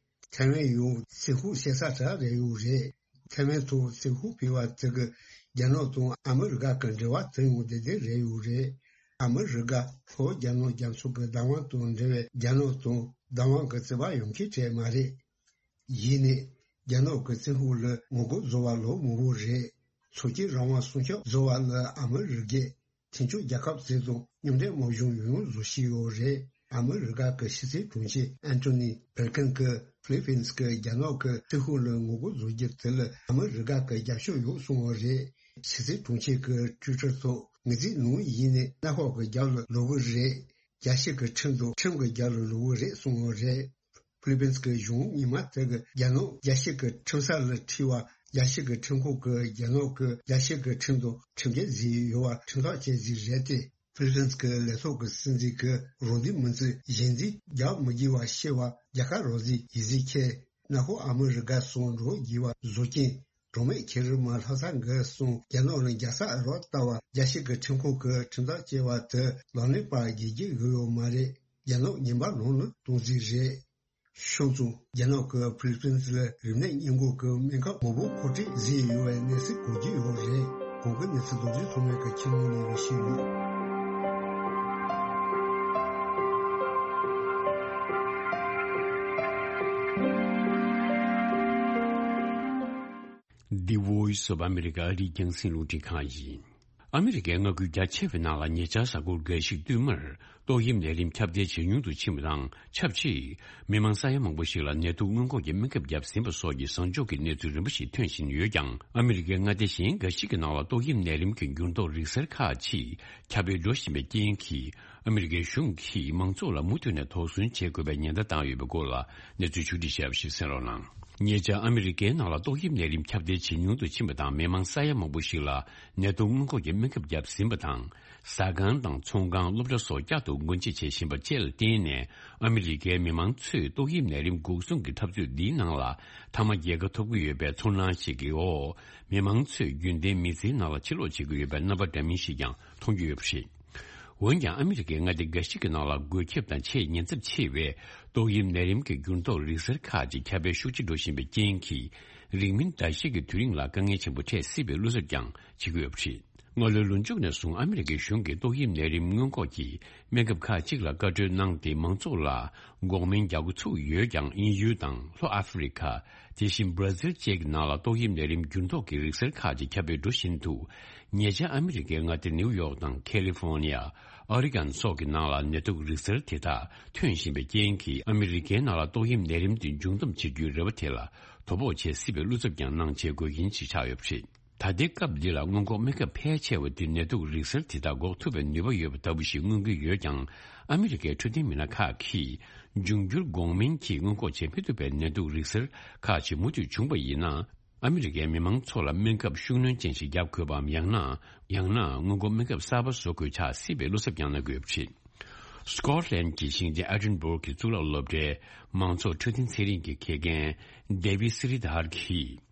ཐའེ་ཝན་ཡང་བཙན་ཤུགས་བྱེད་ས་གྲས་རེད་ཡོད་རེད། ཐའེ་ཝན་ཐོག་བཙན་ཤུགས་སྤེལ་བ་དེ་གིས་རྒྱ་ནག་དང་ཨ་མི་རི་ཀ་གི་འབྲེལ་བ་དེ་ཡང་བདེ་བདེ་རེད་ཡོད་རེད། ཨ་མི་རི་ཀ་ལྷོ་རྒྱ་ནག་རྒྱ་མཚོ་གི་བདག་དབང་དང་འབྲེལ་བའི་རྒྱ་ནག་དང་བདག་དབང་གི་རྩོད་པ་ཡོང་མཁན་གྲས་མ་རེད། ཡིན་ནའི་རྒྱ་ནག་གི་བཙན་ཤུགས་ལ་ངོ་རྒོལ་བཟོ་བ་ལོ་མང་པོ་རེད། མཚོ་སྐྱེས་རང་དབང་སྲུང་སྐྱོབ་བཟོ་བ་ལ་ཨ་མི་རི་ཀས་མཐུན་ཕྱོགས་རྒྱལ་ཁབ་ཚོ་དང་མཉམ་འབྲེལ་དམག་སྦྱོང་ཡང་བཟོ་བཞིན་ཡོད་རེད། ཨ་མི་རི་ཀ་གི་ཕྱི་སྲིད་དྲུང་ཆེ་ཨན་ཐོ་ནི་བྷིལ་ཁིན་གྱིས་ཧྥི་ལི་པིན་གྱིས་རྒྱ་ནག་གི་བཙན་ཤུགས་ལ་ངོ་རྒོལ་བཟོ་རྒྱུ་དེ་ལ་ཨ་མི་རི་ཀ་གི་རྒྱབ་སྐྱོར་ཡོད་གསུངས་པ་རེད། ཕྱི་སྲིད་དྲུང་ཆེ་གིས་ཊུའི་ཊར་ཐོག་ངེད་ཚོའི་ནང་ཡིན་ནའི་གནམ་འོག་གི་རྒྱབ་ལ་ལོག་གི་རེད། རྒྱལ་སྤྱི་གི་ཁྲིམས་དང་ཁྲིམས་ཀྱི་རྒྱབ་ལ་ལོག་གི་རེད་གསུངས་པ་རེད། ཧྥི་ལི་པིན་གྱི་གཞུང་ཉི་མ་དེ་གི་རྒྱ་ནག་རྒྱལ་སྤྱི་གི་ཁྲིམས་ས་ལ་ཁྲིད་པ། རྒྱལ་སྤྱི་གི་ཁྲིམས་ཁང་གིས་རྒྱ་ནག་གི་རྒྱལ་སྤྱི་གི་ཁྲིམས་དང་ཁྲིམས་འགལ་བཟོས་ཡོད་པ་ཁྲིམས་ཐག་བཅད་རྩིས་རེད་དེ། ཧྥི་ལི་པིན་གྱི་ལས་ཐོག་གི་སྲིད་འཛིན་གྱིས་རང་འདོད་མི་འཛིན་གཞན་འཛིན་རྒྱག་མི་དགོས་པ་ཤེས་པ། རྒྱལ་ཁ་རང་བཟོའི་ཡིད་གཟི་ཁྱེར། གནམ་འོག་ཨ་མི་རི་ཀ་སོགས་འགྲོ་དགོས་པ་བཟོ་རྐྱེན། གྲངས་མེད་ཁེ་རི་མ་ལྷ་ས་འགའ་སོང་རྒྱ་ནག་ལ་རྒྱལ་ས་རོགས་ལྟ་བ། རྒྱལ་སྤྱི་གི་ཁྲིམས་ཁང་གི་ཁྲིམས་ཐག་བཅད་པ་དེ་ལག་ལེན་པར་རྒྱལ་རྒྱུ་ཡོད་ཡོད་མ་རེད། རྒྱ་ནག་ཉིན་པ་ལོང་ལ་གཏོང་རྩིས་རེད། ཤོག་ཙུང་རྒྱ་ནག་གི་ཧྥི་ལི་པིན་ལ་རིམས་ནད་སྔོན་འགོག་གི་སྨན་ཁབ་མང་པོ་མཁོ་སྤྲོད་བཟོས་ཡོད་པའི་གནས་ཚུལ་གོ་རྒྱུ་ཡོད་རེད། གོང་གི་གནས་ཚུལ་རྡོ་རྗེ་ཐོགས་མེད་ཀྱི་ཁྱིམ་ལུང་ནས་ཞུས་ཡོད། The Voice of America ཨ་རིའི་རྒྱང་སྲིང་རླུང་འཕྲིན་ཁང་ཡིན། ཨ་མི་རི་ཀའི་མངའ་ཁུལ་རྒྱ་ཆེ་བའི་ནང་ལ་ཉེ་ཆར་གཟའ་འཁོར་འགའ་ཞིག་བསྟུད་མར་ཏོག་དབྱིབས་ནད་རིམས་ཁྱབ་གདལ་ཇེ་ཉུང་དུ་ཕྱིན་པ་དང་ཆབས་ཅིག་མི་མང་ས་ཡ་མང་པོ་ཞིག་ལ་ནད་དུག་སྔོན་འགོག་གི་སྨན་ཁབ་བརྒྱབ་ཟིན་པ་སོགས་ཀྱི་བཟང་ཕྱོགས་ཀྱི་གནས་ཚུལ་རིམ་པ་ཞིག་ཐོན་བཞིན་ཡོད་ཀྱང་། ཨ་མི་རི་ཀའི་མངའ་སྡེ་གཞན་འགའ་ཞིག་གི་ནང་ལ་ཏོག་དབྱིབས་ནད་རིམས་ཀྱི་འགྱུར་ལྡོག་རིག་གསར་ཁག་ཅིག་ཁྱབ་སྤེལ་འགྲོ་བཞིན་པའི་རྐྱེན་གྱིས། ཨ་མི་རི་ཀའི་གཞུང་གིས་མང་ཚོགས་ལ་མུ་མཐུད་ནས་དོགས་ཟོན་བྱེད་དགོས་པའི་ཉེན་བརྡ་བཏང་ཡོད་པའི་སྐོར་ལ་གནས་ཚུལ་ཕྱོགས་སྒྲིག་བྱས་པ་ཞིག་གསན་རོགས་གནང་། ཉེ་ཆར་ཨ་མི་རི་ཀའི་ནང་ལ་ཏོག་དབྱིབས་ནད་རིམས་ཁྱབ་གདལ་ཇེ་ཉུང་དུ་ཕྱིན་པ་དང་མི་མང་ས་ཡ་མང་པོ་ཞིག་ལ་ནད་དུག་སྔོན་འགོག་གི་སྨན་ཁབ་བརྒྱབ་ཟིན་པ་དང་། ཟ་ཁང་དང་ཚོང་ཁང་སློབ་གྲྭ་སོགས་བསྐྱར་དུ་སྒོ་འབྱེད་བྱེད་བཞིན་པ་བཅས་ལ་བརྟེན་ནས་ཨ་མི་རི་ཀའི་མི་མང་ཚོས་ཏོག་དབྱིབས་ནད་རིམས་འགོག་སྲུང་གི་འཐབ་རྩོད་འདིའི་ནང་ལ་མཐའ་མ་རྒྱལ་ཁ་ཐོབ་ཀྱི་ཡོད་པའི་ཚོར་སྣང་ཞིག་གི་འོག་མི་མང་ཚོས་རྒྱུན་ལྡན་མི་ཚེའི་ནང་ལ་ཕྱིར་ལོག་བྱེད་ཀྱི་ཡོད་པའི་རྣམ་པ་འདྲ་མིན་ཞིག་ཀྱང་མཐོང་རྒྱུ་ཡོད་པ་རེད། འོན་ཀྱང་ཨ་མི་རི་ཀའི་མངའ་སྡེ་འགའ་ཞིག་གི་ནང་ལ་འགོས་ཁྱབ་དང་ཆེས་ཉེན་ཚབས་ཆེ་བའི་ཏོག་དབྱིབས་ནད་རིམས་ཀྱི་འགྱུར་ལྡོག་རིག་གསར་ཁག་ཅིག་ཁྱབ་སྤེལ་ཤུགས་ཆེ་འགྲོ་བཞིན་པའི་རྐྱེན་གྱིས། རིང་མིན་ཟླ་ཤས་ཀྱི་དུས་རིང་ལ་དཀའ་ངལ་ཆེན་པོ་འཕྲད་སྲིད་པའི་བློ་འཚབ་ཀྱང་བྱེད་ཀྱི་ཡོད་པ་རེད། སྔ་ལོའི་ལོ་མཇུག་ནས་བཟུང་ཨ་མི་རི་ཀའི་གཞུང་གིས་ཏོག་དབྱིབས་ནད་རིམས་སྔོན་འགོག་གི་སྨན་ཁབ་ཁག་ཅིག་ལ་བཀའ་འཁྲོལ་གནང་སྟེ་མང་ཚོགས་ལ་འགོག་སྨན་རྒྱག་འགོ་ཚུགས་ཡོད་ཀྱང་དབྱིན་ཡུལ་དང་ལྷོ་ཨ་ཧྥེ་རི་ཁ། དེ་བཞིན་བྷ་ར་ཟིལ་བཅས་ཀྱི་ནང་ལ་ཏོག་དབྱིབས་ནད་རིམས་འགྱུར་ལྡོག་གི་རིག་གསར་ཁག་ཅིག་ཁྱབ་སྤེལ་འགྲོ་བཞིན་འདུག་ཉེ་ཆར་ཨ་མི་རི་ཀའི་མངའ་སྡེ་ནེའུ་ཡོག་དང་ཁ་ལི་ཧྥོ་ནི་ཡ། ཨོ་རི་གན་སོགས་ཀྱི་ནང་ལ་ནད་དུག་རིག་གསར་དེ་དག་ཐོན་བཞིན་པའི་རྐྱེན་གྱིས་ཨ་མི་རི་ཀའི་ནང་ལ་ཏོག་དབྱིབས་ནད་རིམས་དེ་འབྱུང་སྟངས་བྱེད་རྒྱུའི་རེ་བ་དེ་ལ་དོ་ཕོག་བྱེད་སྲིད་པའི་བློ་འཚབ་ཀྱང་གནང་བྱེད་དགོས་མཁན་ཞིག་ཆགས་ཡོད་པ་རེད། ད་ལྟའི་སྐབས་འདི་ལ་སྔོན་འགོག་སྨན་ཁབ་ཕལ་ཆེ་བ་དེ་ནད་དུག་རིག་གསར་དེ་དག་འགོག་ཐུབ་པའི་ནུས་པ་ཡོད་པ་ལྟ་བུ་ཞིག་མངོན་གྱི་ཡོད་ཀྱང་། ཨ་མི་རི་ཀའི་འཕྲོད་བསྟེན་མི་སྣ་ཁག་གིས་འབྱུང་འགྱུར་འགོག་སྨན་གྱིས་སྔོན་འགོག་བྱེད་མི་ཐུབ་པའི་ནད་དུག་རིག་གསར་ཁག་ཅིག་མུ་མཐུད་བྱུང་པ་ཡིན་ན། ཨ་མི་རི་ཀའི་མི་མང་ཚོ་ལ་སྨན་ཁབ་ཤུགས་སྣོན་ཅན་ཞིག་བརྒྱབ་དགོས་པའམ། ཡང་ན། ཡང་ན་སྔོན་འགོག་སྨན་ཁབ་གསར་པ་བཟོ་དགོས་ཆགས་སྲིད་པའི་བློ་འཚབ་ཀྱང་གནང་གི་ཡོད་པ་རེད། སི་ཀོ་ཊ་ལན་གྱི་ཞིང་ཆེན་ཨེ་ཌིན་སྦུག་གི་གཙུག་ལག་སློབ་གྲྭའི་མང་ཚོགས་འཕྲོད་བསྟེན་ཚན་རིག་གི་དགེ་རྒན་ཌེ་བིད་སི་རི་དྷར་གྱིས།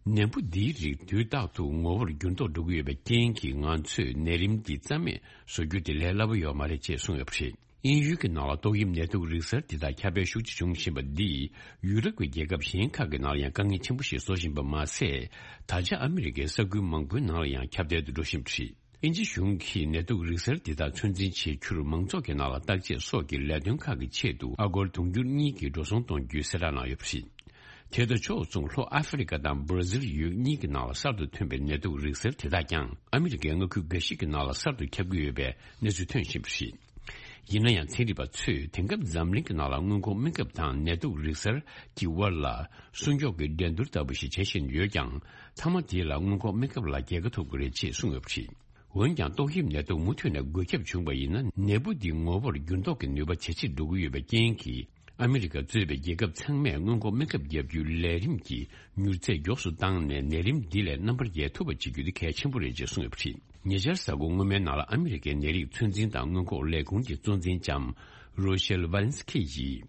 ནད་འབུ་འདིའི་རིགས་དུས་རྟག་ཏུ་ངོ་བོར་འགྱུར་ལྡོག་འགྲོ་གི་ཡོད་པའི་རྐྱེན་གྱིས། ང་ཚོས་ནད་རིམས་འདི་རྩ་མེད་བཟོ་རྒྱུ་དེ་ལས་སླ་པོ་ཡོད་མ་རེད་ཅེས་གསུངས་ཡོད་པ་རེད། དབྱིན་ཡུལ་གྱི་ནང་ལ་ཏོག་དབྱིབས་ནད་དུག་རིགས་གསར་འདི་དག་ཁྱབ་སྤེལ་ཤུགས་ཆེ་བྱུང་བཞིན་པ་འདིས་ཡུ་རོབ་ཀྱི་རྒྱལ་ཁབ་གཞན་ཁག་གི་ནང་ལ་ཡང་དཀའ་ངལ་ཆེན་པོ་ཞིག་བཟོ་བཞིན་པ་མ་ཟད། ད་ཆ་ཨ་མི་རི་ཀའི་ས་ཁུལ་མང་པོའི་ནང་ལ་ཡང་ཁྱབ་གདལ་དུ་འགྲོ་བཞིན་པ་རེད། དབྱིན་ཇི་གཞུང་གིས་ནད་དུག་རིགས་གསར་འདི་དག་ཚོད་འཛིན་བྱེད་རྒྱུར་མང་ཚོགས་ཀྱི་ནང་ལ་བརྟག་དཔྱད་སོགས་ཀྱི་ལས་དོན་ཁག་གི་ཆེད་དུ་ཨ་སྒོར་དུང་ཕྱུར་གཉིས་ཀྱི་འགྲོ་སོང་གཏོང་རྒྱུའི་གསལ་བསྒྲགས་གནང་ཡོད་པ་རེད། དེ་དང་ཕྱོགས་མཚུངས་ལྷོ་ཨ་ཧྥེ་རི་ཀ་དང་སྦར་ཟིལ་ཡུལ་གཉིས་ཀྱི་ནང་ལ་གསར་དུ་ཐོན་པའི་ནད་དུག་རིགས་གསར་དེ་དག་ཀྱང་ཨ་མི་རི་ཀའི་མངའ་ཁུལ་འགའ་ཞིག་གི་ནང་ལ་གསར་དུ་ཁྱབ་ཀྱི་ཡོད་པའི་གནས་ཚུལ་ཐོན་བཞིན་པ་རེད། ཡིན་ན་ཡང་ཚན་རིག་པ་ཚོས་དེང་སྐབས་འཛམ་གླིང་གི་ནང་ལ་སྔོན་འགོག་སྨན་ཁབ་དང་ནད་དུག་རིགས་གསར་གྱི་དབར་ལ་སྲུང་སྐྱོབ་ཀྱི་འགྲན་བསྡུར་ལྟ་བུ་ཞིག་བྱེད་བཞིན་ཡོད་ཀྱང་། མཐའ་མ་དེ་ལ་སྔོན་འགོག་སྨན་ཁབ་ལ་རྒྱལ་ཁ་ཐོབ་ཀྱི་རེད་ཅེས་གསུངས་ཡོད་པ་རེད། འོན་ཀྱང་ཏོག་དབྱིབས་ནད་དུག་མུ་མཐུད་ནས་འགོས་ཁྱབ་བྱུང་བ་ཡིན་ན་ནད་འབུ་འདི་ངོ་བོར་འགྱུར་ལྡོག་གི་ནུས་པ་ཇེ་ཆེར་འགྲོ་གི་ཡོད་པའི་རྐྱེན་གྱིས། ཨ་མི་རི་ཀ་གཙོས་པའི་རྒྱལ་ཁབ་ཚང་མས་སྔོན་འགོག་སྨན་ཁབ་བརྒྱབ་རྒྱུའི་ལས་རིམ་གྱི་མྱུར་ཚད་མགྱོགས་སུ་བཏང་ནས་ནད་རིམས་འདི་ལས་རྣམ་པར་རྒྱལ་ཐུབ་པ་བྱེད་རྒྱུ་དེ་གལ་ཆེན་པོ་རེད་ཅེས་གསུངས་ཡོད་པ་རེད། ཉེ་ཆར་གཟའ་འཁོར་སྔོན་མའི་ནང་ལ་ཨ་མི་རི་ཀའི་ནད་རིགས་ཚོད་འཛིན་དང་སྔོན་འགོག་ལས་ཁུངས་ཀྱི་གཙོ་འཛིན་ལྕམ་རོ་ཤེལ་ཝ་ལན་སི་ཁི་ཡིས།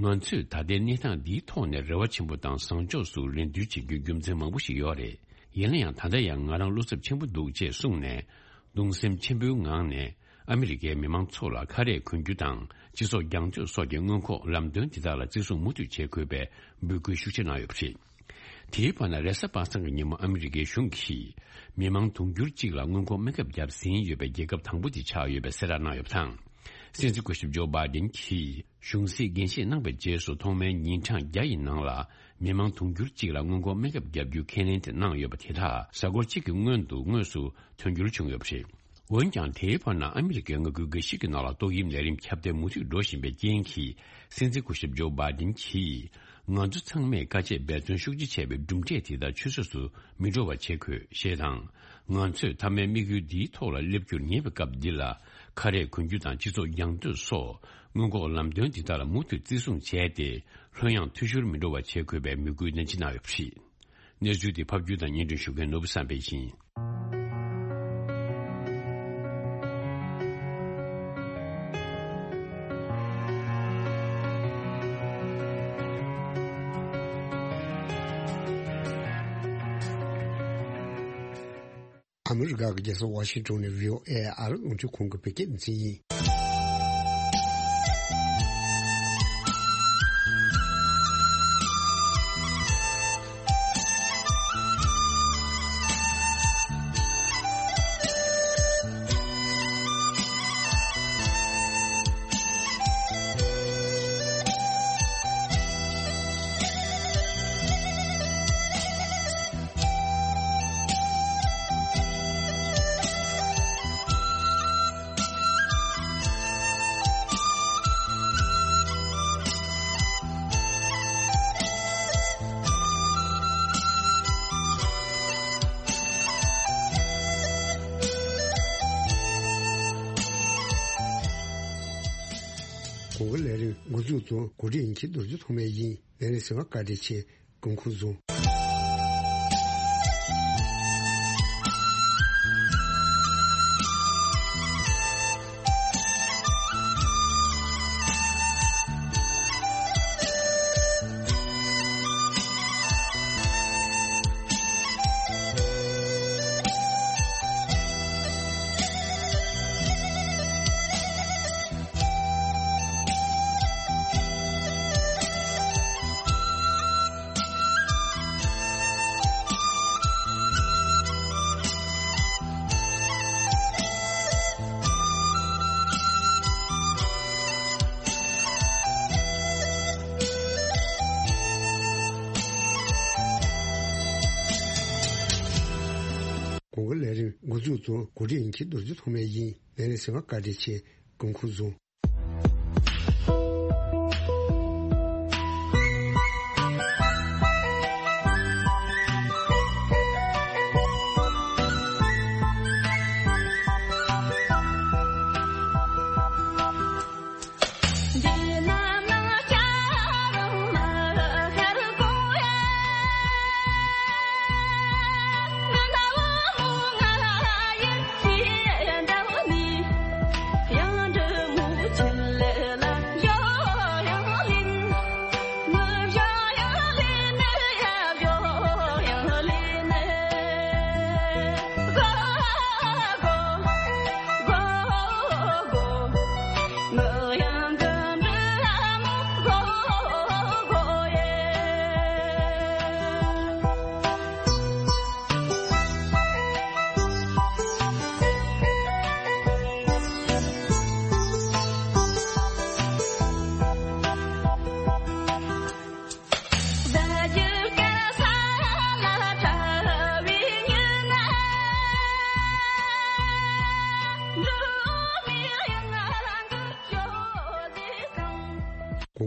ང་ཚོས་ད་ལྟའི་གནས་སྟངས་འདིའི་ཐོག་ནས་རེ་བ་ཆེན་པོ་དང་བཟང་ཕྱོགས་སུ་རེ་འདུན་བྱེད་རྒྱུའི་རྒྱུ་མཚན་མང་པོ་ཞིག་ཡོད་རེད། ཡིན་ན་ཡང་ད་ལྟ་ཡང་ང་རང་བློ་འཚབ་ཆེན་པོ་འདུག་ཅེས་གསུངས་ནས། གདུང་སེམས་ཆེན་པོའི་ངང་ནས། ཨ་མི་རི་ཀའི་མི་མང་ཚོ་ལ་ཁ་རས་གོན་རྒྱུ་དང་སྤྱི་ཚོགས་རྒྱང་སྐྱོད་སོགས་ཀྱི་སྔོན་འགོག་ལམ་སྟོན་དེ་དག་ལ་བརྩི་སྲུང་མུ་མཐུད་བྱེད་དགོས་པའི་འབོད་སྐུལ་ཤུགས་ཆེ་གནང་ཡོད་པ་རེད། དེའི་བར་ན་རེས་གཟའ་པ་སངས་ཀྱི་ཉིན་མོ་ཨ་མི་རི་ཀའི་གཞུང་གིས་མི་མང་དུང་ཕྱུར་གཅིག་ལ་སྔོན་འགོག་སྨན་ཁབ་བརྒྱབ་ཟིན་ཡོད་པའི་རྒྱལ་ཁབ་དང་པོ་དེ་ཆགས་ཡོད་པའི་གསལ་བསྒྲགས་གནང་ཡོད་པ་དང་། སྲིད་འཛིན་སྐུ་ཞབས་ཇོ་བྷའི་ཌེན་གྱིས་གཞུང་སྲིད་འགན་བཞེས་གནང་བའི་རྗེས་སུ་ཐོག་མའི་ཉིན་གྲངས་བརྒྱ་ཡི་ནང་ལ་མི་མང་དུང་ཕྱུར་གཅིག་ལ་སྔོན་འགོག་སྨན་ཁབ་བརྒྱབ་རྒྱུའི་ཁས་ལེན་དེ་གནང་ཡོད་པ་དེ་དག་གཟའ་འཁོར་གཅིག་གི་སྔོན་དུ་དངོས་སུ་དོན་འཁྱོལ་བྱུང་ཡོད་པ་རེད། འོན་ཀྱང་དེའི་བར་ན་ཨ་མི་རི་ཀའི་མངའ་ཁུལ་འགའ་ཞིག་གི་ནང་ལ་ཏོག་དབྱིབས་ནད་རིམས་ཁྱབ་གདལ་མུ་མཐུད་འགྲོ་བཞིན་པའི་རྐྱེན་གྱིས་སྲིད་འཛིན་སྐུ་ཞབས་ཇོ་བྷའི་ཌེན་གྱིས་ང་ཚོ་ཚང་མས་དཀའ་སྤྱད་འབད་བརྩོན་ཤུགས་ཆེ་བྱས་པའི་གྲུབ་འབྲས་དེ་དག་ཆུད་ཟོས་སུ་མི་འགྲོ་བ་བྱེད་དགོས་ཞེས་དང་། ང་ཚོས་མཐའ་མའི་དམིགས་ཡུལ་འདིའི་ཐོག་ལ་སླེབས་རྒྱུར་ཉེ་བའི་སྐབས་འདི་ལ་ཁ་རས་གོན་རྒྱུ་དང་སྤྱི་ཚོགས་རྒྱང་སྐྱོད་སོགས་སྔོན་འགོག་ལམ་སྟོན་འདི་དག་ལ་མུ་མཐུད་བརྩི་སྲུང་བྱས་ཏེ་ལྷོད་ཡངས་འཐུས་ཤོར་མི་འགྲོ་བ་བྱེད་དགོས་པའི་འབོད་སྐུལ་ནན་ཆེ་གནང་ཡོད་པ་རེད། གནས་ཚུལ་དེ་ཕབ་སྒྱུར་དང་སྙན་སྒྲོན་ཞུ་མཁན་ནོར་བུ་བསམ་འཕེལ་ཡིན། ཨ་མི་རི་ཀ་གི་རྒྱལ་ས་ཝ་ཤིང་ཊོན་ནས་བྷི་ཨོ་ཨེ་ཨ་རི་རླུང་འཕྲིན་ཁང་གི་བོད་སྐད་སྡེ་ཚན་ཡིན། གོང་གི་ལས་རིམ་འགོ་འཛུགས་དང་གོ་སྒྲིག་ཡིན་གྱི་རྡོ་རྗེ་ཐོགས་མེད་ཡིན། ལས་རིམ་གསན་པར་བཀའ་དྲིན་ཆེ། སྐུ་ཁམས་བཟང་། གོང་གི་ལས་རིམ་འགོ་འཛུགས་དང་གོ་སྒྲིག་ཡིན་གྱི་རྡོ་རྗེ་ཐོགས་མེད་ཡིན། ལས་རིམ་གསན་པར་བཀའ་དྲིན་ཆེ། སྐུ་ཁམས་བཟང་།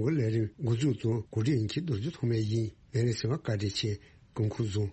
གོང་གི་ལས་རིམ་འགོ་འཛུགས་དང་གོ་སྒྲིག་ཡིན་གྱི་རྡོ་རྗེ་ཐོགས་མེད་ཡིན། ལས་རིམ་གསན་པར་བཀའ་དྲིན་ཆེ། སྐུ་ཁམས་བཟང་།